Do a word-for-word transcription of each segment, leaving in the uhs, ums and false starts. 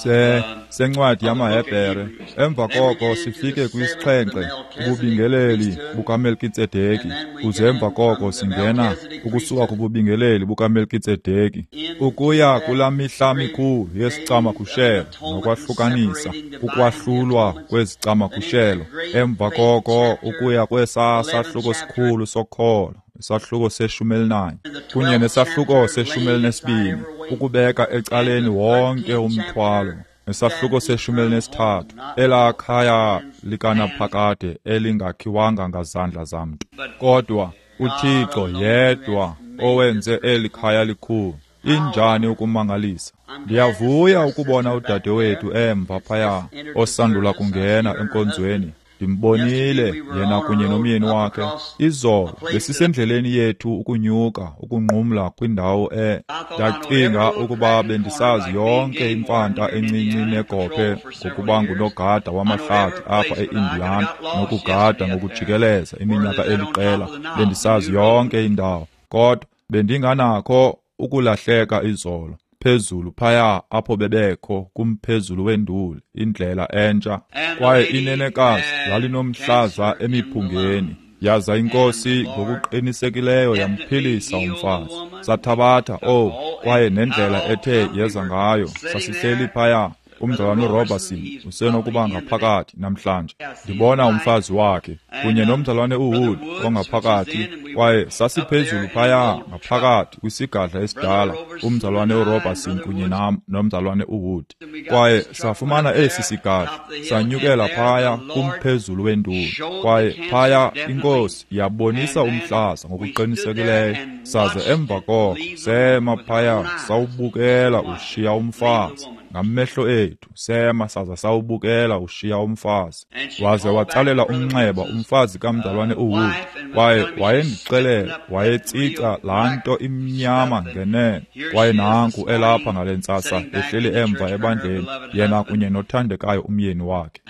se sencwadi yamaHebhere, emva koko sifike kwisixhenxe ububingeleli bukaMelkitsedeki, kuze emva koko singena ukusuka kububingeleli bukaMelkitsedeki ukuya kulaa mihla mikhulu yesicamagushelo nokwahlukanisa, ukwahlulwa kwezicamagushelo, emva koko ukuya kwesaa sahluko sikhulu sokholo, isahluko seshumi elinanye kunye nesahluko seshumi elinesibini, ukubeka ecaleni wonke umthwalo, nesahluko seshumi elinesithathu, elaa khaya likanaphakade elingakhiwanga ngazandla zamntu, kodwa uThixo yedwa owenze eli khaya likhulu. Injani ukumangalisa! Ndiyavuya ukubona udadewethu emva phaya osandula kungena enkonzweni. Ndimbonile yena kunye nomyeni wakhe. Izolo besisendleleni yethu ukunyuka ukunqumla kwindawo e ndacinga ukuba bendisazi yonke imfanta encinci negophe ngokuba ngunogada wamahlathi apha e-Indiana nokugada ngokujikeleza iminyaka eliqela. Bendisazi yonke indawo, kodwa bendinganakho ukulahleka izolo phezulu phaya apho bebekho kumphezulu wenduli, indlela entsha. Kwaye inenekazi lalinomhlaza emiphungeni, yaza inkosi ngokuqinisekileyo yamphilisa umfazi. Sathabatha oh kwaye nendlela ethe yeza ngayo, sasihleli phaya. Umzalwane uRobertson usenokuba ngaphakathi namhlanje. Ndibona umfazi wakhe kunye nomzalwane uWood ongaphakathi, kwaye sasiphezulu phaya ngaphakathi kwisigadla esidala, umzalwane uRobertson kunye nam nomzalwane uWood. Kwaye safumana esi sigadla, sanyukela phaya kumphezulu wenduli, kwaye phaya inkosi yabonisa umhlaza ngokuqinisekileyo. Saze emva koko sema phaya sawubukela ushiya umfazi ngamehlo ethu, sema saza sawubukela ushiya umfazi. Waze watsalela umnxeba umfazi kamzalwane uWood, kwaye wayendixelela wayetsica laa nto imnyama ngenene. Kwaye nanku elapha ngale ntsasa ehleli emva ebandleni, yena kunye nothandekayo umyeni wakhe,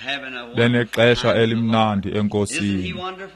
benexesha elimnandi enkosini.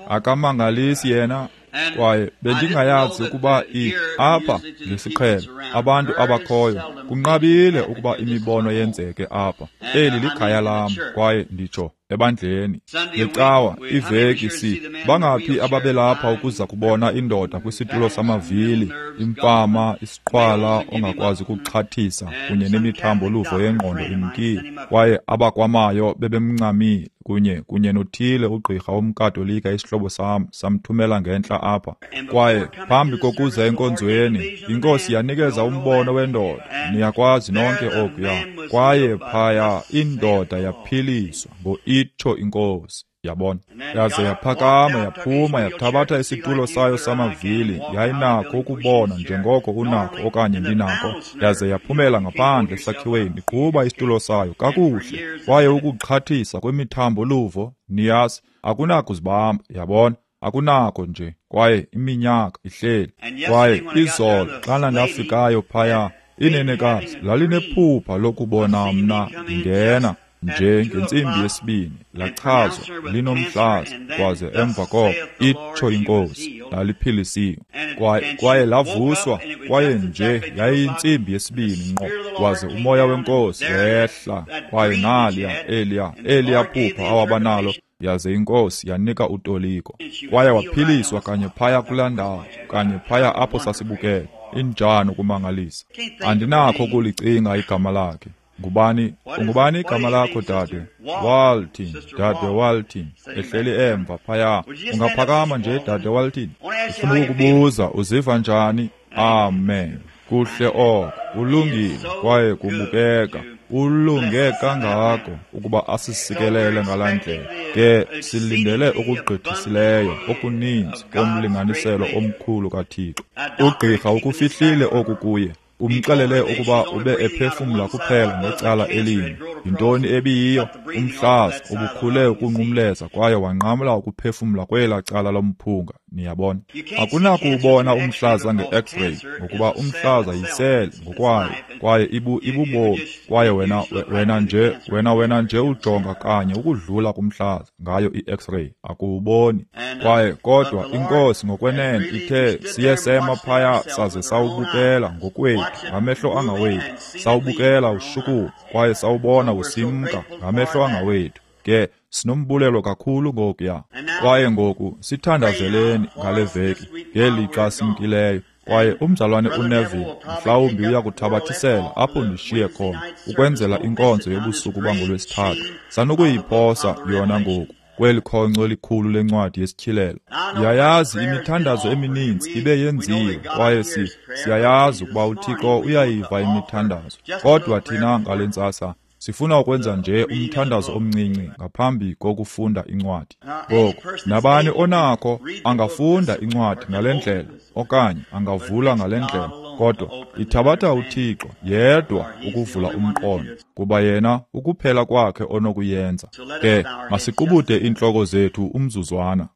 Akamangalisi yena? Kwaye bendingayazi ukuba i apha ngesiqhelo abantu abakhoyo kunqabile ukuba imibono yenzeke apha. Eli likhaya lam, kwaye nditsho ebandleni ngecawa iveki si bangaphi ababelapha ukuza kubona indoda kwisitulo samavili, imfama, isiqhwala ongakwazi ukuxhathisa kunye nemithambo luvo yengqondo imkile, kwaye abakwamayo bebemncamile kunye kunye nothile ugqirha womKatolika, isihlobo sam samthumela ngentla apha. Kwaye phambi kokuza enkonzweni, inkosi yanikeza umbono wendoda, niyakwazi nonke okuya. Kwaye phaya indoda yaphiliswa ngo-itsho inkosi, yabona. Yaze yaphakama yaphuma yathabatha isitulo sayo samavili, yayinakho ukubona njengoko unakho okanye ndinakho, yaze yaphumela ngaphandle esakhiweni iqhuba isitulo sayo kakuhle. Kwaye ukuxhathisa kwemithambo luvo, niyazi, akunakuzibamba, yabona, akunakho nje. Kwaye iminyaka ihleli. Kwaye izolo xana ndafikayo phaya, inenekazi lalinephupha lokubona mna ndingena nje ngentsimbi yesibini, lachazwa linomhlaza, kwaze emva koko itsho inkosi laliphilisiwe. Kwaye kwaye lavuswa, kwaye nje yayiyintsimbi yesibini ngqo, waze umoya wenkosi wehla, kwaye naliya eliya eliya phupha awabanalo, yaze inkosi yanika utoliko. Kwaye waphiliswa kanye phaya kulaa ndawo, kanye phaya apho sasibukele. Injani ukumangalisa! Andinakho ukulicinga igama lakhe. Ngubani ungubani igama lakho, dade? Walton, dade Walton, ehleli emva phaya. Ungaphakama nje, dade Walton? Ndifuna ukukubuza, uziva njani? Amen. Kuhle oko, ulungile kwaye kubukeka ulunge kangako ukuba asisikelele ngalaa ndlela. Ke silindele okugqithisileyo okuninzi komlinganiselo omkhulu kaThixo. Ugqirha ukufihlile oku kuye, umxelele ukuba ube ephefumla kuphela ngecala elinye. Yintoni ebiyiyo? Umhlaza ubukhule ukunqumleza kwaye wanqamla ukuphefumla kwelaa cala lomphunga, Niyabona, akunakuwubona umhlaza nge-X-ray, ngokuba umhlaza yisele ngokwayo, kwaye ibu ibubomi, kwaye wena wena nje wena wena nje ujonga kanye ukudlula kumhlaza ngayo i-X-ray, akuwuboni. Kwaye kodwa iNkosi ngokwenene ithe siye sema phaya saze sawubukela ngokwethu ngamehlo angawethu, sawubukela ushukuma kwaye sawubona usimka ngamehlo angawethu. Ke sinombulelo kakhulu ngokuya. Kwaye ngoku sithandazeleni ngale veki ngelixa simkileyo. Kwaye umzalwane uNeville mhlawumbi uya kuthabathisela apho ndishiye khona ukwenzela inkonzo yobusuku bangoLwesithathu. Sanukuyiphosa yona ngoku kweli khonco elikhulu lencwadi yesityhilelo. Ndiyayazi imithandazo emininzi ibe yenziwe, kwaye si siyayazi ukuba uThixo uyayiva imithandazo. Kodwa thina ngale ntsasa sifuna ukwenza nje umthandazo omncinci ngaphambi kokufunda incwadi. Ngoku, nabani onakho angafunda incwadi ngale ndlela okanye angavula ngale ndlela, kodwa ithabatha uThixo yedwa ukuvula umqondo, kuba yena ukuphela kwakhe onokuyenza. Ke masiqubude iintloko zethu umzuzwana.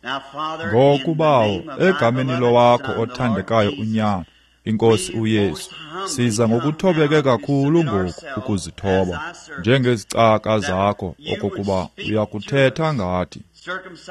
Ngoku, Bawo, egameni lowakho othandekayo uNyana, iNkosi uYesu, siza ngokuthobeke kakhulu ngoku ukuzithoba njengezicaka zakho, okokuba uyakuthetha ngathi.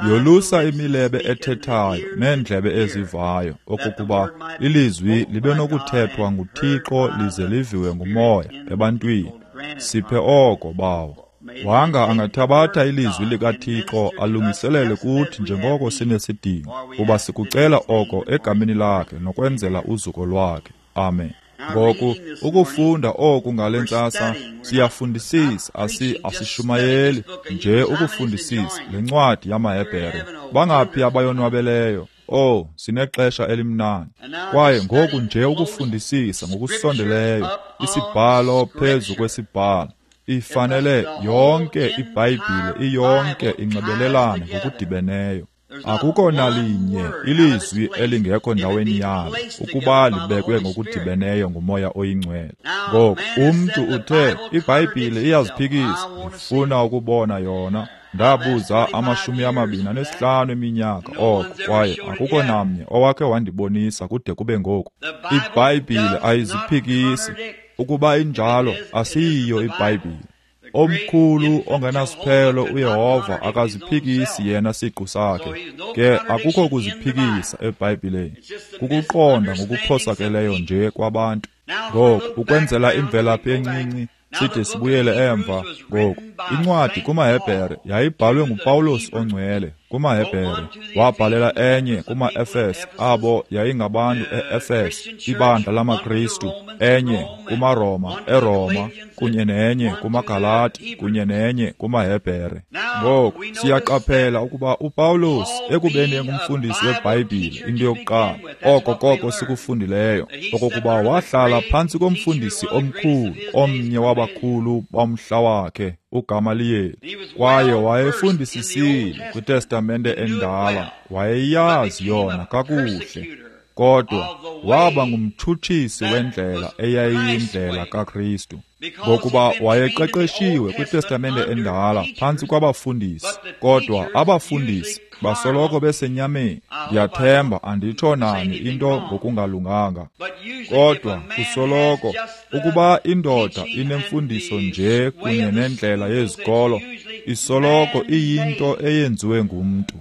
Yolusa imilebe ethethayo neendlebe ezivayo, okokuba ilizwi libe nokuthethwa nguThixo lize liviwe nguMoya ebantwini. Siphe oko, Bawo. Wanga angathabatha ilizwi likaThixo alungiselele kuthi njengoko sinesidingo, kuba sikucela oko egameni lakhe nokwenzela uzuko lwakhe. Amen. Ngoku ukufunda oku ngale ntsasa, siyafundisisa, asi asishumayeli nje ukufundisisa le ncwadi yamaHebhere. Bangaphi abayonwabeleyo? Oh, sinexesha elimnandi. Kwaye ngoku nje ukufundisisa ngokusondeleyo isibhalo phezu kwesibhalo. Ifanele yonke iBhayibhile iyonke inxibelelane ngokudibeneyo. Akukho nalinye ilizwi elingekho ndaweni yalo ukuba libekwe ngokudibeneyo nguMoya oyiNgcwele. Ngoku umntu uthe iBhayibhile iyaziphikisa, ndifuna ukubona yona. Ndabuza amashumi amabini anesihlanu eminyaka oko, kwaye akukho namnye owakhe wandibonisa kude kube ngoku. IBhayibhile ayiziphikisi. Ukuba injalo, asiyiyo iBhayibhile. Omkhulu ongenasiphelo uYehova akaziphikisi yena siqu sakhe. Ke akukho kuziphikisa eBhayibhileni, kukuqonda ngokuphosakeleyo nje kwabantu. Ngoku ukwenzela imvelaphi encinci side sibuyele emva. Ngoku incwadi kumaHebhere yayibhalwe nguPawulos ongcwele kumaHebhere, wabhalela enye kumaEfese, abo yayingabantu e-Efese, ibandla lamaKristu, enye kumaRoma eRoma, kunye nenye kumaGalati, kunye nenye kumaHebhere. Ngoku siyaqaphela ukuba uPawulos ekubeni engumfundisi weBhayibhile, into yokuqala oko koko sikufundileyo, okokuba wahlala phantsi komfundisi omkhulu, omnye wabakhulu bomhla wakhe, uGamaliyeli, kwaye wayefundisisile kwiTestamente endala, wayeyazi yona kakuhle, kodwa waba ngumtshutshisi wendlela eyayiyindlela kaKristu, ngokuba wayeqeqeshiwe kwiTestamente endala phantsi kwabafundisi, kodwa abafundisi basoloko besenyameni. Ndiyathemba anditsho nani into ngokungalunganga, kodwa kusoloko ukuba indoda inemfundiso nje kunye nendlela yezikolo, isoloko iyinto eyenziwe ngumntu.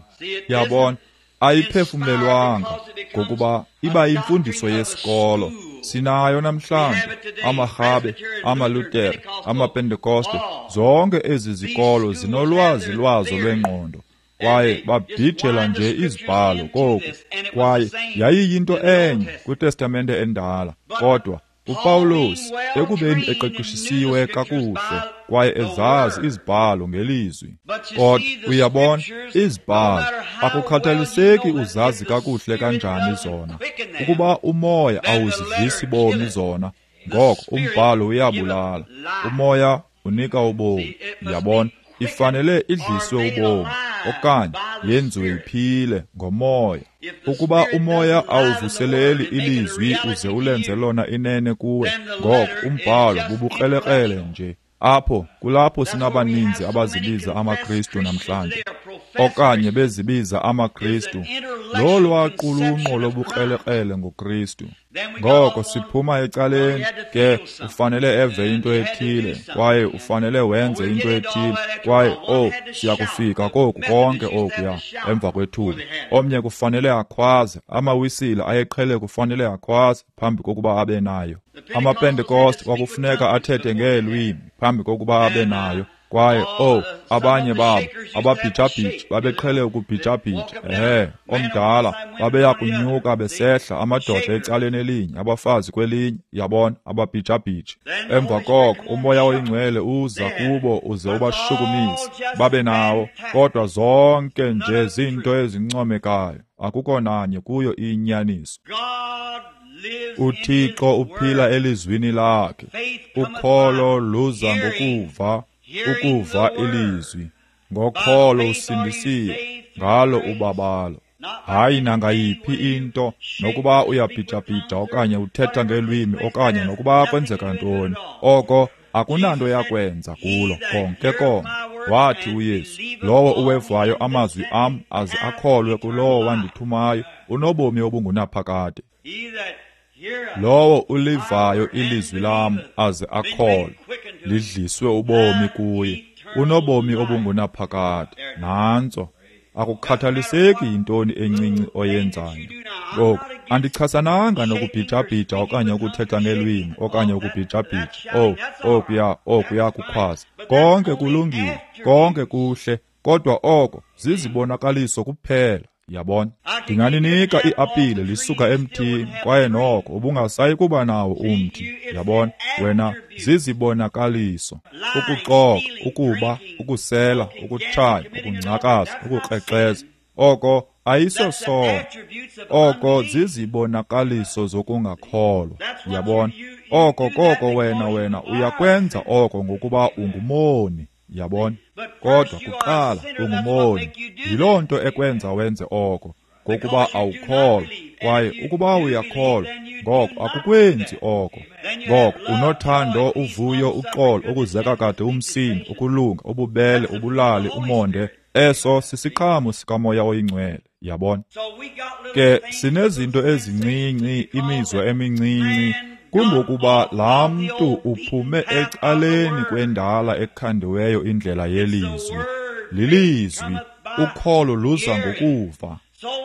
Yabona, ayiphefumlelwanga, ngokuba iba yimfundiso yesikolo. Sinayo namhlanje amaRhabe, amaLutere, amaPentekoste, zonke ezi zikolo zinolwazi lwazo lwengqondo, kwaye babhijela nje izibhalo koku. Kwaye yayiyinto enye kwiTestamente endala, kodwa uPawulos ekubeni eqeqeshisiwe kakuhle kwaye ezazi izibhalo ngelizwi. Kodwa uyabona, izibhalo akukhathaliseki uzazi kakuhle kanjani zona, ukuba umoya awuzidlisi bomi zona, ngoko umbhalo uyabulala, umoya unika ubomi. Uyabona, ifanele idliswe ubomi okanye yenziwe iphile ngomoya. Ukuba umoya awuvuseleli ilizwi uze ulenze lona inene kuwe, ngoko umbhalo bubukrelekrele nje. Apho kulapho sinabaninzi abazibiza amaKristu namhlanje. okanye bezibiza amaKristu, lolwaqulunqo lobukrelekrele ngoKristu. Ngoko siphuma ecaleni ke, ufanele eve into ethile, kwaye ufanele wenze into ethile, kwaye oh, siyakufika koku konke okuya emva kwethuba. Omnye kufanele akhwaze, amawisile ayeqhele kufanele akhwaze phambi kokuba abe nayo. AmaPentekoste kwakufuneka athethe ngeelwimi phambi kokuba abe nayo. Kwaye oh, abanye babo ababhijabhiji babeqhele ukubhijabhija, ehe, omdala babeya kunyuka besehla, amadoda ecaleni elinye, abafazi kwelinye, yabona, ababhijabhiji. Emva koko uMoya oyiNgcwele uza kubo uze ubashukumise babe nawo, kodwa zonke nje zinto ezincomekayo, akukho nanye kuyo iyinyaniso. UThixo uphila elizwini lakhe. Ukholo luza ngokuva, ukuva ilizwi. Ngokholo usindisiwe, ngalo ubabalo. Hayi nangayiphi into, nokuba uyabhijabhija okanye uthetha ngelwimi okanye nokuba kwenzeka ntoni, oko akunanto yakwenza kulo konke konke. Wathi uYesu, lowo uwevayo amazwi am aze akholwe kulowo wandithumayo unobomi obungunaphakade. Lowo ulivayo ilizwi lam aze akholwe, lidliswe ubomi kuye, unobomi obungunaphakade. Nantso. Akukhathaliseki yintoni encinci oyenzayo. Ngoku, andichasananga nokubhijabhija okanye ukuthetha ngelwimi okanye ukubhijabhija, oh, okuya, okuya kukhwaza. Konke kulungile, konke kuhle, kodwa oko zizibonakaliso kuphela. Yabona, ndinganinika iapile lisuka emthini, kwaye noko ubungasayi kuba nawo umthi. Yabona, wena zizibonakaliso. Ukuxoka, ukuba, ukusela, ukutshaya, ukungcakaza, ukukrexeza, oko ayisosono. Oko zizibonakaliso zokungakholwa. Yabona, oko koko wena wena uyakwenza oko ngokuba ungumoni. Yabona, kodwa kuqala ungumoni. Yiloo nto ekwenza wenze oko, ngokuba awukholwa. Kwaye ukuba uyakholwa, ngoko akukwenzi oko. Ngoko unothando, uvuyo, uxolo, ukuzeka kade umsindo, ukulunga, ububele, ubulali, umonde. Eso sisiqhamo sikaMoya oyiNgcwele. Yabona, ke sinezinto ezincinci, imizwa emincinci, kungokuba laa mntu uphume ecaleni kwendala ekhandiweyo indlela yelizwi. Lilizwi, ukholo luza ngokuva.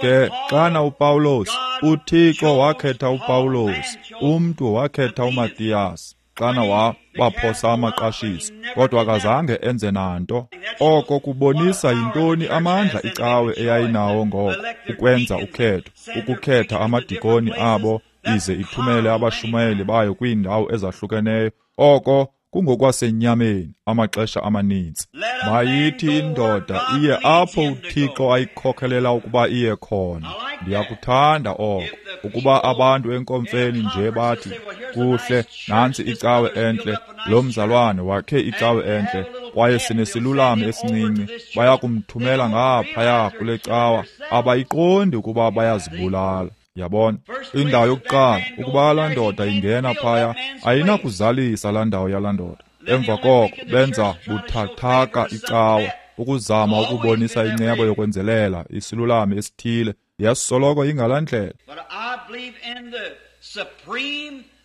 Ke xana uPawulos, uThixo wakhetha uPawulos, umntu wakhetha uMatiyas, xana wabaphosa amaqashiso, kodwa akazange enze nanto. Oko kubonisa yintoni amandla icawe eyayinawo ngoko, ukwenza ukhetho, ukukhetha amadikoni abo, ize ithumele abashumayeli bayo kwiindawo ezahlukeneyo. Oko kungokwasenyameni amaxesha amaninzi. Mayithi indoda iye apho uThixo ayikhokelela ukuba iye khona. Ndiyakuthanda oko, ukuba abantu enkomfeni nje bathi, kuhle, nantsi icawe entle, lo mzalwane wakhe icawe entle, kwaye sinesilulami esincinci, bayakumthumela ngaphaya kule cawa, abayiqondi ukuba bayazibulala. Yabona, indawo yokuqala, ukuba laa ndoda ingena phaya, ayinakuzalisa laa ndawo yalaa ndoda. Emva koko benza buthathaka icawa, ukuzama ukubonisa incebo yokwenzelela isilulami esithile. Yasoloko ingalaa ndlela.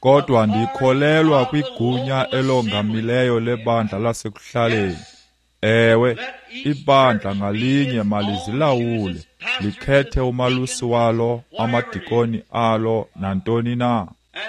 Kodwa ndikholelwa kwigunya elongamileyo lebandla lasekuhlaleni. Ewe, ibandla ngalinye malizilawule, likhethe umalusi walo, amadikoni alo, nantoni na.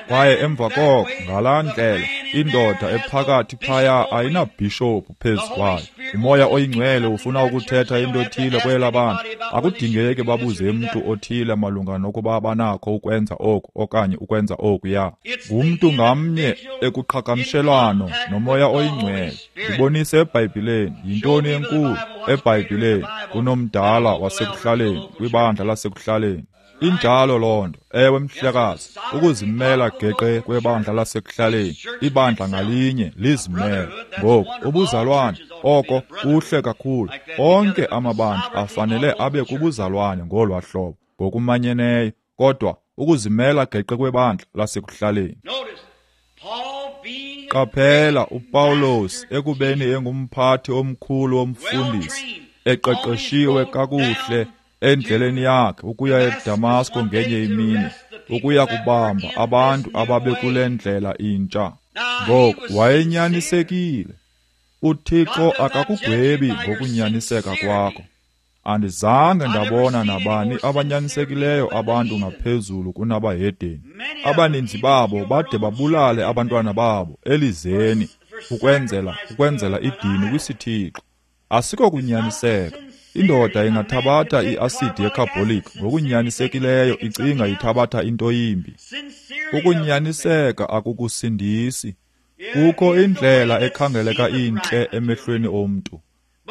Kwaye emva koko, ngalaa ndlela, indoda ephakathi phaya ayinabhishophu phezu kwayo. UMoya oyiNgcwele ufuna ukuthetha into ethile kwela bantu. Akudingeki babuze mntu othile malunga nokuba banakho ukwenza oku okanye ukwenza okuya. Ngumntu ngamnye ekuqhagamshelwano noMoya oyiNgcwele. Ndibonise eBhayibhileni yintoni enkulu eBhayibhileni kunomdala wasekuhlaleni kwibandla lasekuhlaleni. Injalo loo nto, ewe mhlekazi, ukuzimela geqe kwebandla lasekuhlaleni, ibandla ngalinye lizimele. Ngoku ubuzalwane, oko kuhle kakhulu. Onke amabandla afanele abe kubuzalwane ngolwa hlobo, ngokumanyeneyo, kodwa ukuzimela geqe kwebandla lasekuhlaleni. Qaphela uPawulos ekubeni engumphathi omkhulu womfundisi, eqeqeshiwe kakuhle endleleni yakhe ukuya eDamasko ngenye imini, ukuya kubamba abantu ababekule ndlela intsha. Ngoku wayenyanisekile. UThixo akakugwebi ngokunyaniseka kwakho. Andizange ndabona nabani abanyanisekileyo abantu ngaphezulu kunabahedeni. Abaninzi babo bade babulale abantwana babo elizeni ukwenzela ukwenzela idini kwisithixo. Asiko kunyaniseka. Indoda ingathabatha iasidi yecarbolic ngokunyanisekileyo icinga ithabatha into yimbi. Ukunyaniseka akukusindisi. Kukho indlela ekhangeleka intle emehlweni omntu,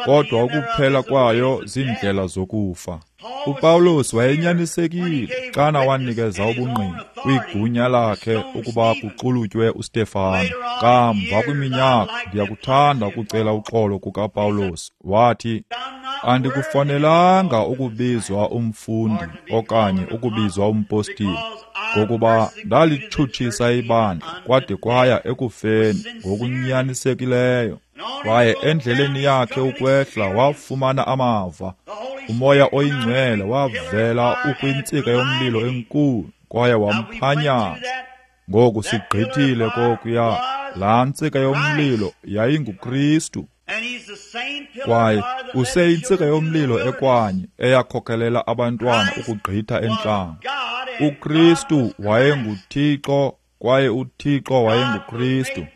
kodwa ukuphela kwayo ziindlela zokufa. UPawulos wayenyanisekile xana wanikeza ubungqina kwigunya lakhe ukuba kuxulutywe uStefano. Kamva kwiminyaka, ndiyakuthanda ukucela uxolo kukaPawulos. Wathi, andikufanelanga ukubizwa umfundi okanye ukubizwa umpostile, ngokuba ndalitshutshisa ibandla kwade kwaya ekufeni ngokunyanisekileyo. Kwaye endleleni yakhe ukwehla wafumana amava. UMoya oyiNgcwele wavela ukwintsika yomlilo enkulu kwaye wamphanyaza. Ngoku sigqithile kokuya, laa ntsika yomlilo yayinguKristu. Kwaye useyintsika yomlilo ekwanye eyakhokelela abantwana ukugqitha entlango. UKristu wayenguThixo kwaye uThixo wayenguKristu.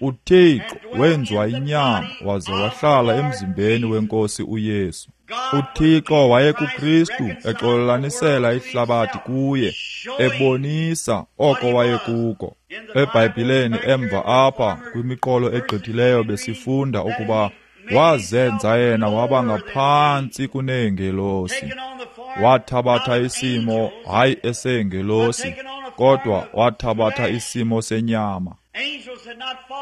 UThixo wenziwa inyama waze wahlala emzimbeni wenkosi uYesu. UThixo wayekuKristu exolelanisela ihlabathi kuye, ebonisa oko wayekuko. EBhayibhileni emva apha kwimiqolo egqithileyo besifunda ukuba wazenza yena waba ngaphantsi kuneengelosi. Wathabatha isimo hayi eseengelosi, kodwa wathabatha isimo senyama.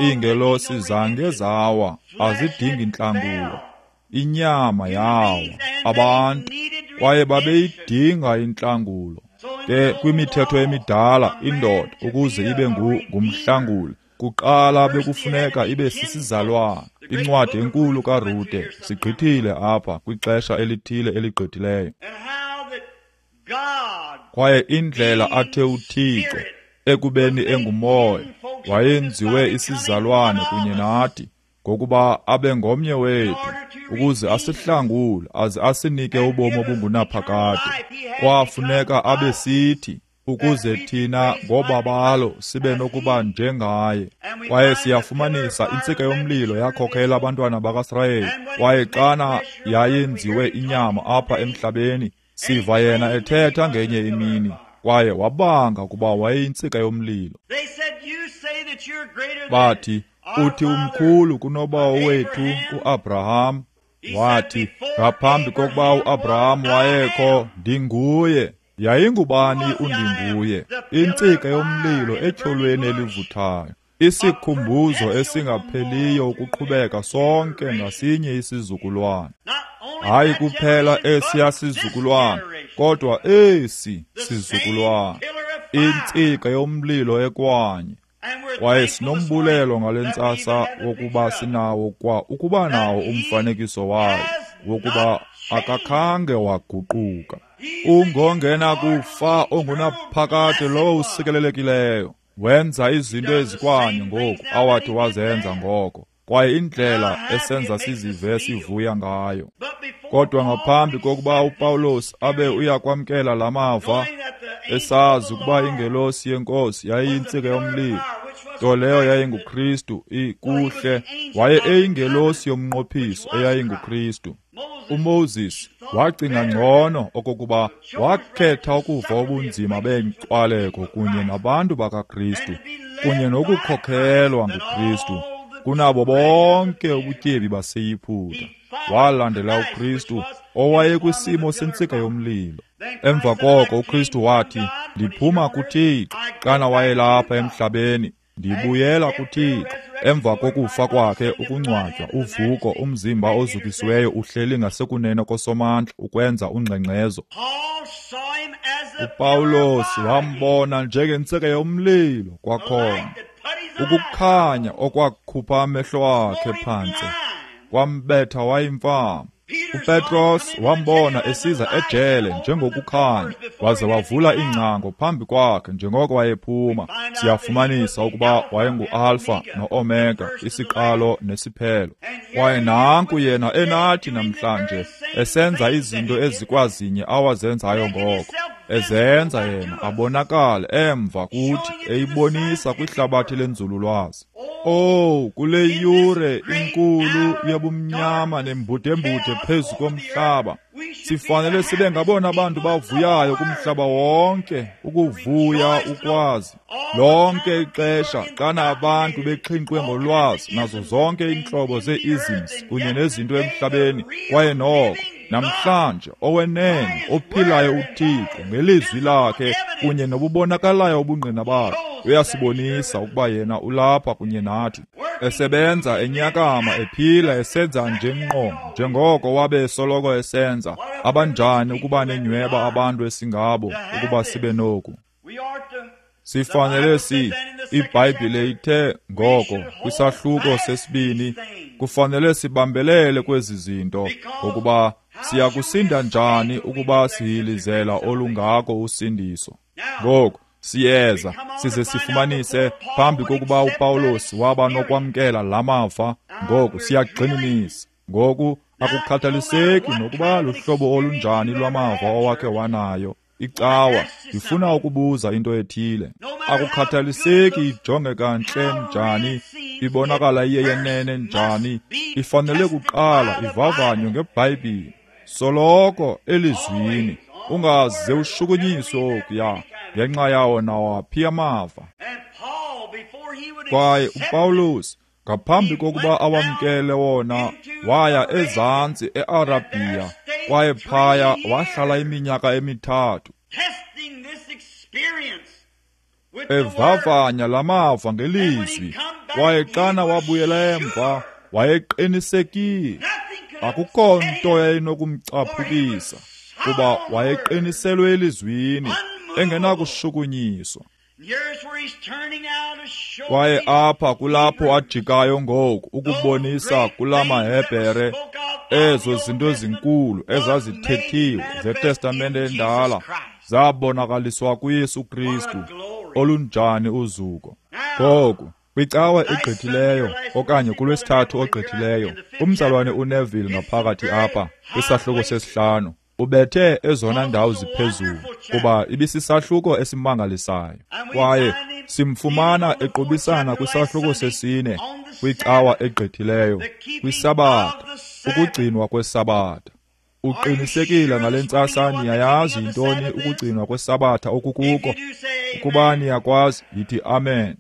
Iingelosi zange zawa, azidingi intlangulo. Inyama yawa, abantu, kwaye babeyidinga intlangulo. Ke kwimithetho emidala indoda ukuze ibe ngumhlanguli, kuqala bekufuneka ibe sisizalwana. Incwadi enkulu kaRute sigqithile apha kwixesha elithile eligqithileyo. Kwaye indlela athe uThixo ekubeni engumoya wayenziwe isizalwane kunye nathi, ngokuba abe ngomnye wethu ukuze asihlangule aze asinike ubomi obungunaphakade. Kwafuneka abe sithi ukuze thina ngobabalo sibe nokuba njengaye. Kwaye siyafumanisa intsika yomlilo yakhokhela abantwana bakaSirayeli. Kwaye xana yayenziwe inyama apha emhlabeni, siva yena ethetha ngenye imini, kwaye wabanga ukuba wayeyintsika yomlilo. Bathi, uthi umkhulu kunobawo wethu uAbraham. Wathi, ngaphambi kokuba uAbraham wayekho, ndinguye. Yayingubani undinguye? Intsika yomlilo etyholweni elivuthayo, isikhumbuzo esingapheliyo ukuqhubeka sonke ngasinye isizukulwana. Hayi kuphela esiya sizukulwana, kodwa esi sizukulwana, intsika yomlilo ekwanye. Kwaye sinombulelo ngale ntsasa wokuba sinawo kwa ukuba nawo umfanekiso wayo, wokuba akakhange waguquka. Ungongena kufa ongunaphakade lowo usikelelekileyo. Wenza izinto ezikwanye ngoku awathi wazenza ngoko, kwaye indlela esenza sizive sivuya ngayo. Kodwa ngaphambi kokuba uPawulos abe uyakwamkela la mava, esazi ukuba ingelosi yenkosi yayiyintsika yomlilo, nto leyo yayinguKristu, ikuhle, waye eyingelosi yomnqophiso eyayinguKristu. uMoses wacinga ngcono okokuba wakhetha ukuva ubunzima beenkcwaleko kunye nabantu bakaKristu, kunye nokukhokhelwa nguKristu, kunabo bonke ubutyebi baseYiputa. Walandela uKristu owayekwisimo sentsika yomlilo. Emva koko uKristu wathi, ndiphuma kuThixo. Xana wayelapha emhlabeni, ndibuyela kuThixo. Emva kokufa kwakhe, ukungcwatywa, uvuko, umzimba ozukisiweyo uhleli ngasekunene koSomandla ukwenza ungxengxezo. UPawulos wambona njengentsika yomlilo kwakhona, ukukhanya okwakhupha amehlo akhe phantsi, kwambetha wayimfama. UPetros wambona esiza ejele njengokukhanya, waze wavula iingcango phambi kwakhe njengoko wayephuma. Siyafumanisa ukuba wayengu-Alfa no-Omega, isiqalo nesiphelo. Kwaye nanku yena enathi namhlanje, esenza izinto ezikwazinye awazenzayo ngoko, ezenza yena abonakale emva kuthi, eyibonisa kwihlabathi lenzululwazi. Oh, kule yure inkulu yobumnyama nembudembude phezu komhlaba, sifanele sibe ngabona bantu bavuyayo kumhlaba wonke, ukuvuya ukwazi. Lonke ixesha xana abantu bexhinqwe ngolwazi nazo zonke iintlobo zee-isms kunye nezinto emhlabeni, kwaye noko namhlanje owenene ophilayo uThixo ngelizwi lakhe kunye nobubonakalayo ubungqina bakhe uyasibonisa ukuba yena ulapha kunye nathi, esebenza enyakama, ephila, esenza nje ngqo njengoko wabe esoloko esenza. Abanjani ukuba nenyweba abantu esingabo ukuba sibe noku. Sifanele si iBhayibhile ithe ngoko kwisahluko sesibini, kufanele sibambelele kwezi zinto, ngokuba siyakusinda njani ukuba sihilizela olungako usindiso. Ngoku siyeza size sifumanise phambi kokuba uPawulos waba nokwamkela la mava. Ngoku siyagxininisa. Ngoku akukhathaliseki nokuba luhlobo olunjani lwamava owakhe wanayo icawa, ndifuna ukubuza into ethile. Akukhathaliseki ijongeka ntle njani, ibonakala iyeyenene njani, ifanele kuqala ivavanywe ngeBhayibhile, soloko elizwini. Ungaze ushukunyiswe okuya ngenxa yawo nawaphi amava. Kwaye uPawulos ngaphambi kokuba awamkele wona, waya ezantsi eArabhiya, kwaye phaya wahlala iminyaka emithathu evavanya lamava ngelizwi. Kwaye xana wabuyela emva, wayeqinisekile. Akukho nto yayinokumcaphukisa, kuba wayeqiniselwe elizwini, engenakushukunyiswa. Kwaye apha kulapho ajikayo ngoku ukubonisa kula maHebhere ezo zinto ezinkulu ezazithethiwe zeTestamente endala zabonakaliswa kuYesu Kristu. Olunjani uzuko! Ngoku kwicawa egqithileyo okanye kulwesithathu ogqithileyo, umzalwane uNeville ngaphakathi apha kwisahluko sesihlanu ubethe ezona ndawo ziphezulu, kuba ibisisahluko esimangalisayo. Kwaye simfumana equbisana kwisahluko sesine kwicawa egqithileyo, kwiSabatha, ukugcinwa kweSabatha. Uqinisekile ngale ntsasa niyayazi yintoni ukugcinwa kweSabatha okukuko? Ukuba niyakwazi, yithi amen.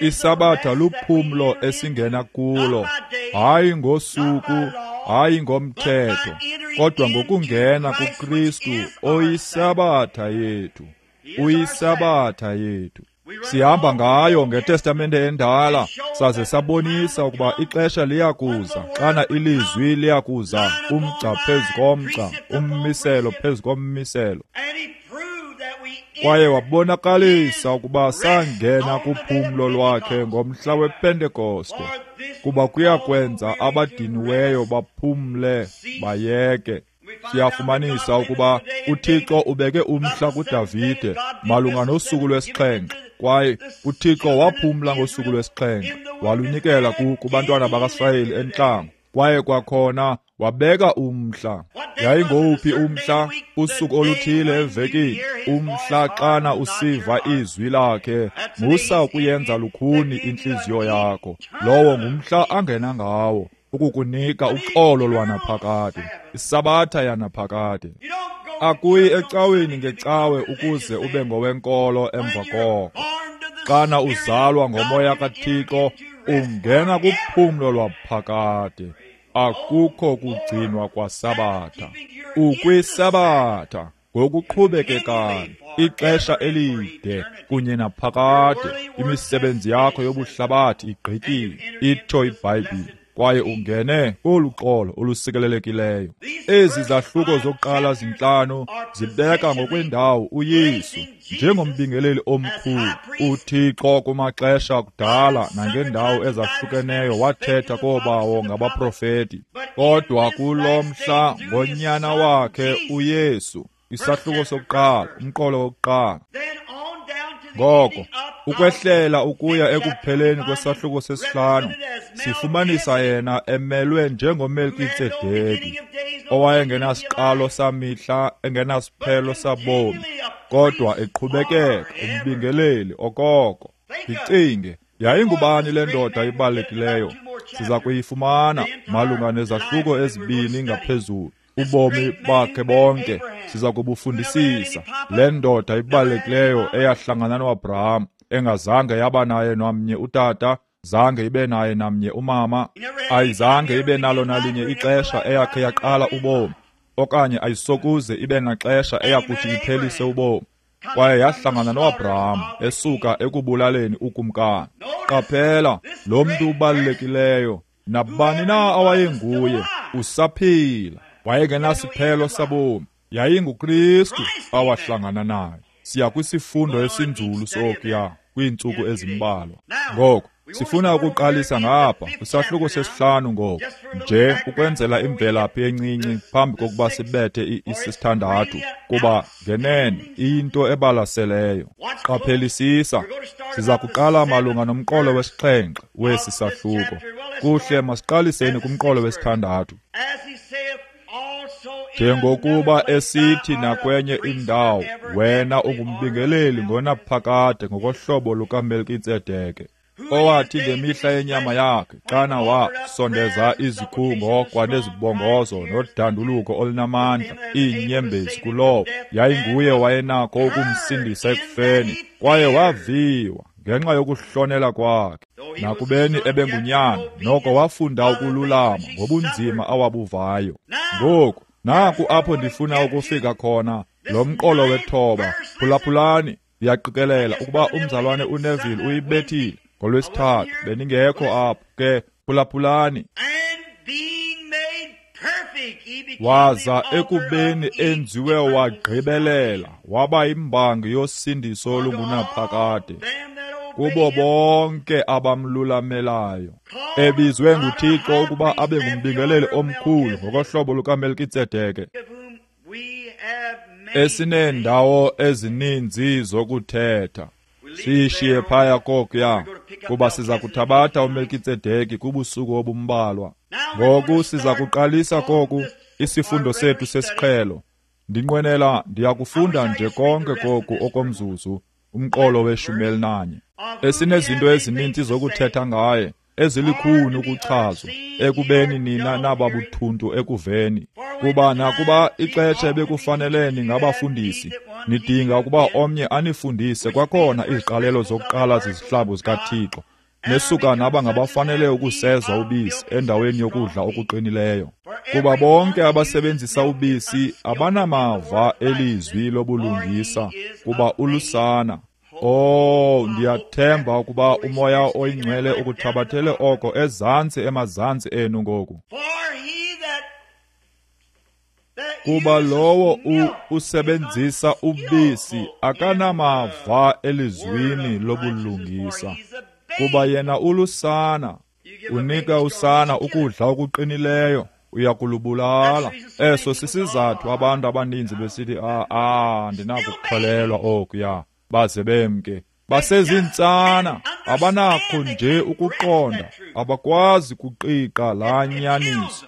ISabatha luphumlo esingena kulo, hayi ngosuku, hayi ngomthetho, kodwa ngokungena kuKristu oyiSabatha yethu. Uyisabatha yethu. Sihamba ngayo ngeTestamente endala, saze sabonisa ukuba ixesha liyakuza xana ilizwi liyakuza, umgca phezu komgca, ummiselo phezu kommiselo. Kwaye wabonakalisa ukuba sangena kuphumlo lwakhe ngomhla wePentekoste, kuba kuyakwenza abadiniweyo baphumle bayeke. Siyafumanisa ukuba uThixo ubeke umhla kuDavide malunga nosuku lwesixhenxe, kwaye uThixo waphumla ngosuku lwesixhenxe, walunikela kubantwana bakaSirayeli entlango. Kwaye kwakhona wabeka umhla. Yayingowuphi umhla? Usuku oluthile evekini, umhla xana usiva izwi lakhe, musa ukuyenza lukhuni intliziyo yakho. Lowo ngumhla angena ngawo ukukunika uxolo lwanaphakade, iSabatha yanaphakade. Akuyi ecaweni ngecawe ukuze ube ngowenkolo emva koko. Xana uzalwa ngomoya kaThixo, ungena kuphumlo lwaphakade. Akukho kugcinwa kwaSabatha. UkwiSabatha ngokuqhubekekayo ixesha elide kunye naphakade. Imisebenzi yakho yobuhlabathi igqityiwe, itsho iBhayibhile, kwaye ungene kolu xolo olusikelelekileyo. Ezi zahluko zokuqala zintlanu zibeka ngokwendawo uYesu njengombingeleli omkhulu. UThixo kumaxesha akudala nangendawo ezahlukeneyo wathetha koobawo ngabaprofeti, Kodwa kulo mhla ngonyana wakhe uYesu, isahluko sokuqala, umqolo wokuqala. Ngoko ukwehlela ukuya ekupheleni kwesahluko sesihlanu, sifumanisa yena emelwe njengoMelkitsedeki, owayengenasiqalo samihla, engenasiphelo sabomi, kodwa eqhubekeka umbingeleli okoko. Ndicinge, yayingubani le ndoda ibalulekileyo? Siza kuyifumana malunga nezahluko ezibini ngaphezulu. Ubomi bakhe bonke siza kubufundisisa. Le ndoda ibalulekileyo eyahlangana noAbraham, engazange yaba naye namnye utata, zange ibe naye namnye umama, ayizange ibe nalo nalinye ixesha eyakhe yaqala ubomi, okanye ayisokuze ibe naxesha eyakuthi iphelise ubomi. Kwaye yahlangana noAbraham esuka ekubulaleni ukumkani. Qaphela, lo mntu ubalulekileyo, nabani na awayenguye, usaphila. Wayengenasiphelo sabomi. YayinguKristu awahlangana naye. Siya kwisifundo esinzulu sokuya kwiintsuku ezimbalwa. Ngoko sifuna ukuqalisa ngapha kwisahluko sesihlanu ngoku, nje ukwenzela imvelaphi encinci phambi kokuba sibethe isithandathu, kuba ngenene iyinto ebalaseleyo. Qaphelisisa, siza kuqala malunga nomqolo wesixhenxe wesi sahluko. Kuhle, masiqaliseni kumqolo wesithandathu. Njengokuba esithi nakwenye indawo, wena ungumbingeleli ngonaphakade ngokohlobo lukaMelkitsedeke, owathi ngemihla yenyama yakhe, xana wasondeza izikhungo kwanezibongozo nodanduluko olunamandla, iinyembezi kulowo yayinguye wayenakho ukumsindisa ekufeni, kwaye waviwa ngenxa yokuhlonela kwakhe. Nakubeni ebengunyana, noko wafunda ukululama ngobunzima awabuvayo. Ngoku naku apho ndifuna ukufika khona, lo mqolo wethoba. Phulaphulani, ndiyaqikelela ukuba umzalwane uNeville uyibethile ngolwesithathu, bendingekho apho ke. Phulaphulani. Waza ekubeni enziwe wagqibelela, waba imbangi yosindiso olungunaphakade kubo bonke abamlulamelayo, ebizwe nguThixo ukuba abe ngumbingeleli omkhulu ngokohlobo lukaMelkitsedeke, esineendawo ezininzi zokuthetha. Siyishiye phaya kokuya, kuba siza kuthabatha uMelkitsedeki kubusuku obumbalwa. Ngoku siza kuqalisa koku isifundo sethu sesiqhelo. Ndinqwenela ndiyakufunda nje konke koku okomzuzu, umqolo weshumi elinanye, esinezinto ezininzi zokuthetha ngaye, ezilikhuni ukuchazwa, ekubeni nina nababuthuntu ekuveni. Kuba nakuba ixesha ebekufanele ningabafundisi, nidinga ukuba omnye anifundise kwakhona iziqalelo zokuqala zezihlambu zikaThixo, nesuka naba ngabafanele ukuseza ubisi endaweni yokudla okuqinileyo. Kuba bonke abasebenzisa ubisi abanamava elizwi lobulungisa, kuba ulusana. Oh, ndiyathemba ukuba uMoya oyiNgcwele ukuthabathele oko ezantsi emazantsi enu ngoku. Kuba lowo usebenzisa ubisi akanamava elizwini lobulungisa, kuba yena ulusana. Unika usana ukudla okuqinileyo, uyakulubulala. Eso sisizathu abantu abaninzi besithi, ah, ah, ndinakukholelwa okuya, baze bemke. Basezintsana, abanakho nje ukuqonda, abakwazi kuqiqa laa nyaniso.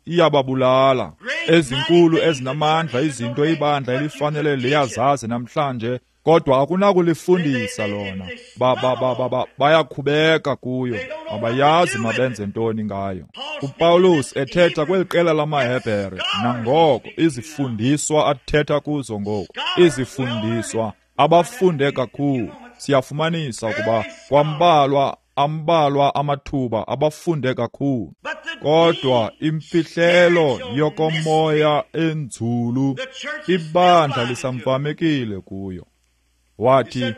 Iyababulala. Ezinkulu ezinamandla izinto ibandla elifanele liyazazi namhlanje, kodwa akunakulifundisa lona. Ba ba ba ba, ba bayakhubeka kuyo, abayazi mabenze ntoni ngayo. UPaulus ethetha kweli qela lamaHebhere, nangoko izifundiswa athetha kuzo ngoku, izifundiswa abafunde kakhulu. Siyafumanisa ukuba kwambalwa ambalwa amathuba abafunde kakhulu, kodwa imfihlelo yokomoya enzulu ibandla lisamfamekile kuyo. Wathi,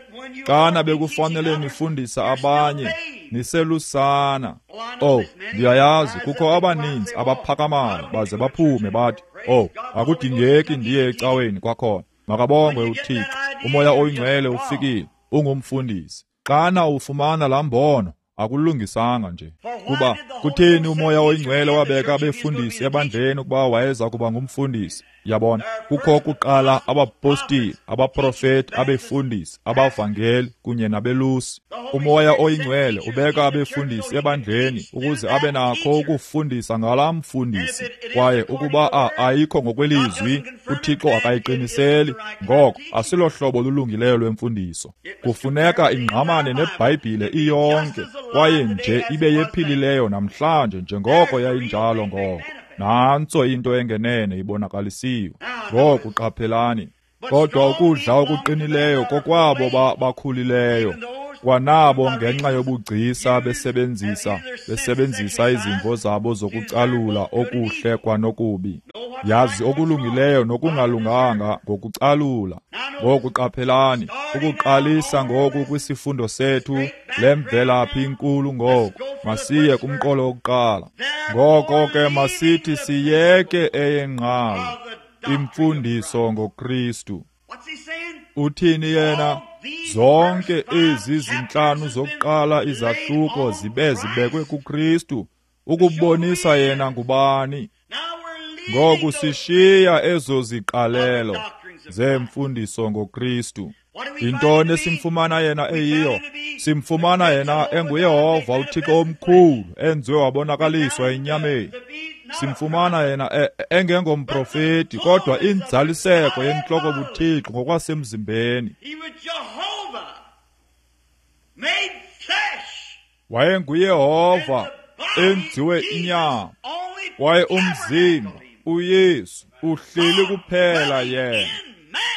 xana bekufanele nifundisa abanye, niselusana. Oh, ndiyayazi kukho abaninzi abaphakamayo baze baphume bathi, oh, akudingeki ndiye ecaweni kwakhona. Makabongwe uThixo, uMoya oyiNgcwele ufikile, ungumfundisi. Xana ufumana laa mbono, Akulungisanga nje. Kuba kutheni uMoya oyiNgcwele wabeka abefundisi ebandleni ukuba wayeza kuba ngumfundisi? Yabona, kukho kuqala abapostile, abaprofeti, abefundisi, abavangeli kunye nabelusi. UMoya oyiNgcwele ubeka abefundisi ebandleni ukuze abe nakho ukufundisa ngalaa mfundisi. Kwaye ukuba ayikho ngokwelizwi, uThixo akayiqiniseli, ngoko asilohlobo lulungileyo lwemfundiso. Kufuneka ingqamane neBhayibhile iyonke, kwaye nje ibe yephilileyo namhlanje njengoko yayinjalo ngoko. Nantso into engenene ibonakalisiwe. Ngoku qaphelani. Kodwa ukudla okuqinileyo kokwabo bakhulileyo, kwanabo ngenxa yobugcisa besebenzisa besebenzisa izimvo zabo zokucalula okuhle kwanokubi. Yazi okulungileyo nokungalunganga ngokucalula. Ngoku qaphelani, ukuqalisa ngoku kwisifundo sethu lemvelaphi inkulu ngoku. Masiye kumqolo wokuqala. Ngoko ke masithi siyeke eyengqalo imfundiso ngoKristu. Uthini yena? Zonke ezi zintlanu zokuqala izahluko zibe zibekwe kuKristu ukubonisa yena ngubani. Ngoku sishiya ezo ziqalelo zemfundiso ngoKristu. Yintoni esimfumana yena eyiyo? Simfumana yena enguYehova uThixo omkhulu enziwe wabonakaliswa enyameni. Simfumana yena engengomprofeti kodwa inzaliseko yentloko buThixo ngokwasemzimbeni. WayenguYehova enziwe inyama, kwaye umzimba uYesu uhleli kuphela yena.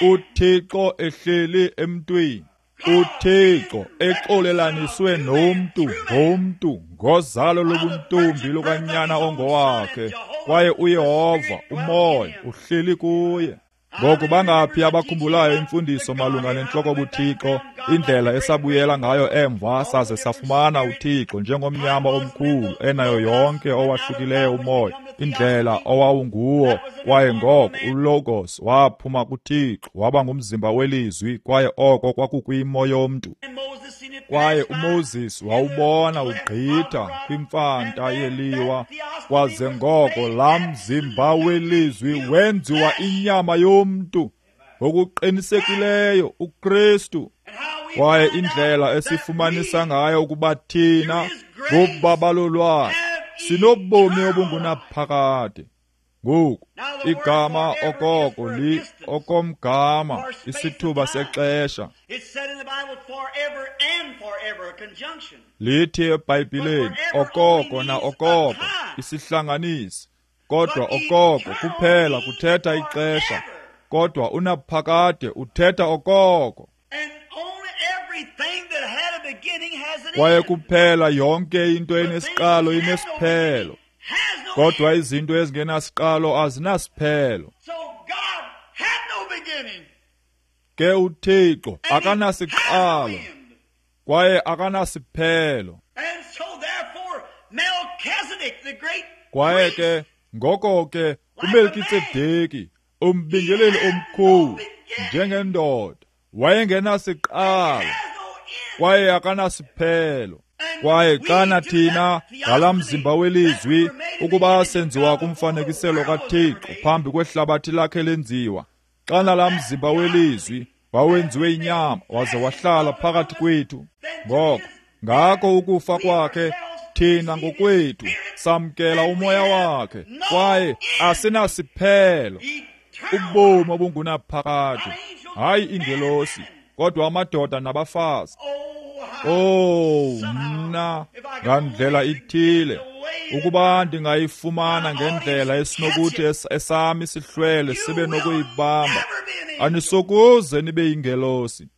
uThixo ehleli emntwini, uThixo exolelaniswe nomntu ngomntu ngozalo lobuntombi lukanyana ongowakhe, kwaye uYehova uMoya uhleli kuye. Ngoku bangaphi abakhumbulayo imfundiso malunga nentloko buThixo, indlela esabuyela ngayo emva saze safumana uThixo njengomnyama omkhulu enayo yonke owahlukileyo umoya, indlela owawunguwo, kwaye ngoko uLogos waphuma kuThixo waba ngumzimba welizwi, kwaye oko kwakukwimo yomntu. Kwaye uMoses wawubona ugqitha kwimfanta yeliwa, kwaze ngoko laa mzimba welizwi wenziwa inyama yomntu ngokuqinisekileyo uKristu. Kwaye indlela esifumanisa ngayo ukuba thina ngobabalo lwakhe sinobomi obungunaphakade. Ngoku igama okoko li okomgama isithuba sexesha. Lithi eBhayibhileni okoko na okoko isihlanganisi, kodwa okoko kuphela kuthetha ixesha, kodwa unaphakade uthetha okoko. Kwaye kuphela yonke into enesiqalo inesiphelo, kodwa izinto ezingenasiqalo azinasiphelo. Ke uThixo akanasiqalo kwaye akanasiphelo. Kwaye ke ngoko ke uMelkitsedeki umbingeleli omkhulu njengendoda wayengenasiqalo kwaye akanasiphelo. Kwaye xana thina ngalaa mzimba welizwi ukuba senziwa kumfanekiselo kaThixo phambi kwehlabathi lakhe lenziwa, xana laa mzimba welizwi wawenziwe inyama waze wahlala phakathi kwethu, ngoko ngako ukufa kwakhe thina ngokwethu samkela umoya wakhe, kwaye asinasiphelo, ubomi obungunaphakade. Hayi ingelosi, kodwa amadoda nabafazi. Oh, mna ngandlela ithile ukuba ndingayifumana ngendlela esinokuthi esami sihlwele sibe nokuyibamba, anisokuze nibe yingelosi.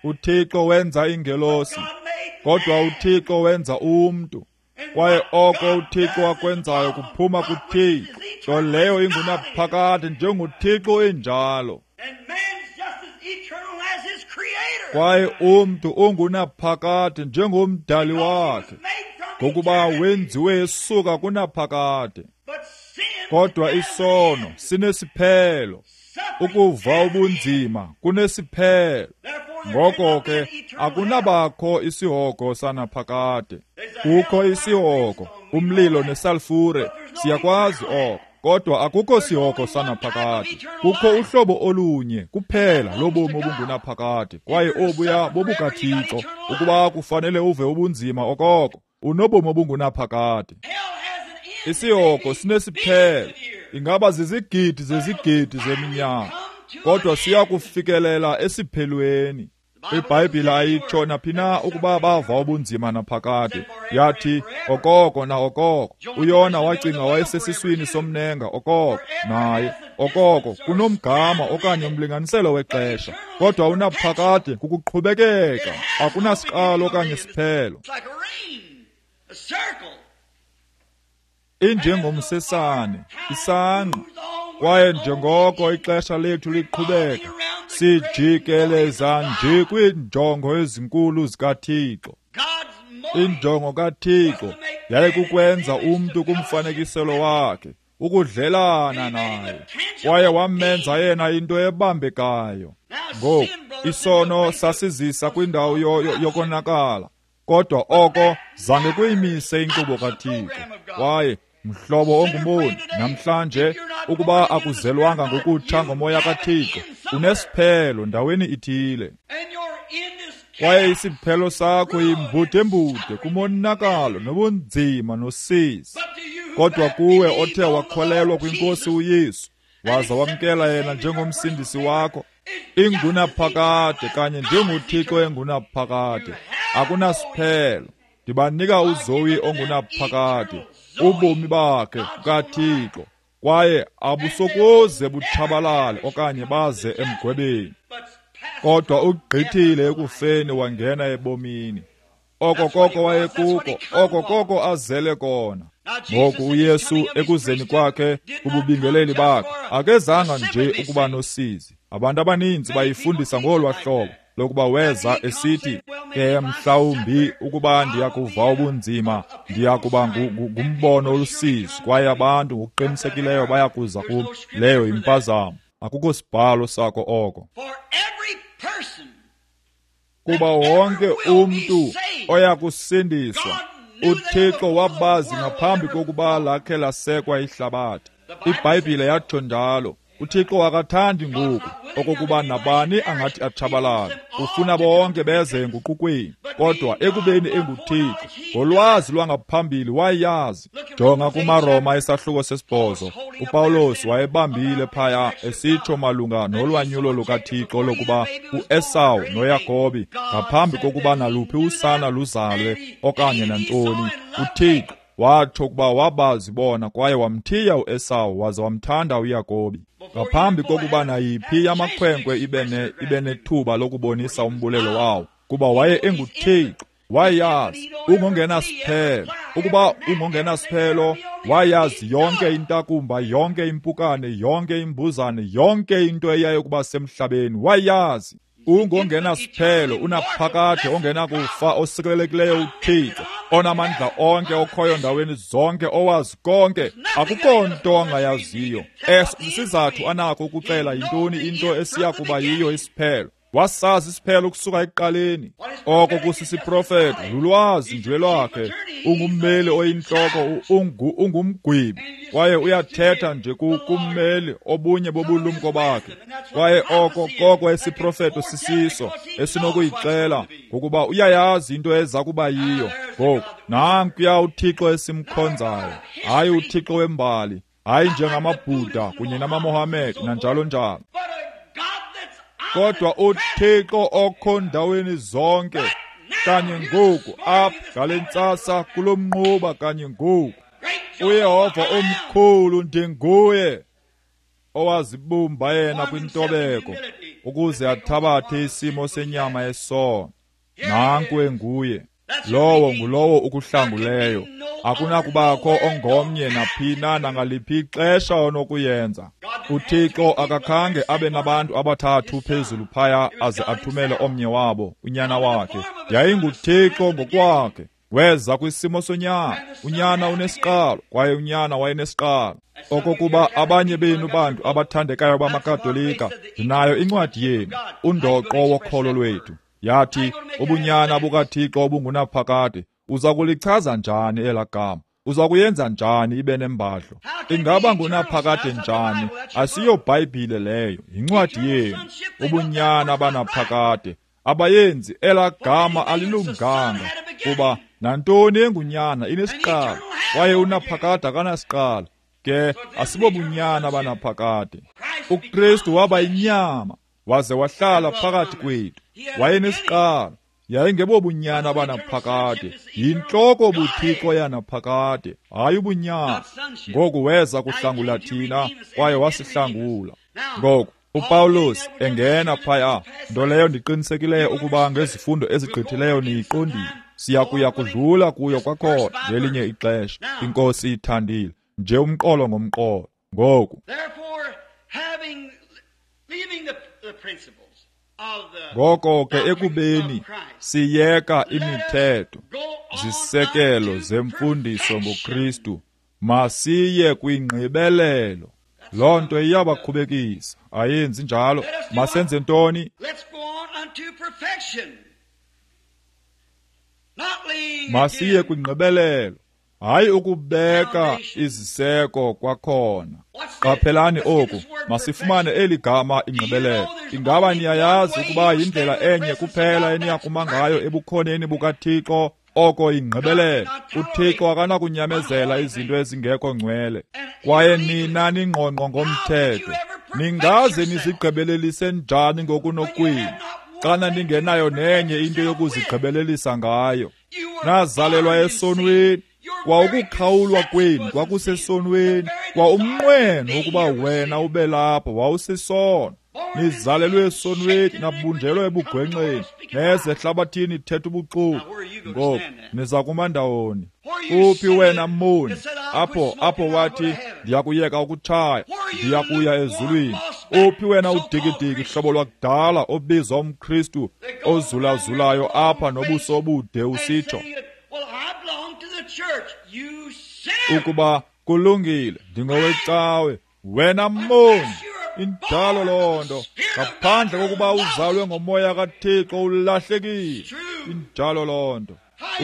uThixo wenza ingelosi, kodwa uThixo wenza umntu. Kwaye oko uThixo akwenzayo kuphuma kuThixo, nto leyo ingunaphakade njengoThixo enjalo. Kwaye umntu ungunaphakade njengomdali wakhe, ngokuba wenziwe esuka kunaphakade. Kodwa isono sinesiphelo, ukuva ubunzima kunesiphelo. Ngoko ke akunabakho isihogo sanaphakade. Kukho isihogo, umlilo nesalfure, siyakwazi oko. Kodwa akukho sihogo sanaphakade. Kukho uhlobo olunye kuphela lobomi obungunaphakade, kwaye obuya bobukaThixo. Ukuba kufanele uve ubunzima okoko, unobomi obungunaphakade. Isihogo sinesiphelo, ingaba zizigidi zezigidi zeminyaka, kodwa siya kufikelela esiphelweni. IBhayibhile ayitsho naphina ukuba bava ubunzima naphakade. Yathi okoko na okoko. UYona wacinga wayesesiswini somnenga okoko naye okoko kunomgama okanye umlinganiselo wexesha, kodwa unaphakade kukuqhubekeka, akunasiqalo okanye siphelo. Injengomsesane, isangqa, kwaye njengoko ixesha lethu liqhubeka, sijikeleza nje kwiinjongo ezinkulu zikaThixo. Injongo kaThixo yayikukwenza umntu kumfanekiselo wakhe, ukudlelana naye, kwaye wamenza yena into ebambekayo. Ngoku isono sasizisa kwindawo yokonakala, kodwa oko zange kuyimise inkqubo kaThixo. Kwaye mhlobo ongumoni, namhlanje ukuba akuzelwanga ngokutsha ngomoya kaThixo, unesiphelo ndaweni ithile. Kwaye isiphelo sakho yimbudembude kumonakalo nobunzima nosizi. Kodwa kuwe othe wakholelwa kwinkosi uYesu, waza wamkela yena njengomsindisi wakho, ingunaphakade kanye njengoThixo engunaphakade, akunasiphelo. Ndibanika uZoe ongunaphakade, ubomi bakhe kaThixo, kwaye abusokuze butshabalale okanye baze emgwebeni. Kodwa ugqithile ekufeni wangena ebomini. Oko koko wayekuko, oko koko azele kona. Ngoku uYesu ekuzeni kwakhe kububingeleli bakhe akezanga nje ukuba nosizi. Abantu abaninzi bayifundisa ngolwa hlobo lokuba weza esithi, ke mhlawumbi ukuba ndiyakuva ubunzima, ndiyakuba ngumbono olusizi, kwaye abantu ngokuqinisekileyo bayakuza kum. Leyo yimpazamo. Akukho sibhalo sako oko. Kuba wonke umntu oya kusindiswa, uThixo wabazi ngaphambi kokuba lakhe lasekwa ihlabathi. IBhayibhile yatsho njalo. uThixo akathandi ngoku okokuba nabani angathi atshabalale. Ufuna bonke beze enguqukweni, kodwa ekubeni enguThixo, ngolwazi lwangaphambili wayazi. Jonga kumaRoma isahluko sesibhozo. uPawulos wayebambile phaya esitsho malunga nolwanyulo lukaThixo lokuba uEsawu noYakobi ngaphambi kokuba naluphi usana luzalwe okanye nantoni, uThixo watsho ukuba wabazi bona kwaye wamthiya uEsawu waze wamthanda uYakobi. Ngaphambi kokuba nayiphi yamakhwenkwe ibe ibe nethuba lokubonisa umbulelo wawo, kuba waye enguThixo, wayazi ungongenasiphelo. Ukuba ungongenasiphelo, wayazi yonke intakumba, yonke impukane, yonke imbuzane, yonke into eyayokuba semhlabeni, wayazi. Ungongenasiphelo, unaphakade, ongenakufa, osikelelekileyo uThixo, onamandla onke, okhoyo ndaweni zonke, owazi konke, akukho nto angayaziyo. Eso sisizathu anako ukuxela yintoni into esiya kuba yiyo isiphelo. Wasazi isiphelo ukusuka ekuqaleni. Oko kusisiprofeto, lulwazi nje lwakhe. Ungummeli oyintloko, ungu, ungumgwebi, kwaye uyathetha nje kummeli obunye bobulumko bakhe. Kwaye oko koko esiprofeto sisiso esinokuyixela, ngokuba uyayazi into eza kuba yiyo. Ngoku nankuya uThixo esimkhonzayo, hayi uThixo wembali, hayi njengamaBhuda kunye namaMohammed nanjalo njalo, kodwa uThixo okho ndaweni zonke kanye ngoku, apha ngale ntsasa kulo mnquba kanye ngoku. uYehova omkhulu ndinguye owazibumba yena kwintobeko ukuze athabathe isimo senyama yesono. Nanku enguye. Lowo ngulowo ukuhlanguleyo. Akunakubakho ongomnye naphina nangaliphi ixesha onokuyenza. uThixo akakhange abe nabantu abathathu phezulu phaya aze athumele omnye wabo, unyana wakhe. YayinguThixo ngokwakhe, Weza kwisimo sonyana. Unyana unesiqalo, kwaye unyana wayenesiqalo. Okokuba abanye benu bantu abathandekayo bamaKatolika, ndinayo incwadi yenu, undoqo wokholo lwethu. Yathi, ubunyana bukaThixo obungunaphakade, uza kulichaza njani elaa gama? Uza kuyenza njani ibe nembadlo? Ingaba ngunaphakade njani? Asiyo Bhayibhile leyo, yincwadi yenu. Ubunyana banaphakade. Abayenzi elaa gama alilunganga, kuba nantoni engunyana inesiqalo, kwaye unaphakade akanasiqalo. Ke asibobunyana banaphakade. UKristu waba yinyama, waze wahlala phakathi kwethu. Wayenesiqalo. Yayingebobunyana banaphakade, yintloko buThixo yanaphakade, hayi ubunyana. Ngoku weza kuhlangula thina, kwaye wasihlangula. Ngoku uPawulos engena phaya, nto leyo ndiqinisekileyo ukuba ngezifundo ezigqithileyo niyiqondile. Siya kuya kudlula kuyo kwakhona ngelinye ixesha, iNkosi ithandile, nje umqolo ngomqolo. Ngoku ngoko ke ekubeni siyeka imithetho, zisekelo zemfundiso ngoKristu, masiye kwingqibelelo. Loo nto iyabakhubekisa, ayenzi njalo. Masenze ntoni? Masiye kwingqibelelo, hayi ukubeka iziseko kwakhona. Qaphelani oku, masifumane eli gama ingqibelelo. Ingaba niyayazi ukuba yindlela enye kuphela eniyakuma ngayo ebukhoneni bukaThixo? Oko ingqibelelo. UThixo akanakunyamezela izinto ezingekho ngcwele. Kwaye nina ningqongqo ngomthetho, ningaze nizigqibelelise njani ngokunokwenu, xana ningenayo nenye into yokuzigqibelelisa ngayo? Nazalelwa esonweni, kwa ukukhawulwa kwenu kwakusesonweni, kwa umnqweno wokuba wena ube lapho wawusisono. Nizalelwe esonweni, nabunjelwa ebugwenxeni, neze ehlabathini ithetha ubuxoki. Ngoku niza kuma ndawoni? Uphi wena moni? Apho apho wathi, ndiyakuyeka ukutshaya, ndiyakuya ezulwini. Uphi wena udikidiki hlobo lwakudala obizwa umKristu ozulazulayo apha nobuso obude usitsho ukuba kulungile, ndingowecawe? Wena moni, injalo loo nto. Ngaphandle kokuba uzalwe ngomoya kaThixo ulahlekile. Injalo loo nto.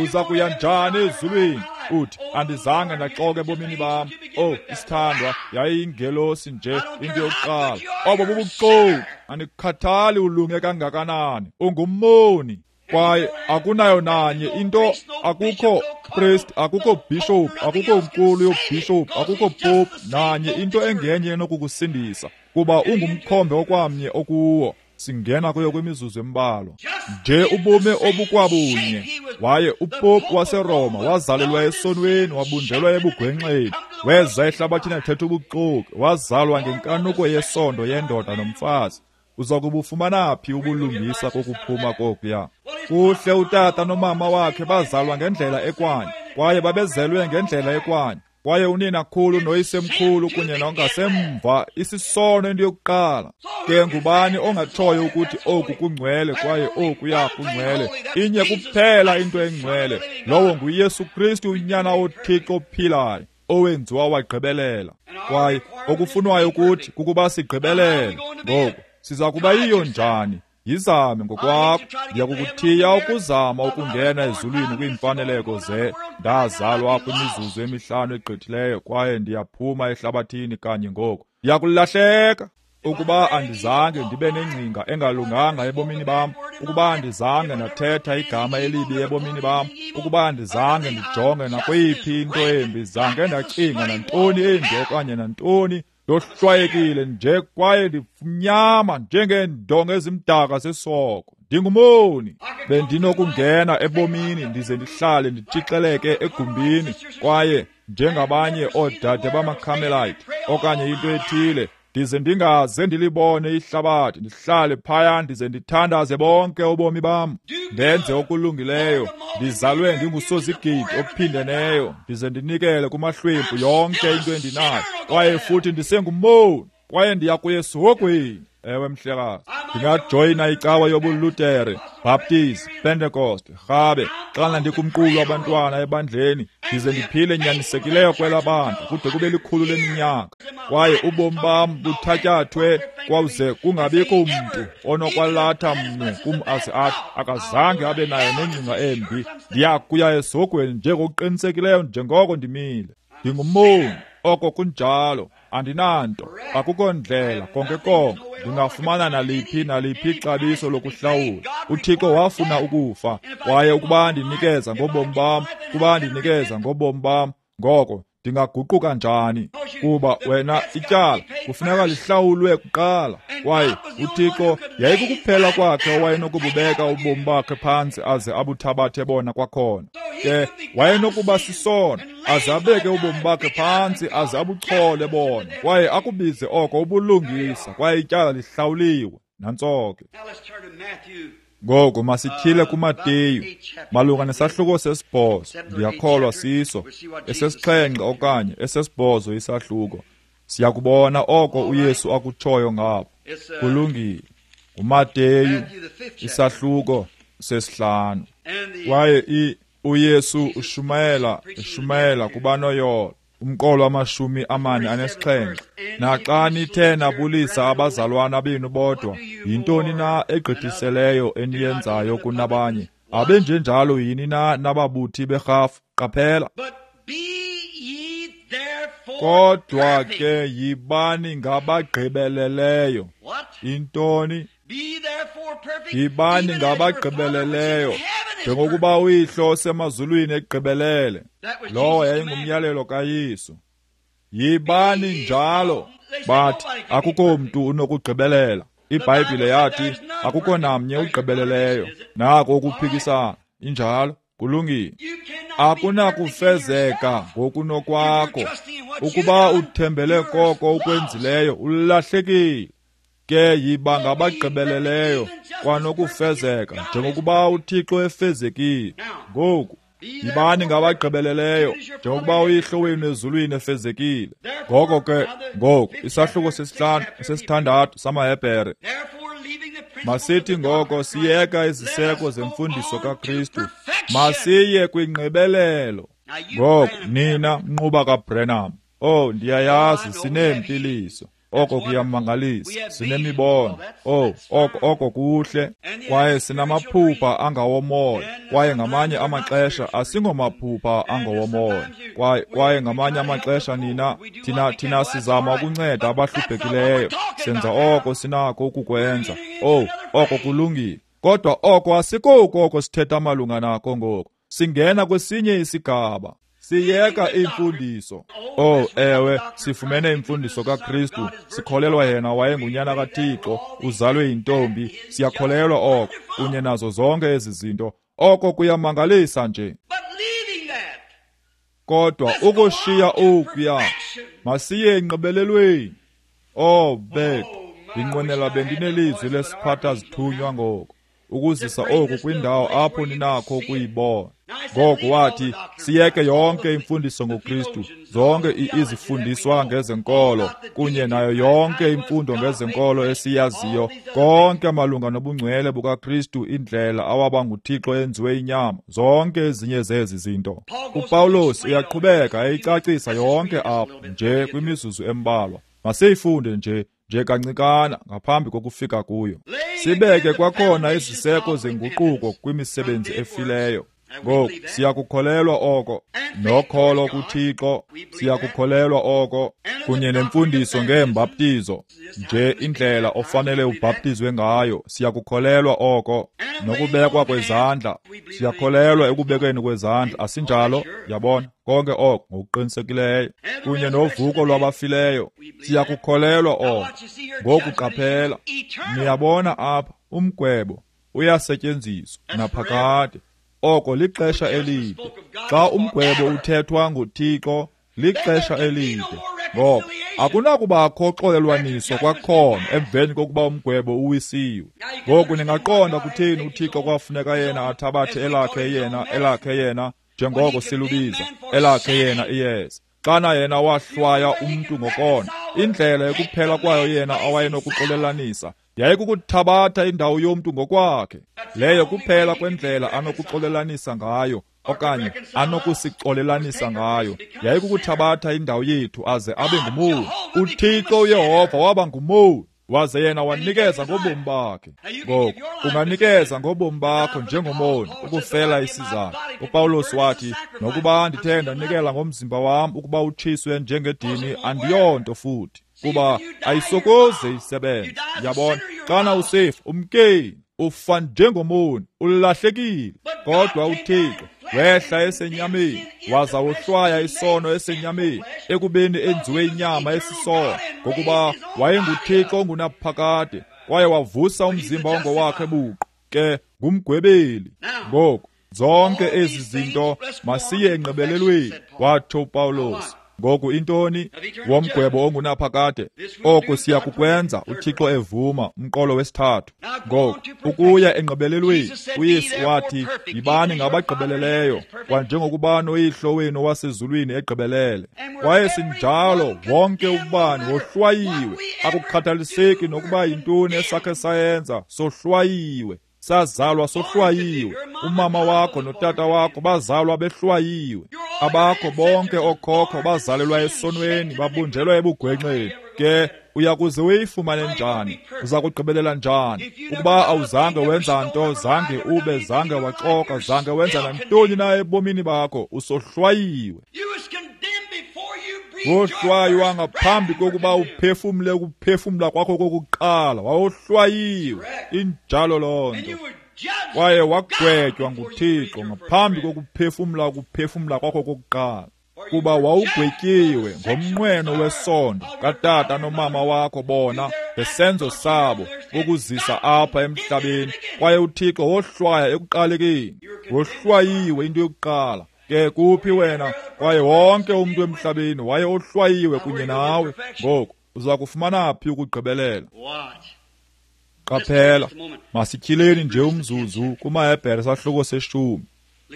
Uza kuya njani ezulwini? Uthi, andizange ndaxoka ebomini bam. Oh, isithandwa, yayiyingelosi nje into yokuqala. Obo bubuxoki. Andikhathali ulunge kangakanani, ungumoni. Kwaye akunayo nanye into, akukho priest, akukho bishop, akukho mkulu yobishop, akukho pope, nanye into engenye enokukusindisa, kuba ungumkhombe okwamnye okuwo. Singena kuyo kwimizuzu embalwa. Nje ubume obukwabunye. Waye uPope waseRoma wazalelwa esonweni, wabunjelwa ebugwenxeni, weza ehlabathini ethetha ubuxoki, wazalwa ngenkanuko yesondo yendoda nomfazi. Uza kubufumana phi ubulungisa kokuphuma kokuya? Kuhle utata nomama wakhe bazalwa ngendlela ekwanye, kwaye babezelwe ngendlela ekwanye, kwaye unina khulu noyisemkhulu kunye nongasemva isisono into yokuqala. Ke ngubani ongatshoyo ukuthi oku kungcwele kwaye okuya kungcwele? Inye kuphela into engcwele, lowo nguYesu Kristu, unyana woThixo ophilayo, owenziwa wagqibelela. Kwaye okufunwayo kuthi kukuba sigqibelele. Ngoku siza kuba yiyo njani? Yizame ngokwakho. Ndiyakukuthiya ukuzama ukungena ezulwini kwiimfaneleko ze ndazalwa kwimizuzu emihlanu egqithileyo, kwaye ndiyaphuma ehlabathini kanye ngoku. Ndiyakulahleka. Ukuba andizange ndibe nengcinga engalunganga ebomini bam, ukuba andizange ndathetha igama elibi ebomini bam, ukuba andizange ndijonge nakweyiphi into embi, zange ndacinga nantoni embi okanye nantoni, ndohlwayekile nje kwaye ndimnyama njengeendonga ezimdaka zesoko. Ndingumoni. Bendinokungena ebomini ndize ndihlale nditshixeleke egumbini, kwaye njengabanye oodade bamaCarmelite okanye into ethile, ndize ndingaze ndilibone ihlabathi, ndihlale phaya ndize ndithandaze bonke ubomi bam, ndenze okulungileyo, ndizalwe ndingusozigidi ophindeneyo, ndize ndinikele kumahlwempu yonke into endinayo, kwaye futhi ndisengumoni, kwaye ndiya kuya esihogweni. Ewe mhlekazi, ndingajoyina icawa yobuLutere, Baptist, Pentecost, rhabe xana ndikumqulu wabantwana ebandleni, ndize ndiphile nyanisekileyo kwela bandla kude kube likhulu leminyaka, kwaye ubomi bam buthatyathwe kwawuze kungabikho mntu onokwalatha mnwe kum aze athi akazange abe nayo nengcinga embi. Ndiya kuya esogweni njengokuqinisekileyo njengoko ndimile. Ndingumoni, oko kunjalo. Andinanto, akukho ndlela konke konke ndingafumana naliphi naliphi ixabiso lokuhlawula. UThixo wafuna ukufa, kwaye ukuba ndinikeza ngobomi bam, kuba ndinikeza ngobomi bam, ngoko ndingaguquka njani? Kuba wena ityala kufuneka lihlawulwe kuqala, kwaye uThixo yayikukuphela kwakhe owayenokububeka ubomi bakhe phantsi aze abuthabathe bona kwakhona. Ke wayenokuba sisono aze abeke ubomi bakhe phantsi aze abuchole bona, kwaye akubize oko ubulungisa, kwaye ityala lihlawuliwe. Nantso ke. Ngoku masityhile kuMateyu malunga nesahluko sesibhozo, ndiyakholwa siso esesixhenxe okanye esesibhozo isahluko. Siyakubona oko uYesu akutshoyo ngapha. Kulungile. UMateyu isahluko sesihlanu. Kwaye i uYesu ushumayela ushumayela kubanoyolo, umqolo wamashumi amane anesixhenxe. Naxa nithe nabulisa abazalwana benu bodwa, yintoni na egqithiseleyo eniyenzayo kunabanye? Abenjenjalo yini na nababuthi berhafu? Qaphela. Kodwa ke yibani ngabagqibeleleyo. Intoni? Yibani ngabagqibeleleyo, njengokuba uyihlo osemazulwini egqibelele. Lowo yayingumyalelo kaYesu. Yibani njalo. Bathi akukho mntu unokugqibelela. IBhayibhile yathi akukho namnye ugqibeleleyo. Nako ukuphikisana. Injalo. Kulungile. Akunakufezeka ngokunokwakho. Ukuba uthembele koko ukwenzileyo, ulahlekile. Ke yiba ngabagqibeleleyo kwanokufezeka njengokuba uThixo efezekile. Ngoku yibani ngabagqibeleleyo njengokuba uyihlo wenu ezulwini efezekile. Ngoko ke ngoku isahluko sesihlanu sesithandathu samaHebhere. Masithi ngoko siyeka iziseko zemfundiso kaKristu, masiye kwingqibelelo. Ngoku nina mnquba kaBrenham, oh ndiyayazi sineempiliso, oko kuyamangalisa, sinemibono, oh oko oko kuhle, kwaye sinamaphupha angawomoya, kwaye ngamanye amaxesha asingomaphupha angawomoya, kwaye kwaye ngamanye amaxesha nina thina thina sizama ukunceda abahluphekileyo, senza oko sinako ukukwenza. Oh oko kulungile, kodwa oko asikoko oko sithetha malunga nako ngoku. Singena kwesinye isigaba. Siyeka imfundiso. Oh ewe, sifumene imfundiso kaKristu, sikholelwa yena wayengunyana kaThixo, uzalwe yintombi, siyakholelwa oko kunye nazo zonke ezi zinto. Oko kuyamangalisa nje. Kodwa ukushiya okuya, masiye engqibelelweni. Oh bethu, ndinqwenela bendinelizwi lesiphatha zithunywa ngoku, ukuzisa oku kwindawo apho ninakho ukuyibona. Ngoku wathi siyeke yonke imfundiso ngoKristu, zonke izifundiswa ngezenkolo kunye nayo yonke imfundo ngezenkolo esiyaziyo, konke malunga nobungcwele bukaKristu, indlela awaba nguThixo enziwe inyama, zonke ezinye zezi zinto. UPawulos uyaqhubeka eyicacisa yonke apha nje kwimizuzu embalwa. Masiyifunde nje nje kancikana ngaphambi kokufika kuyo. Sibeke kwakhona iziseko zenguquko kwimisebenzi efileyo. Ngoku siyakukholelwa oko, nokholo kuThixo siyakukholelwa oko, kunye nemfundiso ngeembaptizo, nje indlela ofanele ubhaptizwe ngayo, siyakukholelwa oko, nokubekwa kwezandla, siyakholelwa ekubekweni kwezandla, asinjalo? Yabona, konke oko ngokuqinisekileyo, kunye novuko lwabafileyo, siyakukholelwa oko. Ngoku qaphela, niyabona apha umgwebo uyasetyenziswa naphakade. Oko lixesha elide. Xa umgwebo uthethwa nguThixo, lixesha elide. Ngoko akunakubakho xolelwaniso kwakhona emveni kokuba umgwebo uwisiwe. Ngoku ningaqonda kutheni uThixo kwafuneka yena athabathe elakhe yena elakhe yena njengoko silubiza elakhe yena iyeza. Xana yena wahlwaya umntu ngokona, indlela ekuphela kwayo yena awayenokuxolelanisa yayikukuthabatha indawo yomntu ngokwakhe. Leyo kuphela kwendlela anokuxolelanisa ngayo okanye anokusixolelanisa ngayo, yayikukuthabatha indawo yethu aze abe ngumoni. UThixo uYehova waba ngumoni, waze yena wanikeza ngobomi bakhe. Ngoku unganikeza ngobomi bakho njengomoni ukufela isizathu. UPawulos wathi, nokuba ndithe ndanikela ngomzimba wam ukuba utshiswe njengedini, andiyonto futhi, kuba ayisokoze isebenze. Yabona, xana usifa umkeni, ufa njengomoni, ulahlekile. Kodwa uThixo wehla esenyameni, waza wohlwaya isono esenyameni, ekubeni enziwe inyama esisono, ngokuba wayenguThixo ongunaphakade, kwaye wavusa umzimba ongowakhe buqu. Ke ngumgwebeli. Ngoku zonke ezi zinto masiye engqibelelweni, watsho uPawulos. Ngoku intoni? Womgwebo ongunaphakade. Oku siya kukwenza uThixo evuma, umqolo wesithathu. Ngoku ukuya engqibelelweni, uYesu wathi, yibani ngabagqibeleleyo kwanjengokuba noYihlo wenu wasezulwini egqibelele. Kwaye sinjalo, wonke ubani wohlwayiwe. Akukhathaliseki nokuba yintoni esakhe sayenza, sohlwayiwe. Sazalwa sohlwayiwe. Umama wakho notata wakho bazalwa behlwayiwe. Abakho bonke okhokho bazalelwa esonweni, babunjelwa ebugwenxeni. Ke uyakuze uyifumane njani? Uza kugqibelela njani? Ukuba awuzange wenza nto, zange ube, zange waxoka, zange wenza nantoni na ebomini bakho, usohlwayiwe. Wohlwaywa ngaphambi kokuba uphefumle ukuphefumla kwakho kokuqala, wawohlwayiwe. Injalo loo nto. Kwaye wagwetywa nguThixo ngaphambi kokuphefumla ukuphefumla kwakho kokuqala, kuba wawugwetyiwe ngomnqweno wesondo katata nomama wakho bona ngesenzo sabo bokuzisa apha emhlabeni. Kwaye uThixo wohlwaya ekuqalekeni. Wohlwayiwe into yokuqala. Ke kuphi wena? Kwaye wonke umntu emhlabeni waye ohlwayiwe kunye nawe. Ngoku uza kufumana phi ukugqibelela? Qaphela, masityhileni nje umzuzu kumaHebhere sahluko seshumi.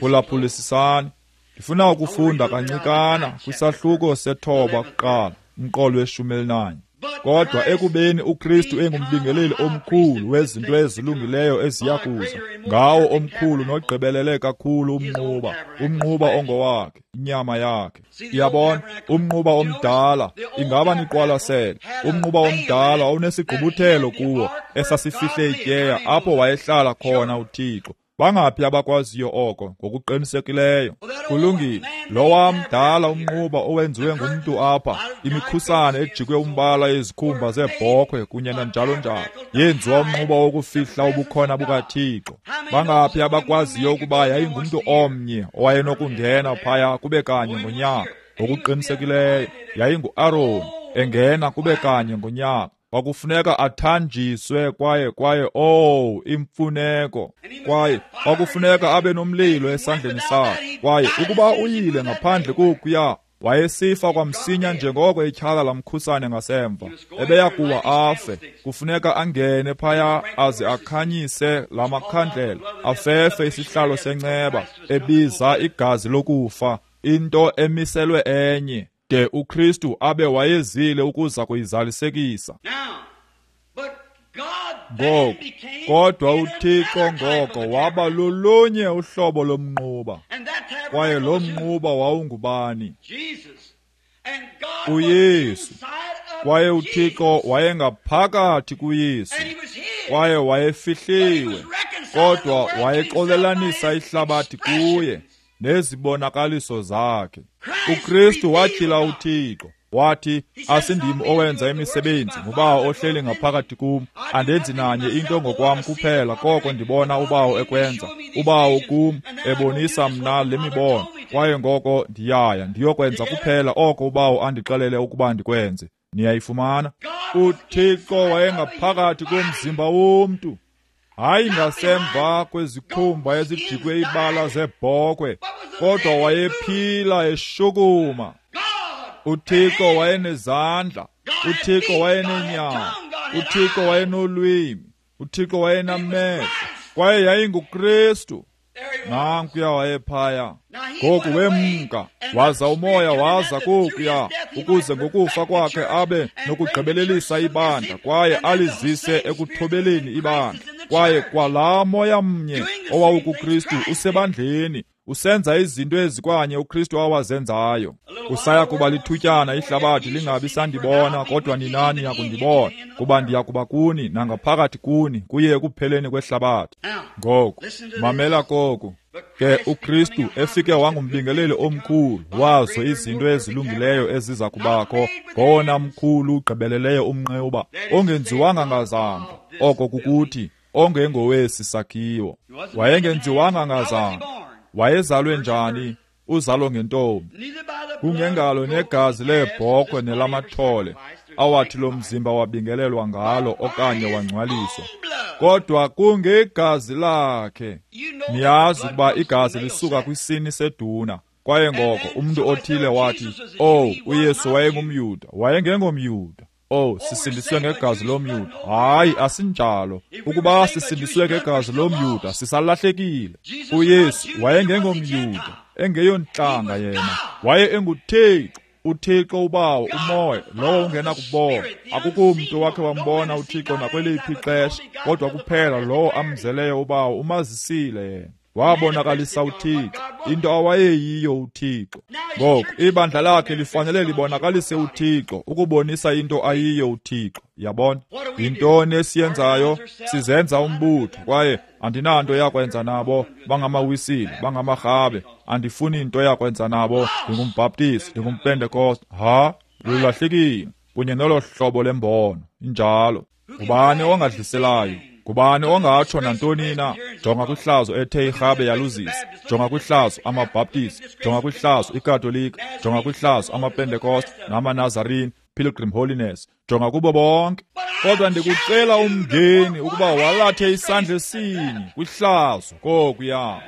Phulaphulisisani. Ndifuna ukufunda kancikana kwisahluko sethoba kuqala, umqolo weshumi elinanye. Kodwa ekubeni uKristu engumbingeleli omkhulu wezinto ezilungileyo eziya kuza, ngawo omkhulu nogqibelele kakhulu umnquba, umnquba ongowakhe, inyama yakhe. Iyabona, umnquba omdala, ingaba niqwalasele, umnquba omdala onesigqubuthelo kuwo esasifihle ityeya apho wayehlala khona uThixo. Bangaphi abakwaziyo oko ngokuqinisekileyo? Kulungile. Lowa mdala umnquba owenziwe ngumntu apha, imikhusane ejikwe umbala yezikhumba zeebhokhwe kunye nanjalo njalo, yenziwa umnquba wokufihla ubukhona bukaThixo. Bangaphi abakwaziyo ukuba yayingumntu omnye owayenokungena phaya kube kanye ngonyaka? Ngokuqinisekileyo yayinguAroni engena kube kanye ngonyaka. Kwakufuneka athanjiswe kwaye kwaye oh imfuneko, kwaye kwakufuneka abe nomlilo esandleni sakhe. Kwaye ukuba uyile ngaphandle kokuya, wayesifa kwamsinya njengoko ityhala lamkhusane ngasemva, ebeya kuwa afe. Kufuneka angene phaya aze akhanyise la makhandlela, afefe isihlalo senceba, ebiza igazi lokufa, into emiselwe enye, de uKristu abe wayezile ukuza kuyizalisekisa. Ngoku, kodwa uThixo ngoko waba lolunye uhlobo lomnquba. Kwaye lo mnquba wawungubani? uYesu. Kwaye uThixo wayengaphakathi kuYesu, kwaye wayefihliwe, kodwa wayexolelanisa ihlabathi kuye nezibonakaliso zakhe. uKristu watyhila uThixo. Wathi, asindim owenza imisebenzi, nguBawo ohleli ngaphakathi kum. Andenzi nanye into ngokwam kuphela, koko ndibona uBawo ekwenza. uBawo kum ebonisa mna le mibono, kwaye ngoko ndiyaya ndiyokwenza kuphela oko uBawo andixelele ukuba ndikwenze. Niyayifumana? uThixo wayengaphakathi komzimba womntu, hayi ngasemva kwezikhumba ezijikwe ibala zebhokhwe, kodwa wayephila eshukuma. uThixo wayenezandla, uThixo wayenenyawo, uThixo wayenolwimi, uThixo wayenamehlo, kwaye yayinguKristu. Nankuya wayephaya. Ngoku wemka, waza umoya waza kokuya, ukuze ngokufa kwakhe abe nokugqibelelisa ibandla kwaye alizise ekuthobeleni ibandla. Kwaye kwalaa moya mnye owawukuKristu usebandleni, usenza izinto ezikwanye uKristu awazenzayo. Kusaya kuba lithutyana ihlabathi lingabi sandibona, kodwa nina niya kundibona, kuba ndiya kuba kuni nangaphakathi kuni kuye ekupheleni kwehlabathi. Ngoku mamela koku. Ke uKristu efike wangumbingeleli omkhulu wazo izinto ezilungileyo eziza kubakho, ngowona mkhulu ugqibeleleyo umnqewuba ongenziwanga ngazandla, oko kukuthi ongengowesi sakhiwo. Wayengenziwanga ngazandla. Wayezalwe njani? Uzalo ngentombi, kungengalo negazi leebhokhwe nelamathole awathi lo mzimba wabingelelwa ngalo okanye wangcwaliswa, kodwa kungegazi lakhe. Niyazi ukuba igazi lisuka kwisini seduna. Kwaye ngoko umntu othile wathi, "Oh, uYesu wayengumYuda." WayengengomYuda. Oh, sisindiswe ngegazi lomYuda. Hayi, asinjalo. Ukuba sisindiswe ngegazi lomYuda, sisalahlekile. uYesu wayengengomYuda, engeyontlanga yena. Waye enguThixo, uThixo uBawo, uMoya, lowo ungenakubona. Akukho mntu wakhe wambona uThixo nakweliphi ixesha, kodwa kuphela lowo amzeleyo uBawo umazisile yena. Wabonakalisa uThixo, into awayeyiyo uThixo. Ngoku ibandla lakhe lifanele libonakalise uThixo, ukubonisa into ayiyo uThixo. Yabona? Yintoni esiyenzayo? Sizenza umbutho, kwaye andinanto yakwenza nabo, bangamawisile, bangamarhabe, andifuni into yakwenza nabo, ndingumbhaptisi, ndingumpentekoste. Ha, lulahlekile kunye nolo hlobo lembono. Injalo. Ngubani ongadliselayo? Ngubani ongatsho nantoni na? Jonga kwihlazo ethe irhabe yaluzisa. Jonga kwihlazo amaBhaptisi, jonga kwihlazo iKatolika, jonga kwihlazo amaPentekoste namaNazarene, Pilgrim Holiness, jonga kubo bonke. Kodwa ndikucela umngeni ukuba walathe isandla esinye kwihlazo kokuya.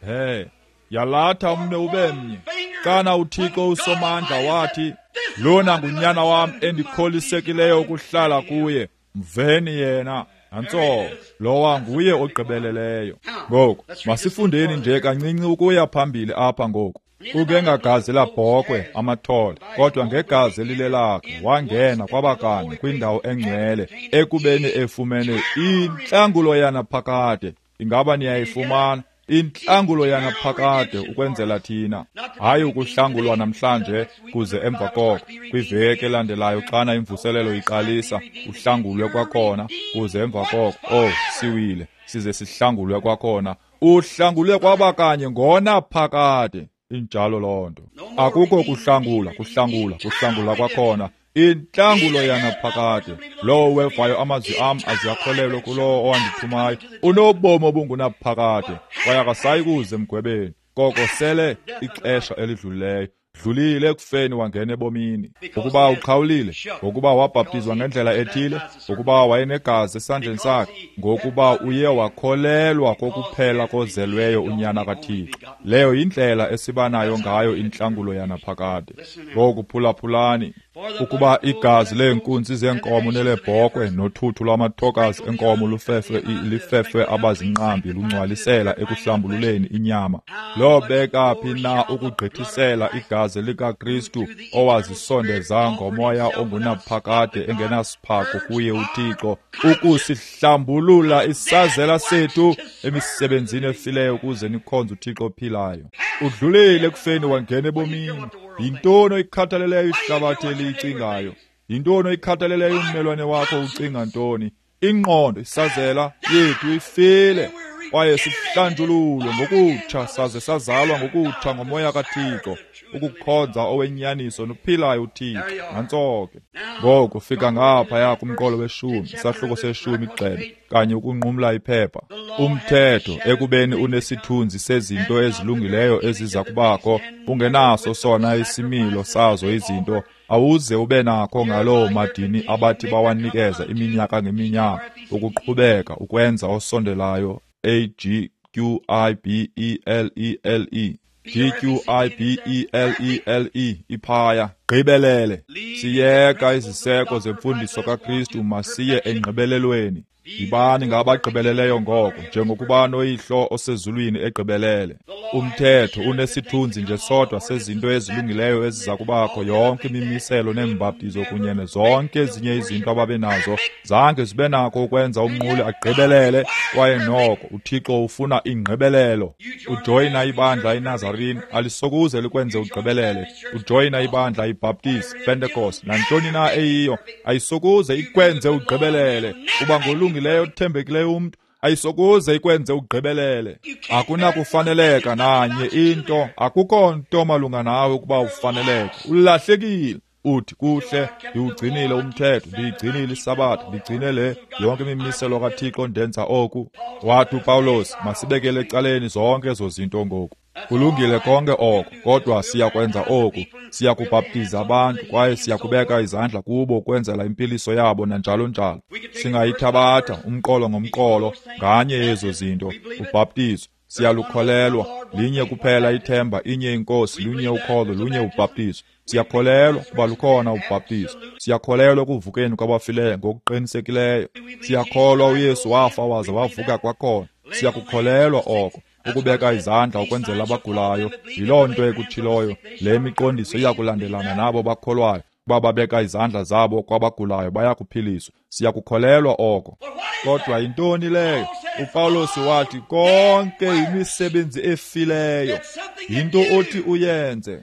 He, yalatha umnwe ube mnye. Kana uThixo uSomandla wathi, "Lona ngunyana wam endikholisekileyo ukuhlala kuye, mveni yena." Nantso, lowa nguye ogqibeleleyo. Ngoku masifundeni nje kancinci ukuya phambili apha ngoku. Kungengagazi labhokhwe amathole, kodwa ngegazi elilelakhe wangena kwabakanye kwindawo engcwele, ekubeni efumene intlangulo yanaphakade. Ingaba niyayifumana intlangulo yanaphakade ukwenzela thina? Hayi ukuhlangulwa namhlanje kuze emva koko kwiveki elandelayo xana imvuselelo iqalisa uhlangulwe kwakhona, kuze emva koko, oh, siwile, size sihlangulwe kwakhona. Uhlangulwe kwabakanye ngonaphakade. Injalo loo nto. Akukho kuhlangula, kuhlangula, kuhlangula kwakhona. Intlangulo yanaphakade. Lowo wevayo amazwi am aziyakholelwa kulowo owandithumayo unobomi obungunaphakade, kwaye akasayi kuze emgwebeni, koko sele ixesha elidlulileyo. Dlulile ekufeni wangena ebomini. Ngokuba uqhawulile, ngokuba wabhaptizwa ngendlela ethile, ngokuba wayenegazi esandleni sakhe, ngokuba uye wakholelwa kokuphela kozelweyo unyana kaThixo. Leyo yindlela esibanayo ngayo intlangulo yanaphakade. Ngoku phulaphulani. Ukuba igazi leenkunzi zeenkomo nelebhokhwe nothuthu lwamathokazi enkomo lufefwe lifefwe abazinqambi lungcwalisela ekuhlambululeni inyama, lobeka phi na ukugqithisela igazi likaKristu owazisondeza ngomoya ongunaphakade engenasiphako kuye uThixo, ukusihlambulula isazela sethu emisebenzini efileyo ukuze nikhonze uThixo ophilayo? Udlulile ekufeni wangena ebomini. Yintoni oyikhathaleleyo ihlabathi eliyicingayo? Yintoni oyikhathaleleyo ummelwane wakho ucinga ntoni? Ingqondo, isazela yethu ifile, kwaye sihlanjululwe ngokutsha saze sazalwa ngokutsha ngomoya kaThixo, ukukhonza owenyaniso nophilayo uThixo. Nantso ke. Ngoku fika ngaphaya kumqolo weshumi, isahluko seshumi igxebe, kanye ukunqumla iphepha. Umthetho ekubeni unesithunzi sezinto ezilungileyo eziza kubakho, ungenaso sona isimilo sazo izinto, awuze ube nakho ngaloo madini abathi bawanikeza iminyaka ngeminyaka, ukuqhubeka ukwenza osondelayo. A G Q I B E L E L E G Q I B E L E L E iphaya gqibelele. Siyeka iziseko zemfundiso kaKristu, masiye engqibelelweni. Yibani ngabagqibeleleyo ngoko, njengokuba noYihlo osezulwini egqibelele. Umthetho unesithunzi nje sodwa sezinto ezilungileyo eziza kubakho. Yonke imimiselo neembaptizo kunye nezonke ezinye izinto ababenazo zange zibe nako ukwenza umnquli agqibelele, kwaye noko uThixo ufuna ingqibelelo. Ujoyina ibandla iNazarene alisokuze likwenze ugqibelele. Ujoyina ibandla iBaptist, Pentecost, nantoni na eyiyo, ayisokuze ikwenze ugqibelele. Uba ngolungileyo othembekileyo umntu, ayisokuze ikwenze ugqibelele. Akunakufaneleka nanye into, akukho nto malunga nawe ukuba ufaneleke. Ulahlekile. Uthi, kuhle, ndiwugcinile umthetho, ndiyigcinile isabatha, ndigcine le yonke imimiselo kaThixo, ndenza oku. Wathi uPawulos, masibekele ecaleni zonke ezo zinto ngoku. Kulungile konke oko, kodwa siyakwenza oku. Siyakubhaptiza abantu kwaye siyakubeka izandla kubo ukwenzela impiliso yabo nanjalo njalo. Singayithabatha umqolo ngomqolo nganye yezo zinto. Ubhaptizo siyalukholelwa, linye kuphela ithemba, inye inkosi, lunye ukholo, lunye ubhaptizo. Siyakholelwa kuba lukhona ubhaptizo. Siyakholelwa ekuvukeni kwabafileyo ngokuqinisekileyo. Siyakholwa uYesu wafa waza wavuka kwakhona. Siyakukholelwa oko. Ukubeka izandla ukwenzela abagulayo, yiloo nto ekutshiloyo. Le miqondiso iyakulandelana nabo bakholwayo. Ukuba babeka izandla zabo kwabagulayo bayakuphiliswa. Siyakukholelwa oko. Kodwa yintoni leyo? uPawulos wathi konke imisebenzi efileyo yinto othi uyenze.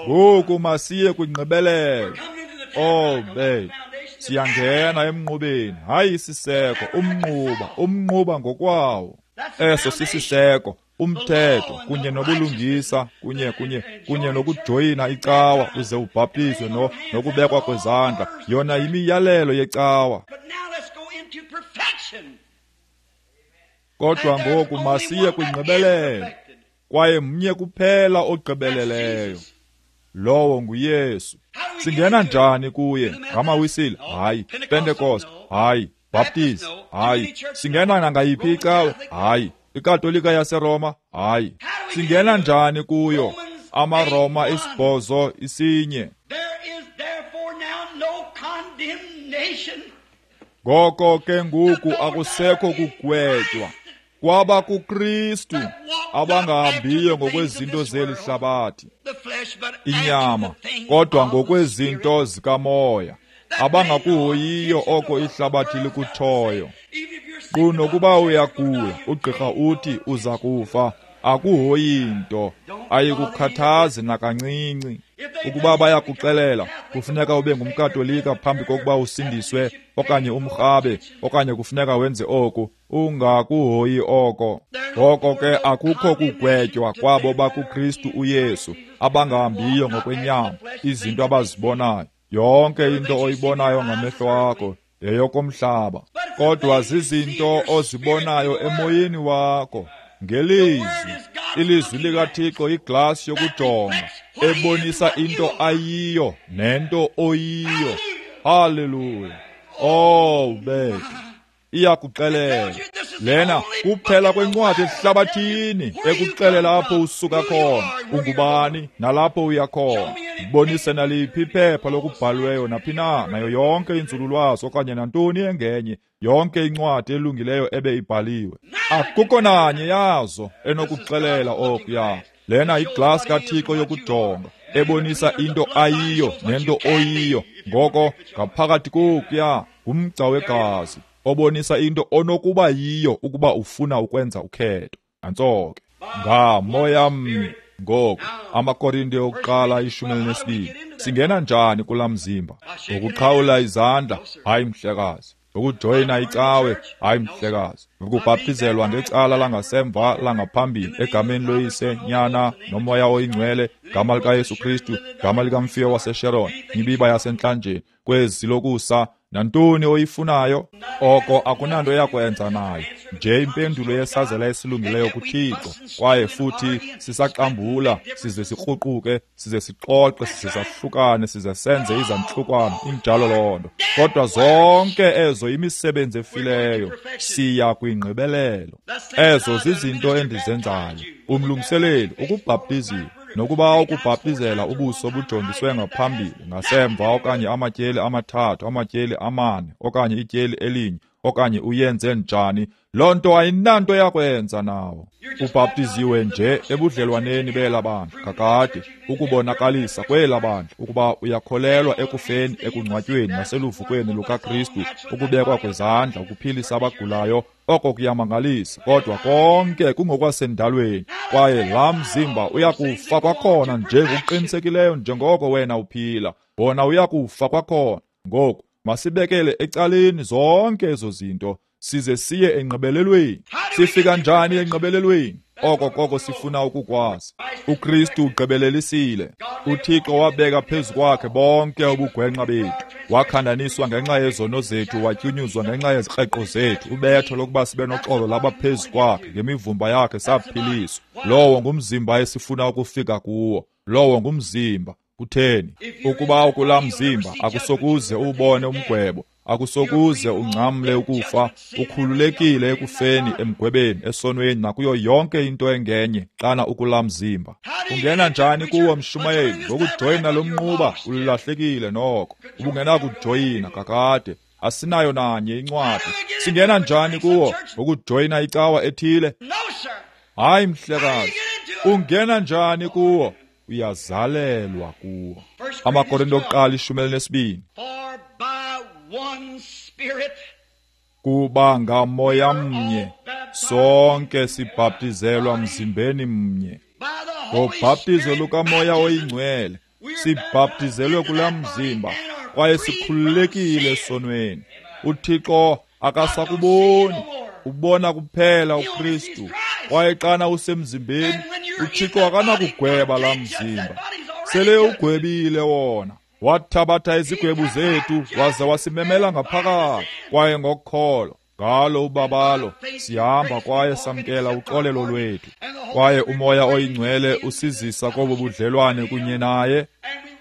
Ngoku masiye kwingqibelelo. Oh, babe, siyangena emnqubeni, hayi isiseko, umnquba, umnquba ngokwawo. Eso sisiseko, umthetho kunye nobulungisa kunye kunye kunye nokujoyina icawa uze ubhaptizwe no nokubekwa kwezandla, yona yimiyalelo yecawa. Kodwa ngoku masiye kwingqibelelo, kwaye mnye kuphela ogqibeleleyo, lowo nguYesu. Singena njani kuye? Ngamawisile? Hayi. Pentecost? Hayi. Baptist? Hayi. Singena nangayiphi icawa? Hayi. iKatolika yaseRoma? Hayi. Singena njani kuyo? AmaRoma isibhozo isinye. Ngoko ke ngoku akusekho kugwetywa kwaba kuKristu abangahambiyo ngokwezinto zeli hlabathi, inyama, kodwa ngokwezinto zikamoya, abangakuhoyiyo oko ihlabathi likutshoyo. Kunokuba uyagula, ugqirha uthi uza kufa, akuhoyi nto, ayikukhathazi nakancinci. Ukuba bayakuxelela kufuneka ube ngumKatolika phambi kokuba usindiswe, okanye umrhabe, okanye kufuneka wenze oku, ungakuhoyi oko. Ngoko ke akukho kugwetywa kwabo bakuKristu uYesu abangahambiyo ngokwenyama, izinto abazibonayo. Yonke into oyibonayo ngamehlo akho yeyokomhlaba, kodwa zizinto ozibonayo emoyeni wakho ngelizwi. Ilizwi likaThixo iglasi yokujonga ebonisa into ayiyo nento oyiyo. Haleluya! Oh, bethu, iyakuxelela. Lena kuphela kwencwadi ehlabathini ekuxelela apho usuka khona, ungubani, nalapho uya khona. Ibonise naliphi iphepha lokubhalweyo naphi na, nayo yonke inzululwazi okanye nantoni engenye, yonke incwadi elungileyo ebe ibhaliwe. Akukho nanye yazo enokuxelela okuya. Lena iglasi kaThixo yokujonga ebonisa into ayiyo nento oyiyo. Ngoko ngaphakathi kokuya ngumgca wegazi obonisa into onokuba yiyo ukuba ufuna ukwenza ukhetho. Nantso ke ngamoya mnye. Ngoku amaKorinte yokuqala ishumi elinesibini. Singena njani kulaa mzimba? Ngokuqhawula izandla? Hayi mhlekazi. Ngokujoyina icawe? Hayi mhlekazi. Ngokubhaptizelwa ngecala langasemva langaphambili egameni loYise, Nyana noMoya oyiNgcwele, gama likaYesu Kristu, gama likaMfiyo waseSharon, imibiba yasentlanjeni, kwezi lokusa, nantoni oyifunayo, oko akunanto yakwenza nayo. Nje impendulo yesazela esilungileyo kuThixo. Kwaye futhi sisaxambula, size sikruquke, size sixoxe, size sahlukane, size senze izantlukwano, injalo loo nto. Kodwa zonke ezo imisebenzi efileyo, siya kwingqibelelo. Ezo zizinto endizenzayo. Umlungiseleli ukubhaptiziwe, Nokuba ukubhaptizela ubuso bujongiswe ngaphambili, ngasemva, okanye amatyeli amathathu, amatyeli amane, okanye ityeli elinye, okanye uyenze njani, loo nto ayinanto yakwenza nawo. Ubhaptiziwe nje ebudlelwaneni bela bandla kakade, ukubonakalisa kwela bandla ukuba uyakholelwa ekufeni, ekungcwatyweni naseluvukweni lukaKristu, ukubekwa kwezandla, ukuphilisa abagulayo. Oko kuyamangalisa, kodwa konke kungokwasendalweni, kwaye laa mzimba uyakufa kwakhona nje ngokuqinisekileyo njengoko wena uphila. Wona uyakufa kwakhona. Ngoku masibekele ecaleni zonke ezo zinto, size siye engqibelelweni. Sifika njani engqibelelweni? Oko koko sifuna ukukwazi. UKristu ugqibelelisile. UThixo wabeka phezu kwakhe bonke ubugwenxa bethu. Wakhandaniswa ngenxa yezono zethu, watyunyuzwa ngenxa yezikreqo zethu. Ubetho lokuba sibe noxolo laba phezu kwakhe, ngemivumba yakhe saphiliswa. Lowo ngumzimba esifuna ukufika kuwo. Lowo ngumzimba. Kutheni? Ukuba ukulaa mzimba akusokuze uwubone umgwebo, akusokuze ungcamle ukufa, ukhululekile ekufeni, emgwebeni, esonweni nakuyo yonke into engenye xana ukulaa mzimba. Ungena njani kuwo, mshumayeli? Ngokujoyina lo mnquba ulahlekile noko. Ubungenakujoyina kakade. Asinayo nanye incwadi. Singena njani kuwo? Ngokujoyina icawa ethile? Hayi, mhlekazi. Ungena njani kuwo? Uyazalelwa kuwo. AmaKorinto okuqala ishumi elinesibini. Kuba ngamoya mnye sonke sibhaptizelwa mzimbeni mnye. Ngobhaptizo lukaMoya oyiNgcwele sibhaptizelwe kulaa mzimba, kwaye sikhululekile esonweni. UThixo akasakuboni, ubona kuphela uKristu. Kwaye xana usemzimbeni, uThixo akanakugweba laa mzimba. Sele ugwebile wona. Wathabatha izigwebo zethu waze wasimemela ngaphakathi. Kwaye ngokholo ngalo ubabalo sihamba kwaye samkela uxolelo lwethu. Kwaye uMoya oyiNgcwele usizisa kobo budlelwane kunye naye.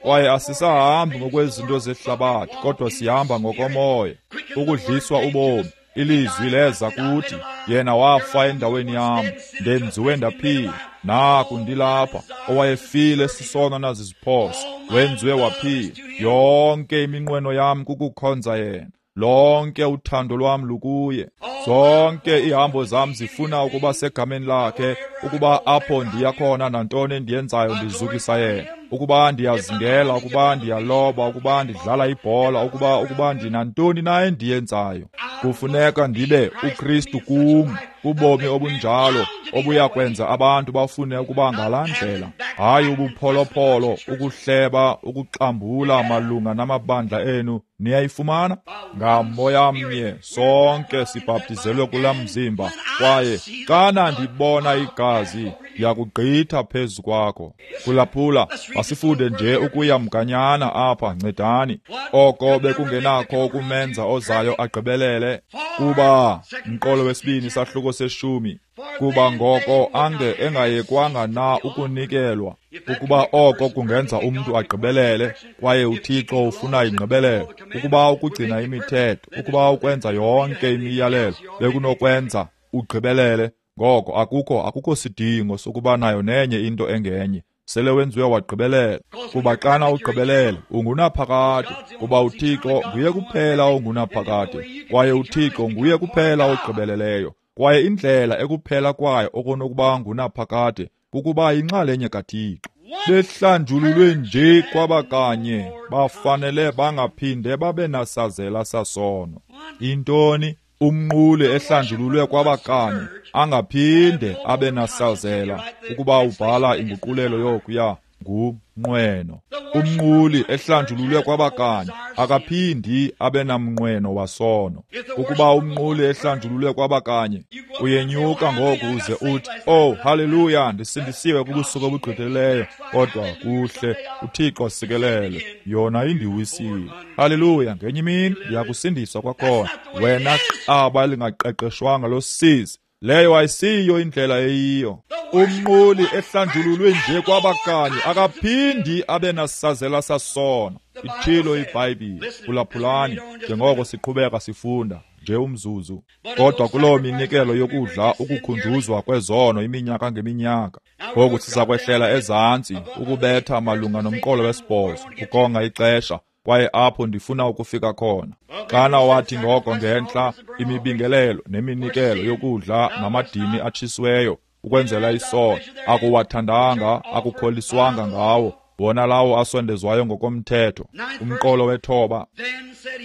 Kwaye asisahambi ngokwezinto zehlabathi, kodwa sihamba ngokomoya, ukudliswa ubomi. Ilizwi leza kuthi, yena wafa endaweni yam, ndenziwe ndaphila. Naku ndilapha, owayefile sisono naziziphoso, wenziwe waphila. Yonke iminqweno yam kukukhonza yena. Lonke uthando lwam lukuye. Zonke ihambo zam zifuna ukuba segameni lakhe, ukuba apho ndiya khona nantoni endiyenzayo ndizukisa yena. Ukuba ndiyazingela, ukuba ndiyaloba, ukuba ndidlala ibhola, ukuba ukuba ndinantoni na endiyenzayo, kufuneka ndibe uKristu kum, kubomi obunjalo obuyakwenza abantu bafune ukuba ngalaa ndlela. Hayi ubupholopholo, ukuhleba, ukuxambula malunga namabandla enu. Niyayifumana? Ngamoya mnye sonke sibhaptizelwe kulaa mzimba, kwaye xana ndibona igazi ndiyakugqitha phezu kwakho. Phulaphula, masifunde nje ukuya mganyana apha, ncedani. Oko bekungenakho ukumenza ozayo agqibelele, kuba mqolo wesibini sahluko seshumi, kuba ngoko ange engayekwanga na ukunikelwa. Ukuba oko kungenza umntu agqibelele, kwaye uThixo ufuna ingqibelelo, ukuba ukugcina imithetho, ukuba ukwenza yonke imiyalelo bekunokwenza ugqibelele, ngoko akukho akukho sidingo sokuba nayo nenye into engenye. Sele wenziwe wagqibelela. Kuba xana ugqibelele ungunaphakade, kuba uThixo nguye kuphela ongunaphakade, kwaye uThixo nguye kuphela ogqibeleleyo. Kwaye indlela ekuphela kwayo okonokuba ngunaphakade kukuba yinxalenye kaThixo. Behlanjululwe nje kwabakanye, bafanele bangaphinde babe nasazela sasono. Intoni? Umnquli ehlanjululwe kwabakanye angaphinde abe nasazela. Ukuba ubhala inguqulelo yokuya ngumnqweno. Umnquli ehlanjululwe kwabakanye akaphindi abe namnqweno wasono. Ukuba umnquli ehlanjululwe kwabakanye, uyenyuka ngoku uze uthi, oh haleluya, ndisindisiwe kubusuku obugqithileyo, kodwa kuhle, uThixo sikelele, yona indiwisile. Haleluya, ngenye imini ndiyakusindiswa kwakhona. Wena qaba lingaqeqeshwanga losizi, leyo ayisiyo indlela eyiyo. Umnquli ehlanjululwe nje kwabakanye akaphindi abe nasazela sasono. Ithilo iBhayibhile. Phulaphulani njengoko siqhubeka sifunda. nje umzuzu. Kodwa kuloo minikelo yokudla ukukhunjuzwa kwezono iminyaka ngeminyaka. Ngoku siza kwehlela ezantsi ukubetha malunga nomqolo wesibhozo, ukonga ixesha, kwaye apho ndifuna ukufika khona. Xana wathi ngoko ngentla imibingelelo neminikelo yokudla namadini atshisiweyo ukwenzela isono, akuwathandanga, akukholiswanga ngawo, wona lawo asondezwayo ngokomthetho. Umqolo wethoba.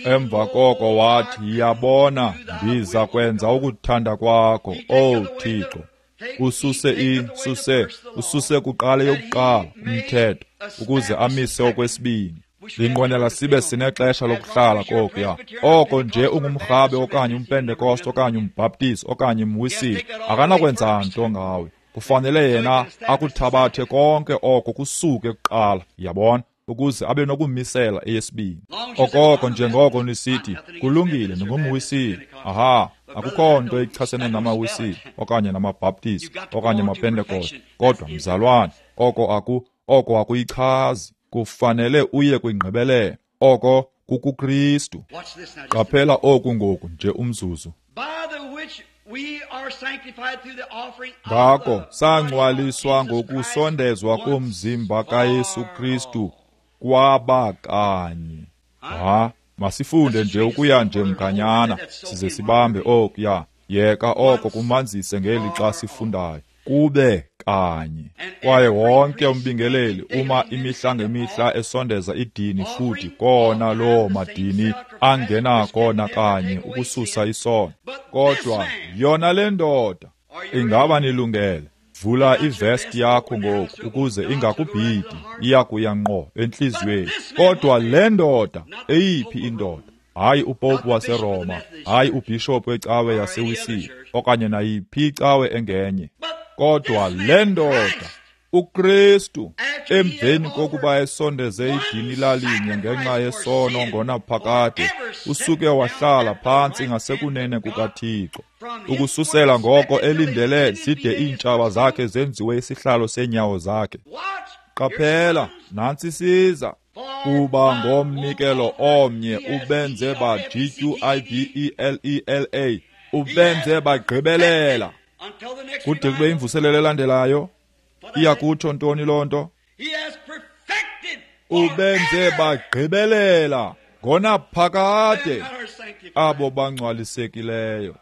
Emva koko wathi, yabona, ndiza kwenza ukuthanda kwakho, O Thixo. Ususe i, suse, ususe kuqala yokuqala umthetho, ukuze amise okwesibini. Ndinqwenela sibe sinexesha lokuhlala kokuya. Oko nje ungumrhabe okanye umpentekoste okanye umbhaptizi okanye umwisile, akanakwenza nto ngawe. Kufanele yena akuthabathe konke oko kusuke kuqala, yabona, ukuze abe nokumisela eyesibini. Okoko njengoko nisithi, kulungile, ndingumwisile. Aha, akukho nto ichasene namawisile okanye namabhaptizi okanye amapentekoste. Kodwa mzalwane, oko aku oko akuyichazi. Kufanele uye kwingqibelelo. Oko kukuKristu. Qaphela oku ngoku nje umzuzu. Ngako sangcwaliswa ngokusondezwa komzimba kaYesu Kristu kwaba kanye. Ha, masifunde nje ukuya nje mganyana size sibambe okuya. Yeka oko kumanzise ngeli xa sifundayo. Kube kanye. Kwaye wonke umbingeleli uma imihla ngemihla esondeza idini futhi kona loo madini angenako kanye ukususa isono. Kodwa yona le ndoda, ingaba nilungele? Vula ivesti yakho ngoku ukuze ingakubhidi, iyakuya ngqo entliziyweni. Kodwa le ndoda, eyiphi indoda? Hayi upopu waseRoma, hayi ubhishophu wecawe yaseWisile, okanye nayiphi icawe engenye. Kodwa le ndoda, uKristu, emveni kokuba esondeze idini lalinye ngenxa yesono ngonaphakade, usuke wahlala phantsi ngasekunene kukaThixo. Ukususela ngoko elindele zide iintshaba zakhe zenziwe isihlalo seenyawo zakhe. Qaphela, nantsi siza. Kuba ngomnikelo omnye ubenze ba G Q I B E L E L A, ubenze bagqibelela. Kude kube imvuselelo elandelayo, iyakutsho ntoni loo nto? Ubenze bagqibelela ngonaphakade abo bangcwalisekileyo.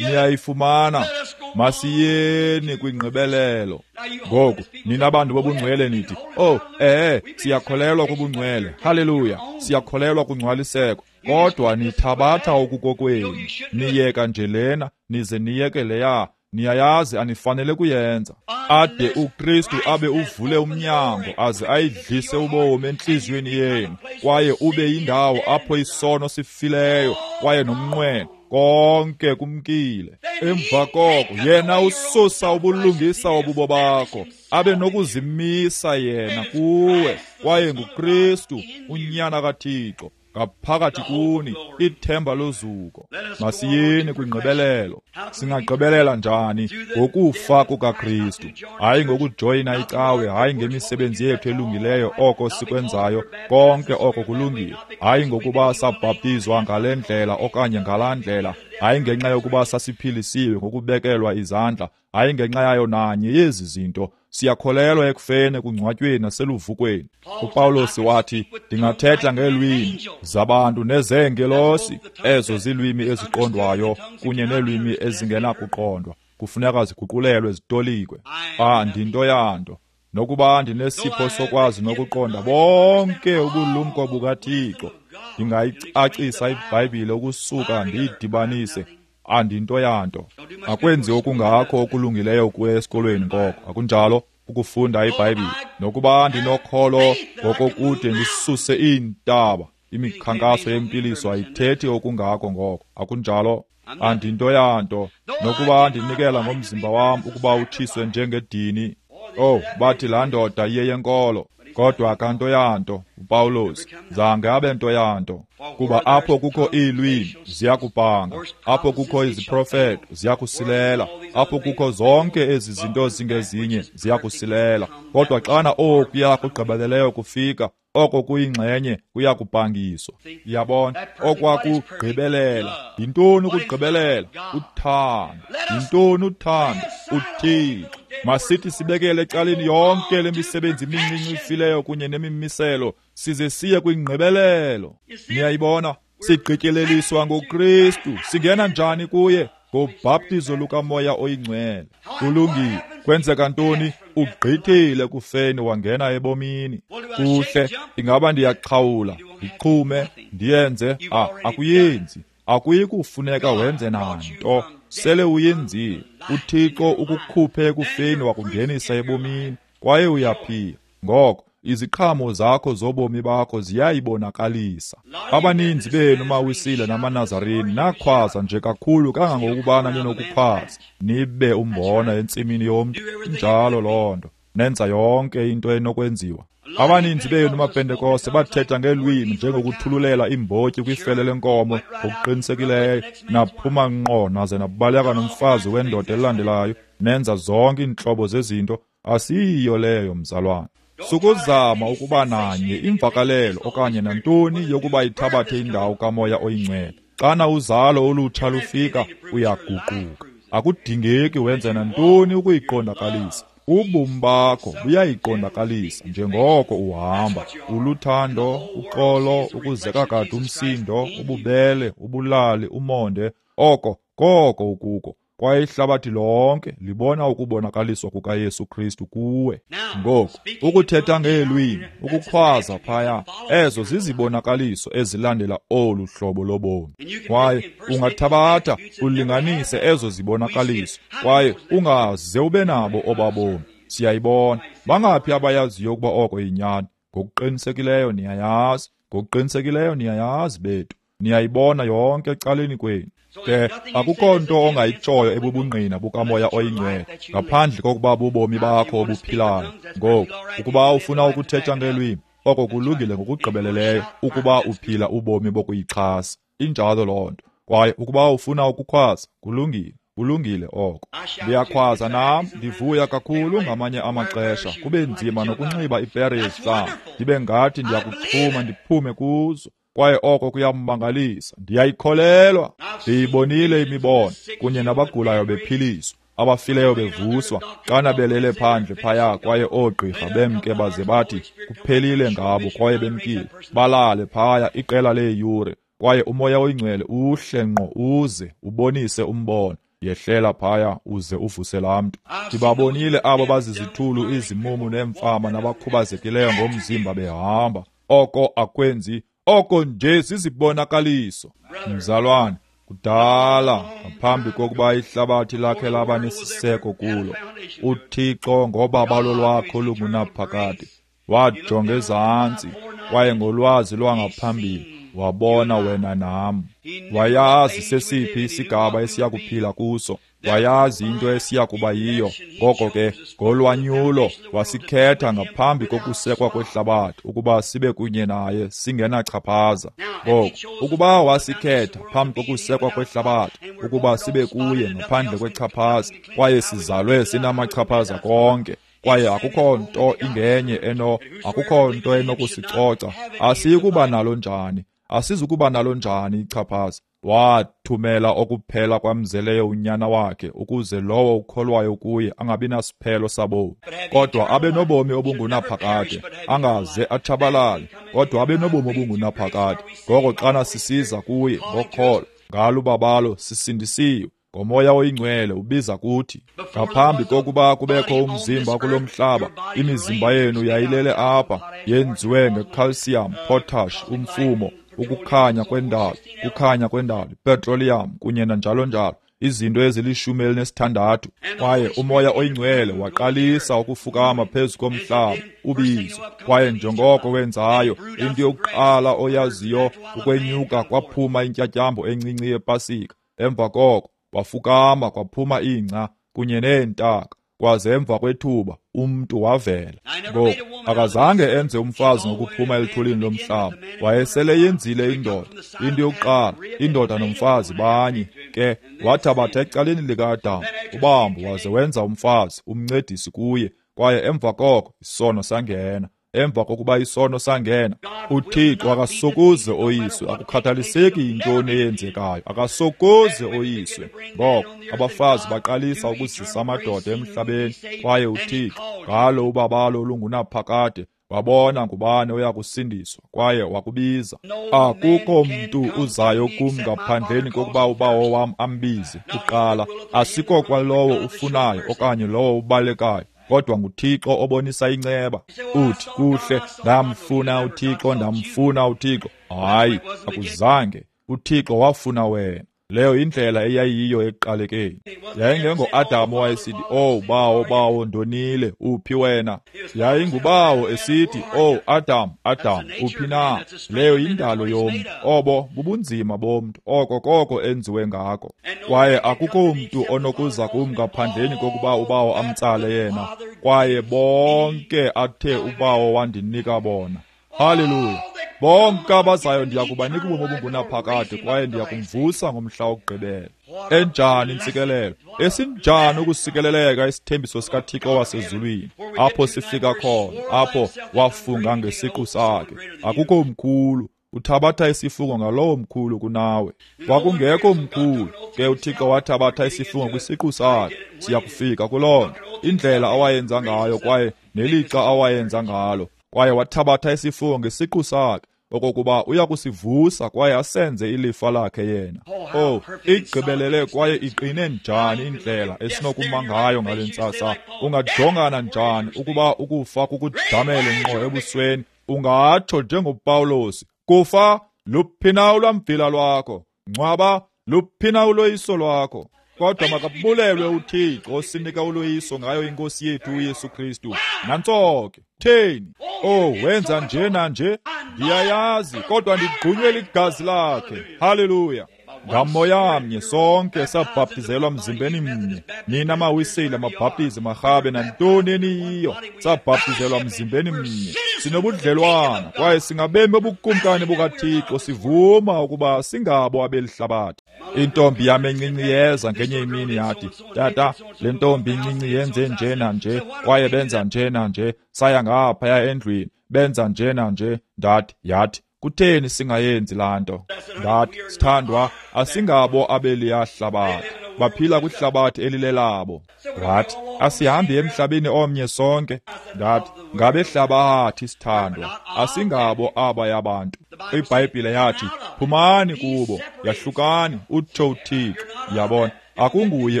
Niyayifumana? Masiyeni kwingqibelelo. Ngoku nina bantu bobungcwele nithi, oh, eh, siyakholelwa kubungcwele, haleluya, siyakholelwa kungcwaliseko. Kodwa nithabatha okukokwenu, niyeka nje lena, nize niyeke leya. Niyayazi anifanele kuyenza. Ade uKristu abe uvule umnyango aze ayidlise ubomi entliziyweni yenu, kwaye ube yindawo apho isono sifileyo kwaye nomnqweno konke kumkile. Emva koko yena ususa ubulungisa obubo bakho, abe nokuzimisa yena kuwe, kwaye nguKristu unyana kaThixo ngaphakathi kuni, ithemba lozuko. Masiyeni kwingqibelelo. Singagqibelela njani? Ngokufa kukaKristu, hayi ngokujoyina icawe, hayi ngemisebenzi yethu elungileyo, oko sikwenzayo konke oko kulungile, hayi ngokuba sabhaptizwa ngale ndlela okanye ngalaa ndlela, hayi ngenxa yokuba sasiphilisiwe ngokubekelwa izandla, hayi ngenxa yayo nanye yezi zinto. Siyakholelwa ekufeni, ekungcwatyweni naseluvukweni. uPawulos wathi, ndingathetha ngeelwimi zabantu nezeengelosi, ezo zilwimi eziqondwayo kunye neelwimi ezingenakuqondwa, kufuneka ziguqulelwe zitolikwe. Andinto yanto, nokuba ndinesipho sokwazi nokuqonda bonke ubulumko bukaThixo, ndingayicacisa iBhayibhile ukusuka ndiyidibanise, andinto yanto. Akwenzi okungakho okulungileyo kuye esikolweni ngoko, akunjalo? Ukufunda iBhayibhile. Nokuba ndinokholo ngokokude ndisuse iintaba, imikhankaso yempiliso ayithethi okungako ngoko, akunjalo? Andinto yanto. Nokuba ndinikela ngomzimba wam ukuba utshiswe njengedini, oh, bathi laa ndoda iyeyenkolo, kodwa akanto yanto. uPawulos zange abe nto yanto, kuba apho kukho iilwimi ziyakupanga, apho kukho iziprofeto ziyakusilela, apho kukho zonke ezi zinto zingezinye ziyakusilela. Kodwa xana okuya kugqibeleleyo kufika, oko kuyingxenye kuyakupangiswa. Yabona, okwakugqibelela. Yintoni ukugqibelela? Uthando. Yintoni uthando? UThixo. Masithi sibekele ecaleni yonke le misebenzi mincinci ifileyo kunye nemimiselo, size siye kwingqibelelo. Niyayibona? Sigqityeleliswa ngoKristu. Singena njani kuye? Ngobhaptizo lukaMoya oyiNgcwele. Kulungile. Kwenzeka ntoni? Ugqithile kufeni wangena ebomini. Kuhle, ingaba ndiyaxhawula, ndiqhume, ndiyenze? Ah, akuyenzi. Akuyi kufuneka wenze nanto. Sele uyenzile. UThixo ukukhuphe ekufeni wakungenisa ebomini, kwaye uyaphila. Ngoko iziqhamo zakho zobomi bakho ziyayibonakalisa. Abaninzi benu maWisile namaNazarini nakhwaza nje kakhulu kangangokubana ninokukhwaza, nibe umbona entsimini yomntu. Injalo loo nto. Nenza yonke into enokwenziwa. Abaninzi benu maPentekoste bathetha ngeelwimi njengokuthululela iimbotyi kwifele lenkomo ngokuqinisekileyo. Naphuma ngqo naze nabaleka nomfazi wendoda elandelayo, nenza zonke iintlobo zezinto. Asiyiyo leyo, mzalwana. Sukuzama ukuba nanye imvakalelo okanye nantoni yokuba ithabathe indawo kaMoya oyiNgcwele. Xana uzalo olutsha lufika, uyaguquka. Akudingeki wenze nantoni ukuyiqondakalisa. Ubomi bakho buyayiqondakalisa njengoko uhamba. Uluthando, uxolo, ukuzeka kade umsindo, ububele, ubulali, umonde, oko koko ukuko. Kwaye ihlabathi lonke libona ukubonakaliswa kukaYesu Kristu kuwe. Ngoku, ukuthetha ngeelwimi, ukukhwaza phaya, ezo zizibonakaliso ezilandela olu hlobo lobomi. Kwaye ungathabatha ulinganise ezo zibonakaliso, kwaye ungaze ube nabo obabomi. Siyayibona. Bangaphi abayaziyo ukuba oko yinyani? Ngokuqinisekileyo niyayazi. Ngokuqinisekileyo niyayazi bethu. Niyayibona yonke ecaleni kwenu. Ke akukho nto ongayitshoyo ebubungqina bukaMoya oyiNgcwele ngaphandle kokuba bubomi bakho obuphilayo. Ngoku, ukuba ufuna ukuthetha ngeelwimi, oko kulungile ngokugqibeleleyo ukuba uphila ubomi bokuyixhasa. Injalo loo nto. Kwaye ukuba ufuna ukukhwaza, kulungile. Kulungile oko. Ndiyakhwaza nam, ndivuya kakhulu ngamanye amaxesha. Kube nzima nokunxiba ipere yezihlangu, ndibe ngathi ndiyakuxhuma ndiphume kuzo. Kwaye oko kuyamangalisa. Ndiyayikholelwa. Ndiyibonile imibono kunye nabagulayo bephiliswa, abafileyo bevuswa, xana belele phandle phaya, kwaye oogqirha bemke baze bathi kuphelile ngabo, kwaye bemkile. Balale phaya iqela leeyure, kwaye uMoya oyiNgcwele uhle ngqo uze ubonise umbono. Yehlela phaya uze uvuse laa mntu. Ndibabonile abo bazizithulu, izimumu neemfama nabakhubazekileyo ngomzimba behamba. Oko akwenzi. Oko nje zizibonakaliso. Mzalwane, kudala ngaphambi kokuba ihlabathi lakhe laba nesiseko kulo, uThixo ngobabalo lwakho lungunaphakade wajonga ezantsi, kwaye ngolwazi lwangaphambili wabona wena nam. Wayazi sesiphi isigaba esiyakuphila kuso, wayazi into esiyakuba yiyo. Ngoko ke ngolwanyulo wasikhetha ngaphambi kokusekwa kwehlabathi ukuba sibe kunye naye singenachaphaza. Ngoko ukuba wasikhetha phambi kokusekwa kwehlabathi ukuba sibe kuye ngaphandle kwechaphaza, kwaye sizalwe sinamachaphaza konke, kwaye akukho nto ingenye eno akukho nto enokusicoca, asiyikuba nalo njani? Asizukuba nalo njani ichaphaza? Wathumela okuphela kwamzeleyo unyana wakhe, ukuze lowo ukholwayo kuye angabi nasiphelo sabomi, kodwa abe nobomi obungunaphakade, angaze atshabalale, kodwa abe nobomi obungunaphakade. Ngoko xana sisiza kuye ngokholo, ngalo ubabalo sisindisiwe. NgoMoya oyiNgcwele ubiza kuthi. Ngaphambi kokuba kubekho umzimba kulo mhlaba, imizimba yenu yayilele apha, yenziwe ngecalcium, potash, umfumo, ukukhanya kwendalo, kukhanya kwendalo, petroleum kunye nanjalo njalo, izinto ezilishumi elinesithandathu. Kwaye uMoya oyiNgcwele waqalisa ukufukama phezu komhlaba, ubizo. Kwaye njengoko wenzayo, into yokuqala oyaziyo ukwenyuka kwaphuma intyatyambo encinci yepasika. Emva koko wafukama kwaphuma ingca kunye neentaka, kwaze emva kwethuba umntu wavela. Ngoku Akazange enze umfazi ngokuphuma elithulini lomhlaba. Wayesele yenzile indoda. Into yokuqala, indoda nomfazi banye. Ke wathabatha ecaleni lika-Adamu ubambo waze wenza umfazi, umncedisi kuye. Kwaye emva koko isono sangena. Emva kokuba isono sangena, uThixo akasokuze oyiswe. Akukhathaliseki yintoni eyenzekayo, akasokuze oyiswe. Ngoko abafazi baqalisa ukuzisa amadoda emhlabeni, kwaye uThixo ngalo ubabalo olungunaphakade wabona ngubani oya kusindiswa, kwaye wakubiza. Akukho mntu uzayo kum ngaphandleni kokuba uBawo wam ambize kuqala. Asiko kwalowo ufunayo okanye lowo ubalekayo, kodwa nguThixo obonisa inceba. Uthi, kuhle, ndamfuna uThixo, ndamfuna uThixo. Hayi, akuzange. uThixo wafuna wena. Leyo indlela eyayiyo ekuqalekeni. Yayingengo-Adamu owayesithi, "Oh, bawo, bawo, ndonile, uphi wena?" Yayingubawo esithi, "Oh, Adam, Adam, uphi na?" Leyo yindalo yomntu. Obo bubunzima bomntu. Oko koko enziwe ngako. Kwaye akukho mntu onokuza kum ngaphandleni kokuba uBawo amtsale yena. Kwaye bonke athe uBawo wandinika bona. Haleluya. Bonke abazayo ndiya kubanika ubomi obungunaphakade, kwaye ndiya kumvusa ngomhla wokugqibela. Enjani intsikelelo! Esinjani ukusikeleleka isithembiso sikaThixo wasezulwini! Apho sifika khona, apho wafunga ngesiqu sakhe. Akukho mkhulu. Uthabatha isifungo ngalowo mkhulu kunawe. Kwakungekho mkhulu, ke uThixo wathabatha isifungo kwisiqu sakhe. Siyakufika kuloo nto. Indlela awayenza ngayo kwaye nelixa awayenza ngalo. Kwaye wathabatha isifungo ngesiqu sakhe okokuba uya kusivusa kwaye asenze ilifa lakhe yena. Oh, igqibelele kwaye iqine njani indlela esinokuma ngayo ngale ntsasa. Ungajongana njani ukuba ukufa kukujamele ngqo ebusweni? Ungatsho njengoPawulos, kufa, luphi na ulwamvila lwakho? Ngcwaba, luphi na uloyiso lwakho? Kodwa makabulelwe uThixo osinika uloyiso ngayo iNkosi yethu uYesu Kristu. Nantso ke. Theni? Oh, wenza nje nanje? Ndiyayazi, kodwa ndigqunywe ligazi lakhe. Haleluya. Ngamoya mnye sonke sabhaptizelwa mzimbeni mnye. Nina mawisile, mabhaptizi, marhabe, nantoni eniyiyo, sabhaptizelwa mzimbeni mnye. Sinobudlelwana kwaye singabemi bobukumkani bukaThixo, sivuma ukuba singabo abelihlabathi. Intombi yam encinci yeza ngenye imini yathi, "Tata, le ntombi incinci yenze nje nanje, kwaye benza nje nanje. Saya ngaphaya endlwini, benza nje nanje." Ndathi, yathi, "Kutheni singayenzi laa nto?" Ndathi, "Sithandwa, asingabo abeliya hlabathi. Baphila kwihlabathi elilelabo." Wathi, "Asihambi emhlabeni omnye sonke." Ndathi, "Ngabehlabathi, sithandwa, asingabo abaya bantu." IBhayibhile yathi, "Phumani kubo, yahlukani, utsho uThixo." Yabona, akunguye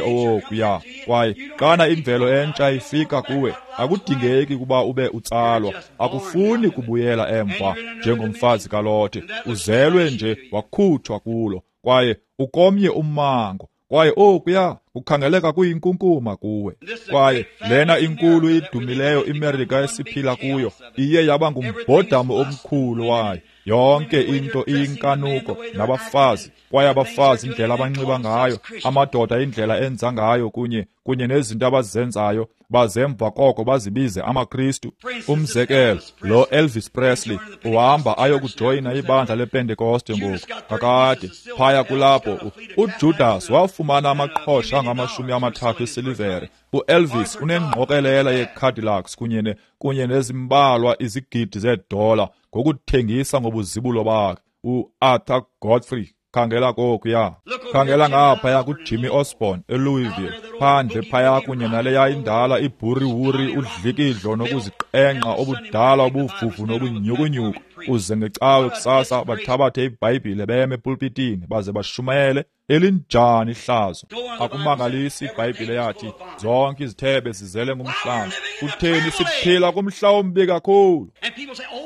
owokuya. Kwaye xana imvelo entsha ifika kuwe, akudingeki ukuba ube utsalwa. Akufuni kubuyela emva njengomfazi kaLothe. Uzelwe nje wakhutshwa kulo, kwaye ukomnye ummango. Kwaye okuya kukhangeleka kuyinkunkuma kuwe. Kwaye lena inkulu idumileyo iMerika esiphila kuyo iye yaba ngumbhodamo omkhulu wayo. Yonke into iyinkanuko nabafazi, kwaye abafazi indlela abanxiba ngayo, amadoda indlela enza ngayo, kunye kunye nezinto abazenzayo, bazemva koko bazibize amaKristu. Umzekelo, lo Elvis Presley uhamba ayokujoyina ibandla lePentekoste ngoku. Kakade phaya kulapho uJudas wafumana amaqhosha angamashumi amathathu esilivere. UElvis unengqokelela yeCadillacs kunye ne kunye nezimbalwa izigidi zeedola ngokuthengisa ngobuzibulo bakhe. UArthur Godfrey, khangela kokuya, khangela ngaphaya kuJimmy Osborne eLouisville, phandle phaya kunye naleya indala ibhuriwuri, udlikidlo nokuziqengqa obudala obuvuvu nobunyhukunyhuku. Uze ngecawe kusasa bathabathe iBhayibhile beme epulpitini baze bashumayele. Elinjani ihlazo! Akumangalisi iBhayibhile yathi zonke izithebe zizele ngumhlanga. Kutheni siphila kumhla ombi kakhulu?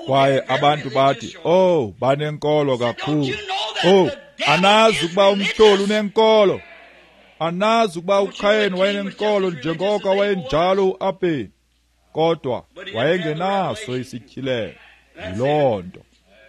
Kwaye abantu bathi, "Oh, banenkolo kakhulu." Oh, anazi ukuba umtyholi unenkolo? Anazi ukuba uKhayeni wayenenkolo njengoko wayenjalo uAbheli? Kodwa wayengenaso isityhilelo. Yiloo nto.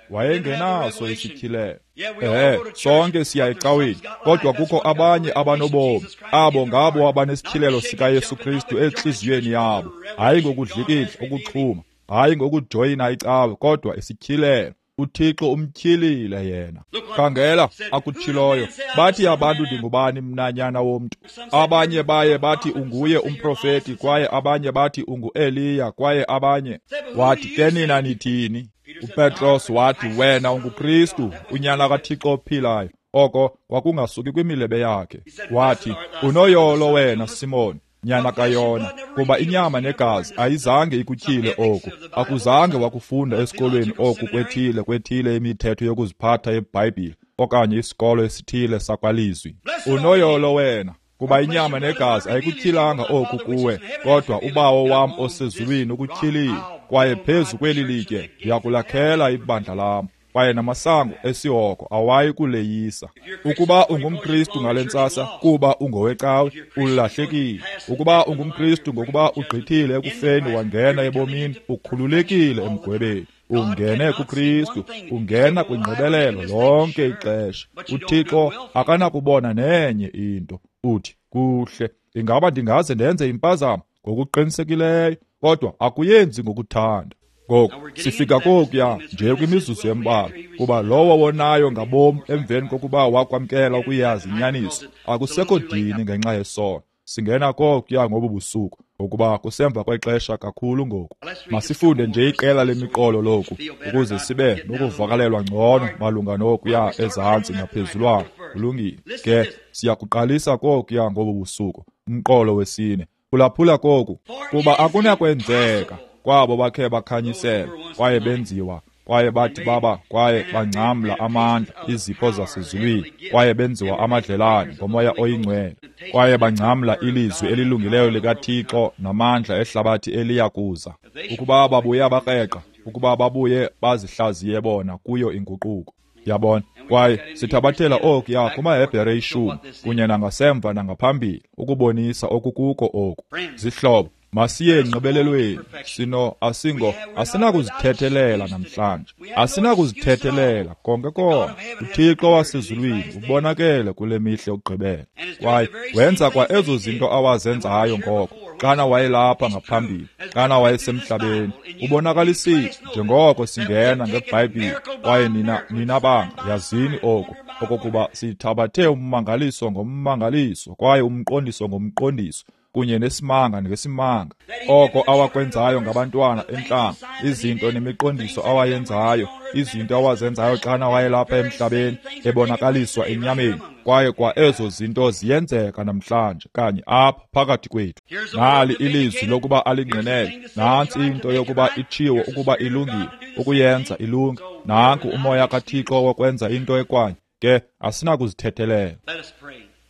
Wayengenaso isityhilelo. Ehe, sonke siya ecaweni, kodwa kukho abanye abanobomi. Abo ngabo abanesityhilelo sikaYesu Kristu entliziyweni yabo, hayi ngokudlikidla ukuxhuma, Hayi ngokujoyina icawe, kodwa isityhilelo. UThixo umtyhilile yena. Khangela akutshiloyo. Bathi abantu ndingubani mna nyana womntu? Abanye baye bathi unguye umprofeti, kwaye abanye bathi ungu-Eliya, kwaye abanye. Wathi, ke nina nithini? UPetros wathi, wena unguKristu, unyana kaThixo ophilayo. Oko kwakungasuki kwimilebe yakhe. Wathi, unoyolo wena Simon, nyana kaYona, kuba inyama negazi ayizange ikutyhile oku. Akuzange wakufunda esikolweni oku kwethile kwethile imithetho yokuziphatha yeBhayibhile okanye isikolo esithile sakwalizwi. Unoyolo wena, kuba inyama negazi ayikutyhilanga oku kuwe, kodwa uBawo wam osezulwini ukutyhilile, kwaye phezu kweli litye ndiyakulakhela ibandla lam, kwaye namasango esihoko awayi kuleyisa. Ukuba ungumKristu ngale ntsasa kuba ungowecawe, ulahlekile. Ukuba ungumKristu ngokuba ugqithile ekufeni wangena ebomini, ukhululekile emgwebeni. Ungene kuKristu, ungena kwingqibelelo lonke ixesha. UThixo akanakubona nenye into. Uthi, kuhle, ingaba ndingaze ndenze impazamo? Ngokuqinisekileyo, kodwa akuyenzi ngokuthanda. Ngoku sifika kokuya nje kwimizuzu embalwa, kuba lowo wonayo ngabom emveni kokuba wakwamkela ukuyazi inyaniso, akusekho dini ngenxa yesono. Singena kokuya ngobu busuku, ngokuba kusemva kwexesha kakhulu ngoku. Masifunde nje iqela lemiqolo loku, ukuze sibe nokuvakalelwa ngcono malunga nokuya ezantsi ngaphezulwana. Kulungile ke, siyakuqalisa kokuya ngobu busuku, umqolo wesine. Phulaphula koku, kuba akunakwenzeka kwabo bakhe bakhanyiselwa, kwaye benziwa, kwaye bathi baba, kwaye bangcamla amandla, izipho zasezulwini, kwaye benziwa amadlelane ngoMoya oyiNgcwele, kwaye bangcamla ilizwi elilungileyo likaThixo namandla ehlabathi eliya kuza. Ukuba babuye bakreqa, ukuba babuye bazihlaziye bona kuyo inguquko. Yabona, kwaye sithabathela okuya kumaHebhere ishumi kunye nangasemva nangaphambili ukubonisa okukuko oku. Zihlobo, masiye engqibelelweni. Sino asingo asinakuzithethelela namhlanje, asinakuzithethelela konke konke. UThixo wasezulwini ubonakele kule mihla yokugqibela, kwaye wenza kwa ezo zinto awazenzayo ngoko xana wayelapha ngaphambili, xana wayesemhlabeni. Ubonakalisile njengoko singena ngeBhayibhile, kwaye nina nina banga yazini oku, okokuba sithabathe ummangaliso ngommangaliso, kwaye umqondiso ngomqondiso, kunye nesimanga ngesimanga. Oko awakwenzayo ngabantwana entlango, izinto nemiqondiso awayenzayo, izinto awazenzayo xana wayelapha emhlabeni ebonakaliswa enyameni, kwaye kwa ezo zinto ziyenzeka namhlanje kanye apha phakathi kwethu. Nali ilizwi lokuba alingqinele, nantsi into yokuba itshiwo ukuba ilungile, ukuyenza ilunge. Nanku uMoya kaThixo wokwenza into ekwanye. Ke asinakuzithethelela.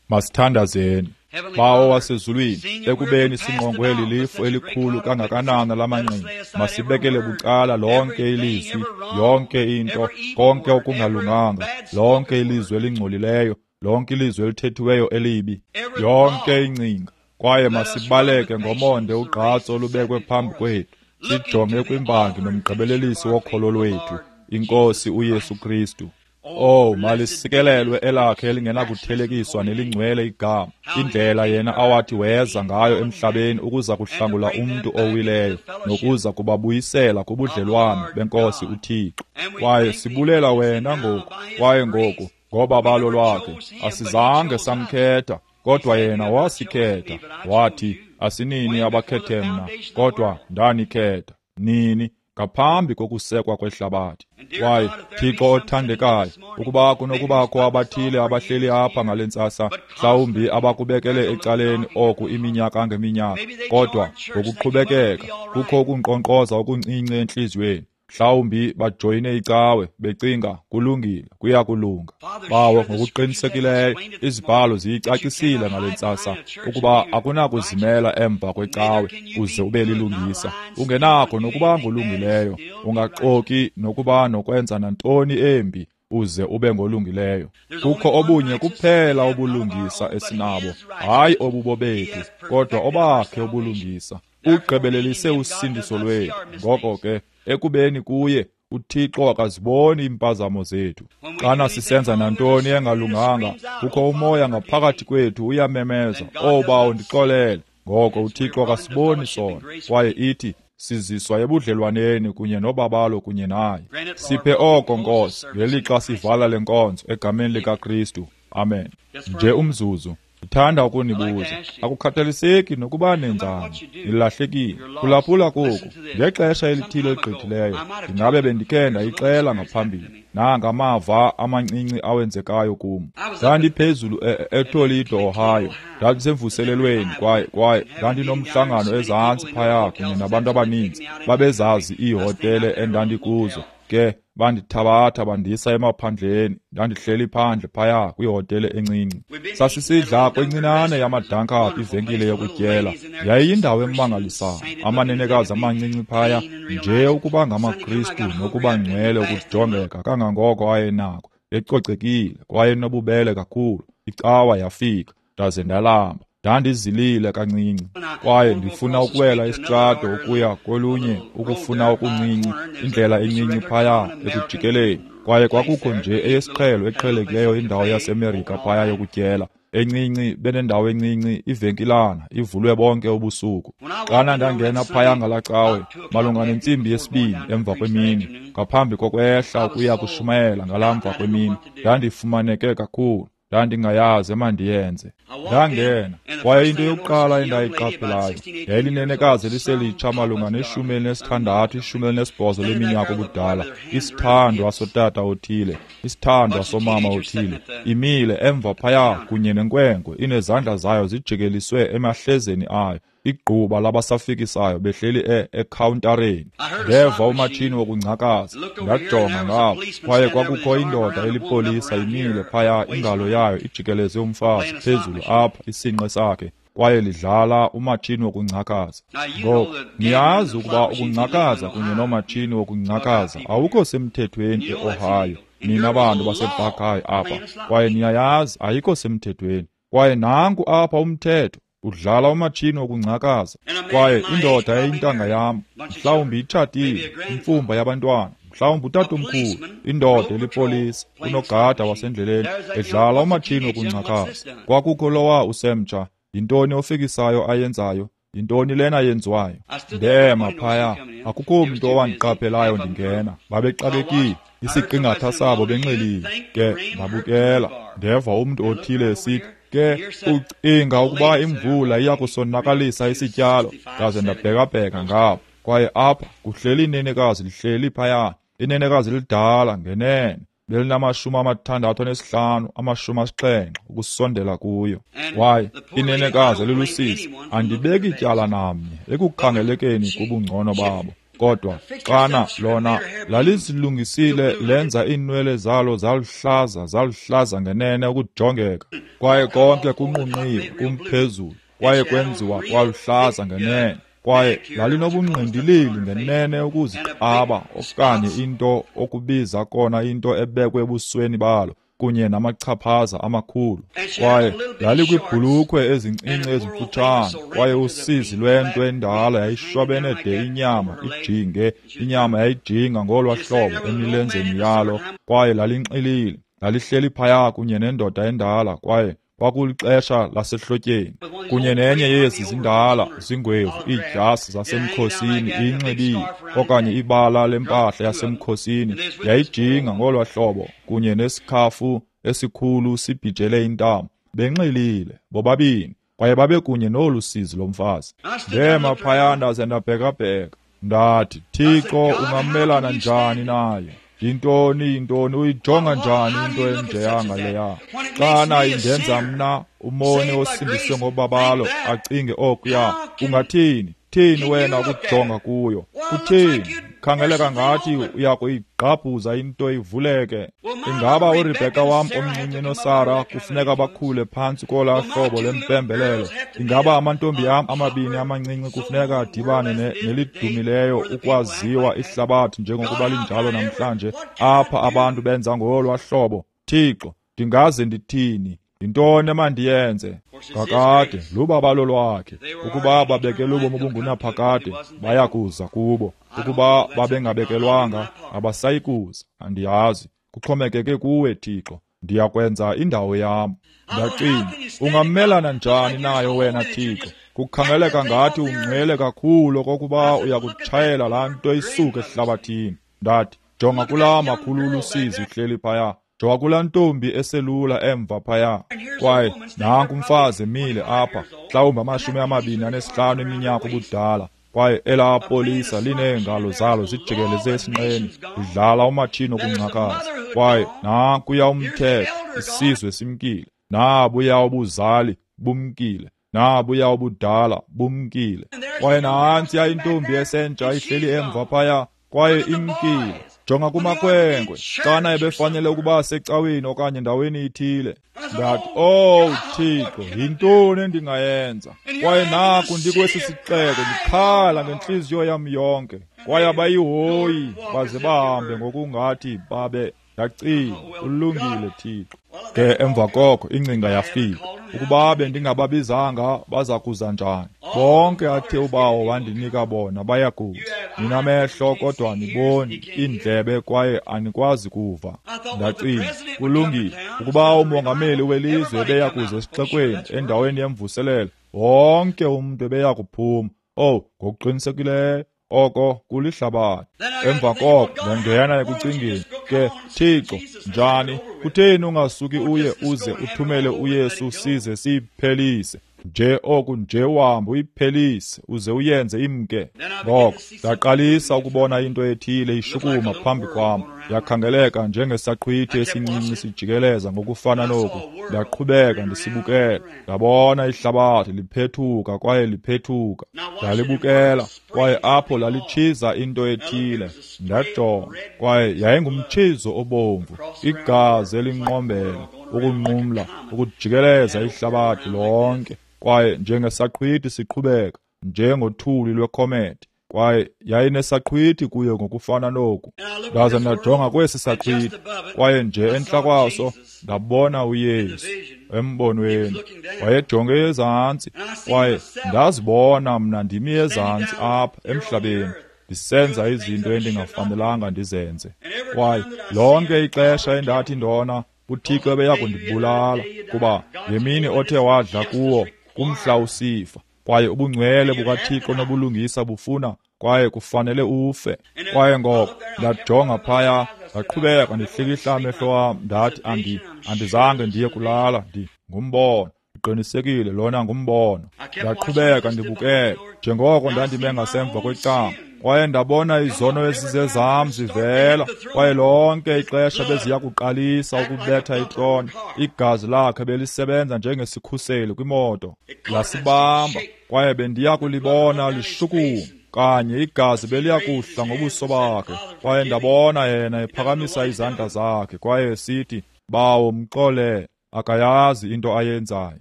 Masithandazeni. Bawo wasezulwini, ekubeni singqongwe lilifu elikhulu kangakanana lamangqina, masibekele bucala lonke ilizwi, yonke into, konke okungalunganga, lonke ilizwi elingcolileyo, lonke ilizwi elithethiweyo elibi, yonke ingcinga, kwaye masibaleke ngomonde ugqatso olubekwe phambi kwethu, sijonge kwimbangi nomgqibelelisi wokholo lwethu, iNkosi uYesu Kristu. Oh, malisikelelwe elakhe elingenakuthelekiswa nelingcwele igama, indlela yena awathi weza ngayo emhlabeni ukuza kuhlangula umntu owileyo nokuza kubabuyisela kubudlelwane beNkosi uThixo. Kwaye sibulela wena ngoku, kwaye ngoku ngobabalo lwakhe asizange samkhetha, kodwa yena wasikhetha. Wathi, asinini abakhethe mna, kodwa ndanikhetha nini ngaphambi kokusekwa kwehlabathi. Kwaye Thixo othandekayo, ukuba kunokubakho abathile abahleli apha ngale ntsasa, mhlawumbi abakubekele ecaleni oku iminyaka ngeminyaka, kodwa ngokuqhubekeka kukho ukunkqonkqoza okuncinci entliziyweni. Mhlawumbi bajoyine icawe becinga kulungile, kuyakulunga. Bawo, ngokuqinisekileyo izibhalo ziyicacisile ngale ntsasa ukuba akunakuzimela emva kwecawe uze ube lilungisa. Ungenakho nokuba ngolungileyo, ungaxoki nokuba nokwenza nantoni embi uze ube ngolungileyo. Kukho obunye kuphela ubulungisa esinabo, hayi obubo bethu, kodwa obakhe ubulungisa. Ugqibelelise usindiso lwethu. Ngoko ke, ekubeni kuye uThixo akaziboni iimpazamo zethu. Xana sisenza nantoni engalunganga, kukho umoya ngaphakathi kwethu uyamemeza, "Oh Bawo, ndixolele." Ngoko uThixo akasiboni sona, kwaye ithi Siziswa ebudlelwaneni kunye nobabalo kunye naye. Siphe oko, Nkosi, ngelixa sivala le nkonzo egameni likaKristu. Amen. Nje umzuzu. Ndithanda ukunibuza, akukhathaliseki nokuba nenzani, nilahlekile. Phulaphula koku, ngexesha elithile eligqithileyo, ndingabe bendikhe ndayixela ngaphambili, nangamava amancinci awenzekayo kum. Ndandiphezulu eToledo, Ohio, ndandisemvuselelweni kwaye kwaye ndandinomhlangano ezantsi phaya kunye nabantu abaninzi, babezazi iihotele endandikuzo. Ke bandithabatha bandisa emaphandleni, ndandihleli phandle phaya kwihotele encinci. Sasisidla kwincinane yamadanka ivenkile yokutyela. Yayiyindawo emangalisayo, amanenekazi amancinci phaya, nje ukuba ngamaKristu nokuba ngcwele ukujongeka kangangoko ayenako, ecocekile kwaye nobubele kakhulu. Icawa yafika, ndaze ndalamba. Ndandizilile kancinci, kwaye ndifuna ukuwela isitrato ukuya kolunye ukufuna okuncinci, indlela encinci phaya ekujikeleni. Kwaye kwakukho nje eyesiqhelo eqhelekileyo indawo yaseMerika phaya yokutyela, encinci, benendawo encinci, ivenkilana ivulwe bonke ubusuku. Xana ndangena phaya ngalaa cawe, malunga nentsimbi yesibini emva kwemini, ngaphambi kokwehla ukuya kushumayela ngalaa mva kwemini, ndandifumaneke kakhulu. Ndandingayazi emandiyenze. Ndangena, kwaye into yokuqala endayiqaphelayo yayilinenekazi eliselitsha malunga neshumi elinesithandathu, ishumi elinesibhozo leminyaka ubudala, isithandwa sotata othile, isithandwa somama othile, imile emva phaya kunye nenkwenkwe, inezandla zayo zijikeliswe emahlezeni ayo, igquba labasafikisayo behleli e ekhawuntareni. Ndeva umatshini wokungcakaza, ndajonga ngapha, kwaye kwakukho indoda elipolisa imile phaya, ingalo yayo ijikeleze umfazi phezulu apha isinqe sakhe, kwaye lidlala umatshini wokungcakaza. Ngoku niyazi ukuba ukungcakaza kunye nomatshini wokungcakaza awukho semthethweni eOhio, nina bantu baseBuckeye apha, kwaye niyayazi ayikho semthethweni. Kwaye nanku apha umthetho, udlala umatshini wokungcakaza. Kwaye indoda eyintanga yam, mhlawumbi itshatile, imfumba yabantwana, mhlawumbi utatomkhulu, indoda elipolisa, unogada wasendleleni, edlala umatshini wokungcakaza. Kwakukho lowa usemtsha, yintoni ofikisayo ayenzayo? Yintoni lena yenziwayo? Ndema phaya, akukho mntu owandiqaphelayo ndingena. Babexakekile, isiqingatha sabo benxilile. Ke ndabukela, ndeva umntu othile esithi, ke ucinga ukuba imvula iya kusonakalisa isityalo? Ndaze ndabhekabheka ngapha, kwaye apha kuhleli inenekazi lihleli phaya, inenekazi lidala ngenene, belinamashumi amathandathu anesihlanu, amashumi asixhenxe ukusondela kuyo. Kwaye inenekazi elilusizi, andibeki ityala namnye ekukhangelekeni kubungcono babo, kodwa xana lona lalizilungisile, lenza iinwele zalo zaluhlaza, zaluhlaza ngenene ukujongeka, kwaye konke kunqunqiwe kumphezulu, kwaye kwenziwa kwaluhlaza ngenene, kwaye lalinobungqindilili ngenene ukuziqaba okanye into okubiza kona into ebekwe ebusweni balo, kunye namachaphaza amakhulu. Kwaye lalikwibhulukhwe ezincinci ezimfutshane, kwaye usizi lwento endala yayishwabene de inyama ijinge, inyama yayijinga ngolwa hlobo emilenzeni yalo, kwaye lalinxilile. Lalihleli phaya kunye nendoda endala, kwaye kwakulixesha lasehlotyeni, kunye nenye yezi zindala zingwevu iidyasi zasemkhosini iyinxibile, okanye ibala lempahla yasemkhosini yayijinga ngolwa hlobo, kunye nesikhafu esikhulu sibhijele intamo, benxilile bobabini, kwaye babekunye nolu sizi lomfazi. Ndema phaya ndaze ndabhekabheka, ndathi, Thixo, ungamelana njani naye? Yintoni, yintoni, uyijonga njani into enjeyanga leya? Xana indenza mna umoni osindiswe ngobabalo acinge okuya, ungathini? Thini wena ukujonga kuyo? Kuthini? Khangeleka ngathi uyakuyigqabhuza into ivuleke. Ingaba uRebheka wam omncinci noSara kufuneka bakhule phantsi kolaa hlobo lempembelelo? Ingaba amantombi am amabini amancinci kufuneka adibane nelidumileyo ukwaziwa ihlabathi njengokuba linjalo namhlanje, apha abantu benza ngolwaa hlobo? Thixo, ndingaze ndithini? Yintoni emandiyenze? Kakade lubabalo lwakhe. Ukuba babekelwe ubomi obungunaphakade, bayakuza kubo. Ukuba babengabekelwanga, abasayikuza. Andiyazi, kuxhomekeke kuwe, Thixo. Ndiyakwenza indawo yam. Ndacinga, ungamelana njani nayo wena, Thixo? Kukhangeleka ngathi ungcwele kakhulu okokuba uyakutshayela laa nto isuke ehlabathini. Ndathi, jonga kulaa makhulu ulusizi uhleli phaya. Jonga kulaa ntombi eselula emva phaya. Kwaye nanku umfazi emile apha, mhlawumbi amashumi amabini anesihlanu eminyaka ubudala. Kwaye elaa polisa lineengalo zalo zijikeleze esinqeni, lidlala umatshini wokungcakaza. Kwaye nankuya umthetho, isizwe simkile. Nabuya ubuzali bumkile. Nabuya ubudala bumkile. Kwaye nantsiya intombi esentsha ihleli emva phaya, kwaye imkile. Jonga kumakhwenkwe, xana ebefanele ukuba secaweni okanye ndaweni ithile. Ndathi, "Oh Thixo, yintoni endingayenza?" Kwaye naku ndikwesi sixeko ndikhala ngentliziyo yam yonke. Kwaye abayihoyi baze bahambe ngokungathi babe. Ndacinga, ulungile Thixo. Ke emva koko ingcinga yafika, ukuba bendingababizanga baza kuza njani? Bonke athe uBawo wandinika bona bayakuza. Ninamehlo kodwa aniboni, iindlebe kwaye anikwazi kuva. Ndacinga, kulungile, ukuba umongameli welizwe ebeya kuza esixekweni endaweni yemvuselelo, wonke umntu ebeya kuphuma. Oh, ngokuqinisekileyo oko kulihlabathi. Emva koko ndangena ekucingeni, ke Thixo, njani? Kutheni ungasuki uye uze uthumele uYesu size siyiphelise? Nje oku nje uhambe uyiphelise uze uyenze imke. Ngoko ndaqalisa ukubona into ethile ishukuma phambi kwam. Yakhangeleka njengesaqhwithi esincinci sijikeleza ngokufana noku. Ndaqhubeka ndisibukela. Ndabona ihlabathi liphethuka kwaye liphethuka. Ndalibukela kwaye apho lalitshiza into ethile. Ndajonga kwaye yayingumtshizo obomvu, igazi elinqombela, ukunqumla, ukujikeleza ihlabathi lonke. Kwaye njengesaqhwithi siqhubeka, njengothuli lwekhometi. Kwaye yayinesaqhwithi kuyo ngokufana noku. Ndaza ndajonga kwesi saqhwithi, kwaye nje entla kwaso ndabona uYesu embonweni. Wayejonge ezantsi, kwaye ndazibona mna ndimi ezantsi apha emhlabeni, ndisenza izinto endingafanelanga ndizenze. Kwaye lonke ixesha endathi ndona, uThixo ebeya kundibulala, kuba ngemini othe wadla kuwo kumhla usifa. Kwaye ubungcwele bukaThixo nobulungisa bufuna, kwaye kufanele ufe. Kwaye ngoko ndajonga phaya, ndaqhubeka ndihlikihla amehlo wam. Ndathi, andi andizange ndiye kulala, ndi ngumbono. Ndiqinisekile lona ngumbono. Ndaqhubeka ndibukela njengoko ndandime ngasemva kwecango. Kwaye ndabona izono ezizezam zivela, kwaye lonke ixesha beziya kuqalisa ukubetha itrone. Igazi lakhe belisebenza njengesikhuseli kwimoto, lasibamba, kwaye bendiya kulibona lishukuma. Kanye igazi beliya kuhla ngobuso bakhe. Kwaye ndabona yena ephakamisa izandla zakhe kwaye esithi, "Bawo, mxolele, akayazi into ayenzayo."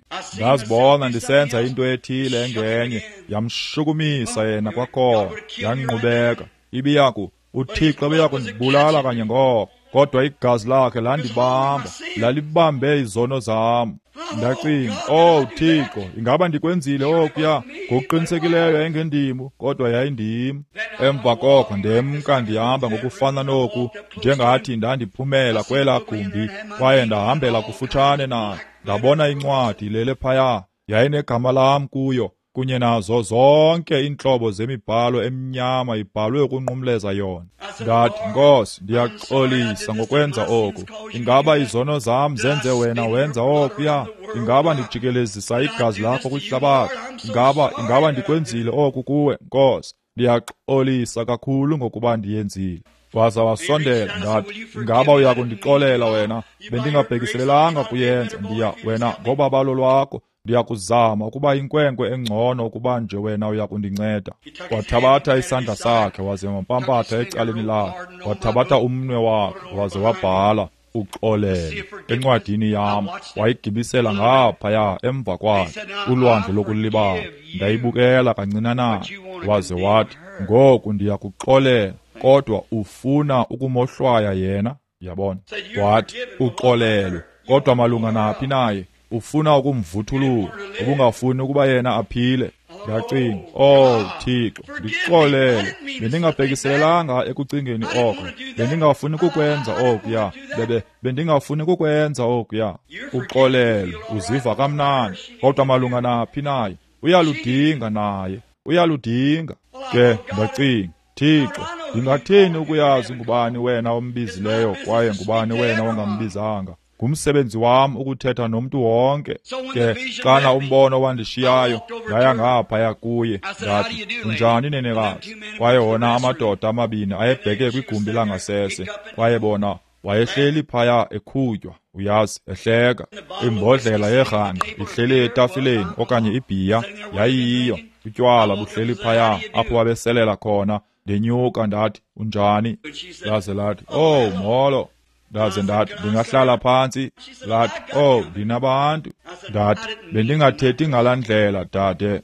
Ndazibona ndisenza into ethile engenye, yamshukumisa yena kwakhona, yanqubeka. Ibiyaku, uThixo ebeya kundibulala kanye ngoko, kodwa igazi lakhe landibamba, lalibambe izono zam. Ndacinga, "Oh Thixo, ingaba ndikwenzile okuya?" Ngokuqinisekileyo yayingendim, kodwa yayindim. Emva koko ndemka ndihamba ngokufana noku, njengathi ndandiphumela kwelaa gumbi, kwaye ndahambela kufutshane nayo. Ndabona incwadi ilele phaya, yayinegama lam kuyo, kunye nazo zonke iintlobo zemibhalo emnyama ibhalwe ukunqumleza yona. Ndathi, "Nkosi, ndiyaxolisa ngokwenza oku. Ingaba izono zam zenze wena wenza okuya? Ingaba ndijikelezisa igazi lakho kwihlabathi? Ingaba ingaba ndikwenzile oku kuwe, Nkosi? Ndiyaxolisa kakhulu ngokuba ndiyenzile." Waza wasondela. Ndathi, "Ingaba uya kundixolela wena? Bendingabhekiselelanga kuyenza. Ndiya wena ngobabalo lwakho ndiyakuzama ukuba inkwenkwe engcono ukuba nje wena uya kundinceda." Wathabatha isandla sakhe waze wampampatha ecaleni lakhe. Wathabatha umnwe wakhe waze wabhala uxolele encwadini yam. Wayigibisela ngaphaya emva kwakhe ulwandle lokulibala. Ndayibukela kancinanana. Waze wathi, "Ngoku ndiyakuxolela, kodwa ufuna ukumohlwaya yena." Yabona? Wathi, "Uxolelwe, kodwa malunga naphi naye? Ufuna ukumvuthulula, ubungafuni ukuba yena aphile." Ndacinga, "Oh Thixo, ndixolele. Bendingabhekiselelanga ekucingeni oko. Bendingafuni kukwenza okuya. Bebe bendingafuni kukwenza okuya." Uxolele, uziva kamnandi, kodwa malunga naphi naye? Uyaludinga naye, uyaludinga. Ke ndacinga, Thixo, ndingathini ukuyazi ngubani wena ombizileyo kwaye ngubani wena ongambizanga? Ngumsebenzi wam ukuthetha nomntu wonke. Ke xana umbono wandishiyayo, ndaya ngaphaya kuye, ndathi, unjani nenekazi? Kwaye wona amadoda amabini ayebheke kwigumbi langasese, kwaye bona wayehleli phaya ekhutywa, uyazi, ehleka. Imbodlela yerhangqa ihleli etafileni okanye ibhiya yayiyiyo, utywala buhleli phaya apho babeselela khona. Ndenyuka ndathi, unjani? Laze lathi, oh molo. Ndaze ndathi, ndingahlala phantsi? Lathi, oh ndinabantu. Ndathi, bendingathethi ngalaa ndlela dade.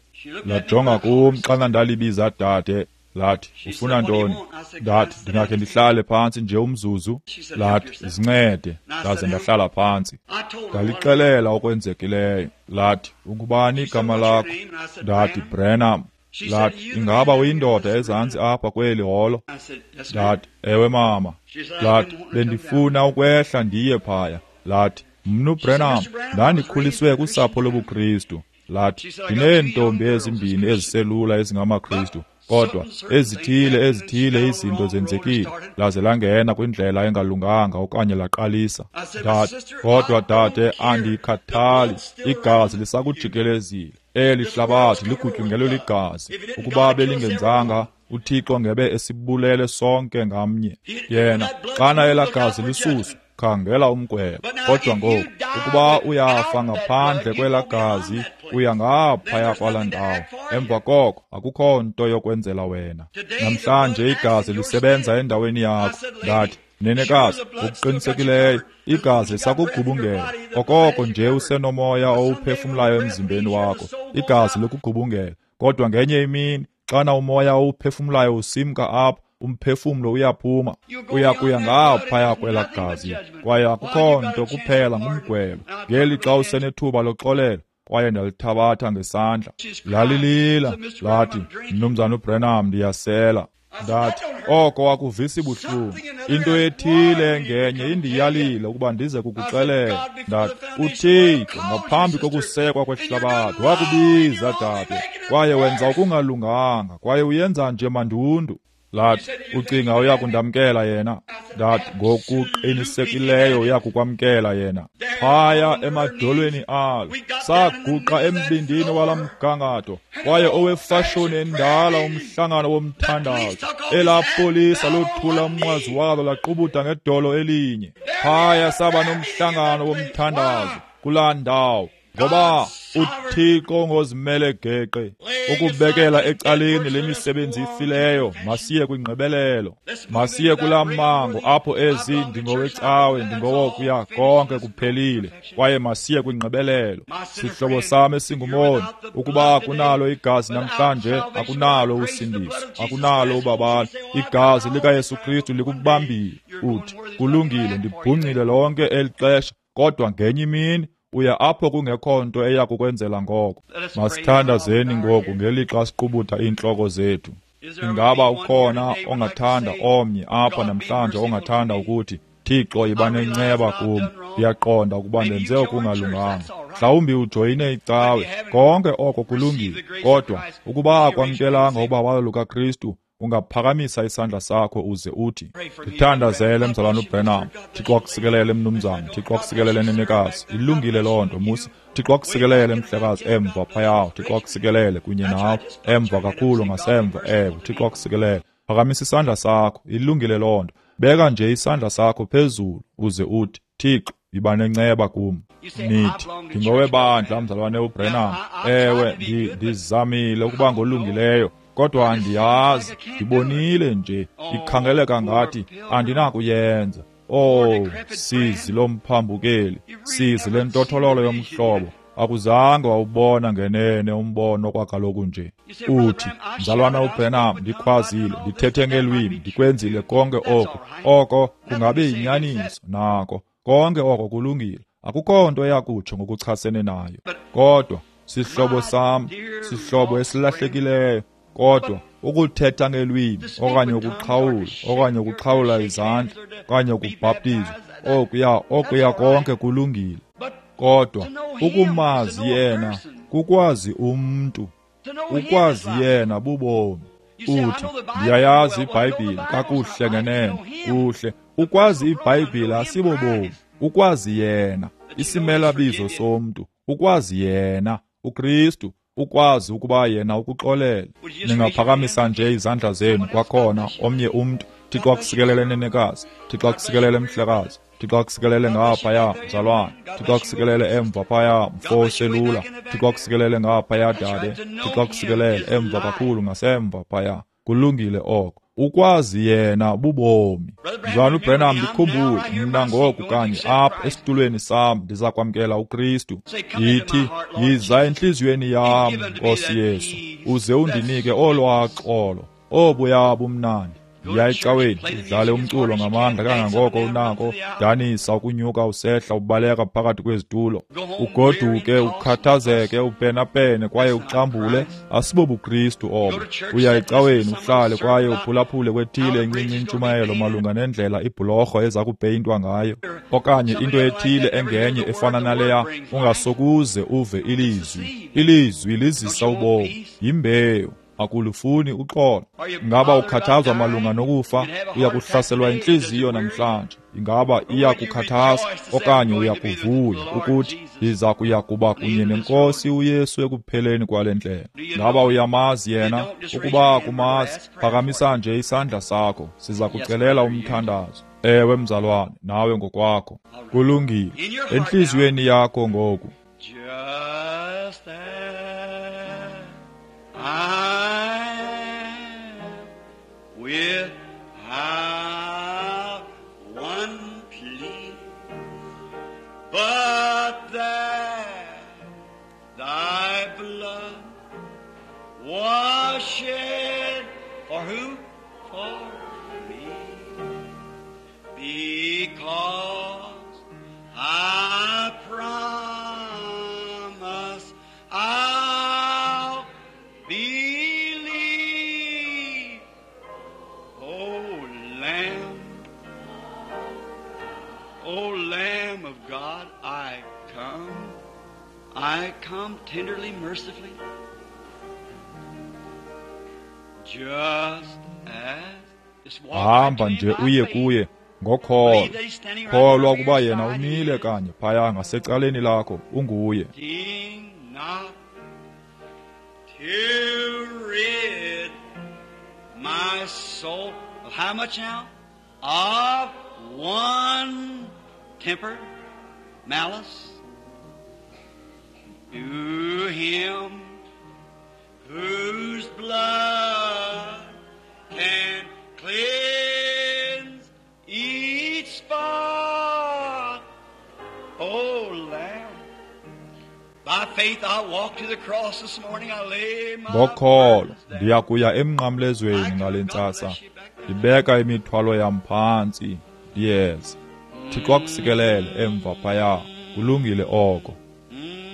Lajonga kum xana ndalibiza dade. Lathi, ufuna ntoni? Ndathi, ndingakhe ndihlale phantsi nje umzuzu. Lathi, zincede. Ndaze ndahlala phantsi. Ndalixelela okwenzekileyo. Lathi, ungubani igama lakho? Ndathi, Branham. Lathi, ingaba uyindoda ezantsi apha kweli holo? Ndathi, ewe mama. Lathi, bendifuna ukwehla ndiye phaya. Lathi, mnu Branham, ndandikhuliswe kusapho lobuKristu. Lathi, ndineentombi ezimbini eziselula ezingamaKristu, kodwa ezithile ezithile izinto zenzekile, laze langena kwindlela engalunganga okanye laqalisa. Ndathi, kodwa dade, andikhathali, igazi lisakujikelezile. Eli hlabathi ligutyungelwe ligazi. Ukuba belingenzanga, uThixo ngebe esibulele sonke ngamnye. Yena, xana elaa gazi lisuswa, khangela umgwebo. Kodwa ngoku, ukuba uyafa ngaphandle kwelaa gazi, uya ngaphaya kwalaa ndawo. Emva koko akukho nto yokwenzela wena. Namhlanje igazi lisebenza endaweni yakho. Ndathi, nenekazi, ngokuqinisekileyo igazi lisakugubungela. Okoko nje usenomoya owuphefumlayo emzimbeni wakho, igazi lokugubungela. Kodwa ngenye imini, xana umoya owuphefumlayo usimka apha, umphefumlo uyaphuma, uya kuya ngaphaya kwelaa gazi, kwaye akukho nto kuphela ngumgwebo. Ngeli xa usenethuba loxolelo, kwaye ndalithabatha ngesandla. Lalilila, lathi, Mnumzana uBranham, ndiyasela. Ndathi, oko akuvisi buhlungu. Into ethile ngenye indiyalile ukuba ndize kukuxelela. Ndathi, uThixo ngaphambi kokusekwa kwehlabathi wakubiza dade, kwaye wenza okungalunganga, kwaye uyenza nje mandundu. Lathi, ucinga uyakundamkela yena? Ndathi, ngokuqinisekileyo uyakukwamkela yena. Phaya emadolweni alo, saguqa embindini wala mgangatho, kwaye owefashoni endala umhlangano womthandazo. Elaa polisa lothula umnqwazi walo laqubuda ngedolo elinye. Phaya saba nomhlangano womthandazo kulaa ndawo. Ngoba uThixo ngozimele geqe ukubekela ecaleni lemisebenzi ifileyo, masiye kwingqibelelo, masiye kulaa mango apho ezi ndingowecawe ndingowokuya konke kuphelile, kwaye masiye kwingqibelelo. Sihlobo sam esingumoni, ukuba akunalo igazi namhlanje, akunalo usindiso, akunalo ubabalo. Igazi likaYesu Kristu likubambile. Uthi, kulungile, ndibhungcile lonke eli xesha, kodwa ngenye imini uya apho kungekho nto eya kukwenzela ngoko. Masithandazeni ngoku ngelixa siqubutha iintloko zethu. Ingaba ukhona ongathanda omnye apha namhlanje ongathanda ukuthi, Thixo, yiba nenceba kum, ndiyaqonda ukuba ndenze okungalunganga. Mhlawumbi ujoyine icawe, konke oko kulungile, kodwa ukuba akwamkelanga ubabalo lukaKristu, ungaphakamisa isandla sakho uze uthi, ndithandazele mzalwana uBranham. Thixo akusikelele mnumzana, Thixo akusikelele nenekazi. Ilungile loo nto, Musa. Thixo akusikelele mhlekazi emva phaya, Thixo akusikelele kunye nawe emva kakhulu ngasemva, ewe, Thixo akusikelele. Phakamisa isandla sakho, ilungile loo nto. Beka nje isandla sakho phezulu uze uthi, Thixo, yiba nenceba kum. Nithi, ndingowebandla mzalwane uBranham. Ewe, ndizamile ukuba ngolungileyo, kodwa andiyazi, ndibonile nje, ikhangeleka ngathi andinakuyenza. Oh, sizi lomphambukeli, sizi lentothololo yomhlobo, akuzange wawubona ngenene umbono kwakaloku nje. Uthi, mzalwana uBranham, ndikhwazile, ndithethe ngelwimi, ndikwenzile konke oko. Oko kungabe yinyaniso nako, konke oko kulungile. Akukho nto eyakutsho ngokuchasene nayo. Kodwa sihlobo sam, sihlobo esilahlekileyo, kodwa ukuthetha ngelwimi okanye ukuxhawula okanye ukuxhawula izandla okanye ukubhaptizwa, okuya okuya konke kulungile. Kodwa ukumazi yena Kukwazi umntu, ukwazi yena bubomi. Uthi, ndiyayazi iBhayibhile kakuhle ngenene, kuhle. Ukwazi iBhayibhile asibobomi, ukwazi yena, isimelabizo somntu, ukwazi yena, uKristu, ukwazi ukuba yena ukuxolele. Ningaphakamisa nje izandla zenu kwakhona omnye umntu. Thixo akusikelele nenekazi, Thixo akusikelele mhlekazi, Thixo akusikelele ngaphaya mzalwane, Thixo akusikelele emva phaya mfo oselula, Thixo akusikelele ngaphaya dade, Thixo akusikelele emva kakhulu ngasemva phaya. Kulungile oko. Ukwazi yena bubomi. Mzalwane uBranham, ndikhumbule mna ngoku kanye apha esitulweni sam ndiza kwamkela uKristu. Yithi, yiza entliziyweni yam, Nkosi Yesu, uze undinike olwaa xolo, obuya bumnandi. Yiya ecaweni, udlale umculo ngamandla kangangoko unako, danisa ukunyuka usehla ubaleka phakathi kwezitulo, ugoduke ukhathazeke upenapene kwaye uxambule. AsibobuKristu obo. Uya ecaweni uhlale kwaye uphulaphule kwethile encinci intshumayelo malunga nendlela ibhulorho eza kupeyintwa ngayo, okanye into ethile engenye efana naleya, ungasokuze uve ilizwi. Ilizwi lizisa ubomi, yimbewu. Akulufuni uxolo. Ingaba ukhathazwa malunga nokufa? Uya kuhlaselwa intliziyo namhlanje. Ingaba iyakukhathaza okanye uyakuvuya ukuthi ndiza kuya kuba kunye neNkosi uYesu ekupheleni kwale ndlela? Ingaba uyamazi yena? Ukuba akumazi, phakamisa nje isandla sakho, siza kucelela umthandazo. Ewe mzalwane, nawe ngokwakho. Kulungile. Entliziyweni yakho ngoku. I am without one plea, but that thy blood was shed for who? For me. Because I promise I'll believe, O Lamb, O Lamb of God, I come, I come tenderly, mercifully, just as. Hamba nje uye kuye ngokholo. Kholwa ukuba yena umile kanye phaya ngasecaleni lakho, unguye. To rid my soul of how much now? Of one temper, malice. To him whose blood can cleanse each spot. O Lamb. By faith I walk to the cross this morning. I lay my Ngokholo ndiya kuya emnqamlezweni ngale ntsasa, ndibeka imithwalo yam phantsi, ndiyeza. Thixo akusikelele emva phaya. Kulungile oko.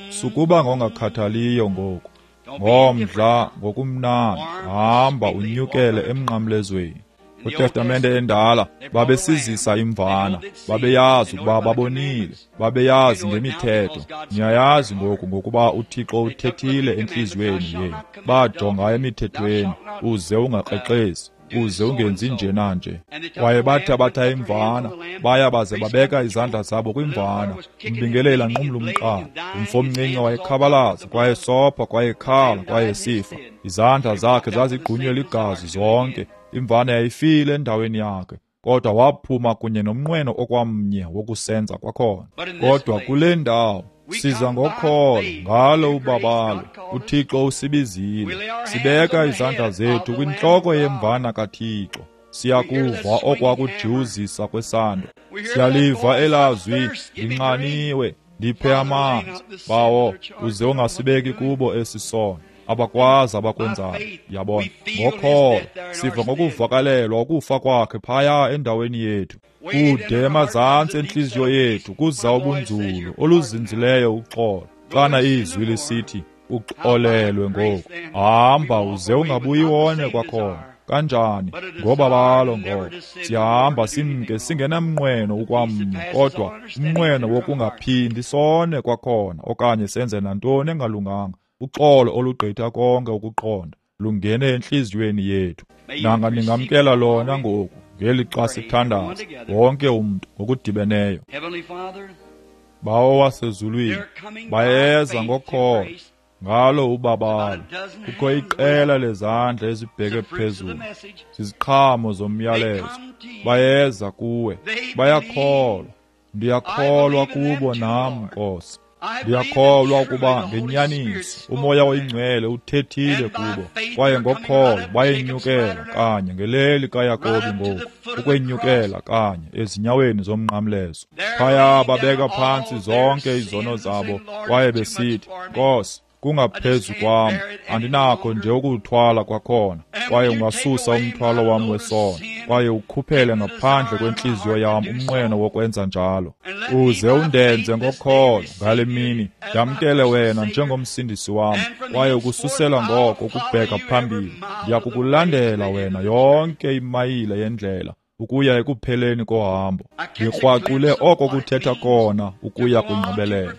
Sukuba ngongakhathaliyo ngoku, ngomdla ngokumnandi, hamba unyukele emnqamlezweni. KwiTestamente endala babesizisa imvana, babeyazi ukuba babonile, babeyazi ngemithetho. Niyayazi ngoku ngokuba uThixo uthethile entliziyweni yenu. Bajonga emithethweni, uze ungakrexezi, uze ungenzi nje nanje. Kwaye bathabatha imvana, baya baze babeka izandla zabo kwimvana. Umbingeleli anqumla umqala. Umfo omncinci wayekhabalaza, kwaye sopha, kwaye khala, kwaye sifa. Izandla zakhe zazigqunywe ligazi zonke. Imvana yayifile endaweni yakhe, kodwa waphuma kunye nomnqweno okwamnye wokusenza kwakhona. Kodwa kule ndawo siza ngokholo ngalo ubabalo, uThixo usibizile. Sibeka izandla zethu kwintloko yemvana kaThixo. Siyakuva okwakujiwuzisa kwesando, siyaliva elazwi, ndinxaniwe, ndiphe amanzi. Bawo, uze ungasibeki kubo esi sono. Abakwazi abakwenzayo. Yabona, ngokholo siva ngokuvakalelwa ukufa kwakhe phaya endaweni yethu. Kude emazantsi entliziyo yethu kuza ubunzulu oluzinzileyo uxolo. Xana izwi lisithi uxolelwe ngoku, hamba uze ungabuyi wone kwakhona. Kanjani? Ngobabalo ngoko siyahamba simke singenamnqweno ukwamnye, kodwa umnqweno wokungaphindi sone kwakhona okanye senze nantoni engalunganga. Uxolo olugqitha konke ukuqonda lungene entliziyweni yethu. Nanga ningamkela lona ngoku ngeli xa sithandaza, wonke umntu ngokudibeneyo. Bawo wasezulwini, bayeza ngokholo ngalo ubabalo. Kukho iqela lezandla ezibheke phezulu, ziziqhamo zomyalezo. Bayeza kuwe, bayakholwa. Ndiyakholwa kubo nam, Nkosi. Ndiyakholwa ukuba ngenyaniso uMoya oyiNgcwele uthethile kubo, kwaye ngokholo bayenyukela kanye ngeleli kaYakobi ngoku, ukwenyukela kanye ezinyaweni zomnqamlezo. Phaya babeka phantsi zonke izono zabo, kwaye besithi, Nkosi, kungaphezu kwam, andinakho nje ukuwuthwala kwakhona, kwaye ungasusa umthwalo wam wesono, kwaye ukhuphele ngaphandle kwentliziyo yam umnqweno wokwenza njalo. Uze undenze ngokholo ngale mini, ndamkele wena njengomsindisi wam, kwaye ukususela ngoko ukubheka phambili, ndiyakukulandela wena yonke imayile yendlela ukuya ekupheleni kohambo. Ndikrwaqule oko kuthetha kona ukuya kwingqibelelo,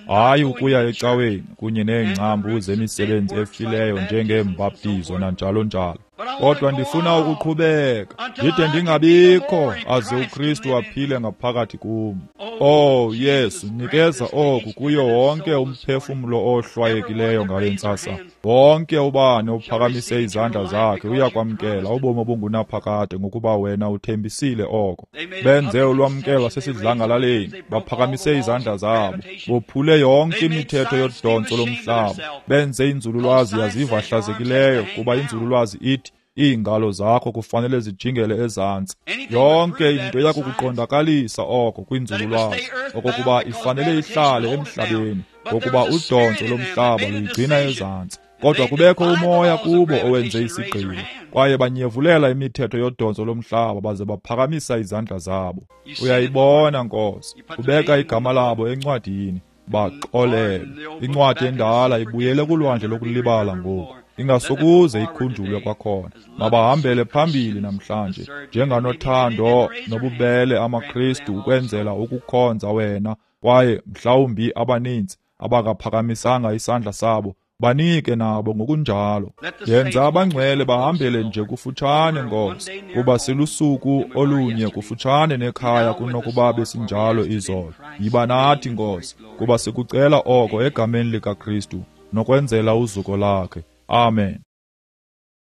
hayi ukuya ecaweni kunye neengcambu zemisebenzi efileyo njengeembaptizo nanjalo njalo. Kodwa ndifuna ukuqhubeka ndide ndingabikho aze uKristu aphile ngaphakathi kum. Oh Yesu, nikeza oku kuyo wonke umphefumlo ohlwayekileyo ngale ntsasa. Wonke ubani ophakamise izandla zakhe uyakwamkela ubomi obungunaphakade ngokuba wena uthembisile oko. Benze ulwamkelo sesidlangalaleni, baphakamise izandla zabo, bophule yonke imithetho yodontso lomhlaba, benze inzululwazi yaziva hlazekileyo, kuba inzululwazi ithi iingalo zakho kufanele zijingele ezantsi. Yonke into iyakukuqondakalisa oko kwinzululwazi, okokuba ifanele ihlale emhlabeni, ngokuba udontso lomhlaba luyigcina ezantsi. Kodwa kubekho umoya kubo owenze isigqibo, kwaye banyevulela imithetho yodontso lomhlaba baze baphakamisa izandla zabo. Uyayibona, Nkosi, ubeka igama labo encwadini, baxolele. Incwadi endala ibuyele kulwandle lokulibala ngoku, ingasokuze ikhunjulwe kwakhona. Mabahambele phambili namhlanje njenganothando nobubele amaKristu ukwenzela ukukhonza wena, kwaye mhlawumbi abaninzi abakaphakamisanga isandla sabo banike nabo ngokunjalo. Yenza abangcwele bahambele nje kufutshane, Nkosi, kuba silusuku olunye kufutshane nekhaya kunokuba besinjalo izolo. Yiba nathi, Nkosi, kuba sikucela oko egameni likaKristu nokwenzela uzuko lakhe. Amen.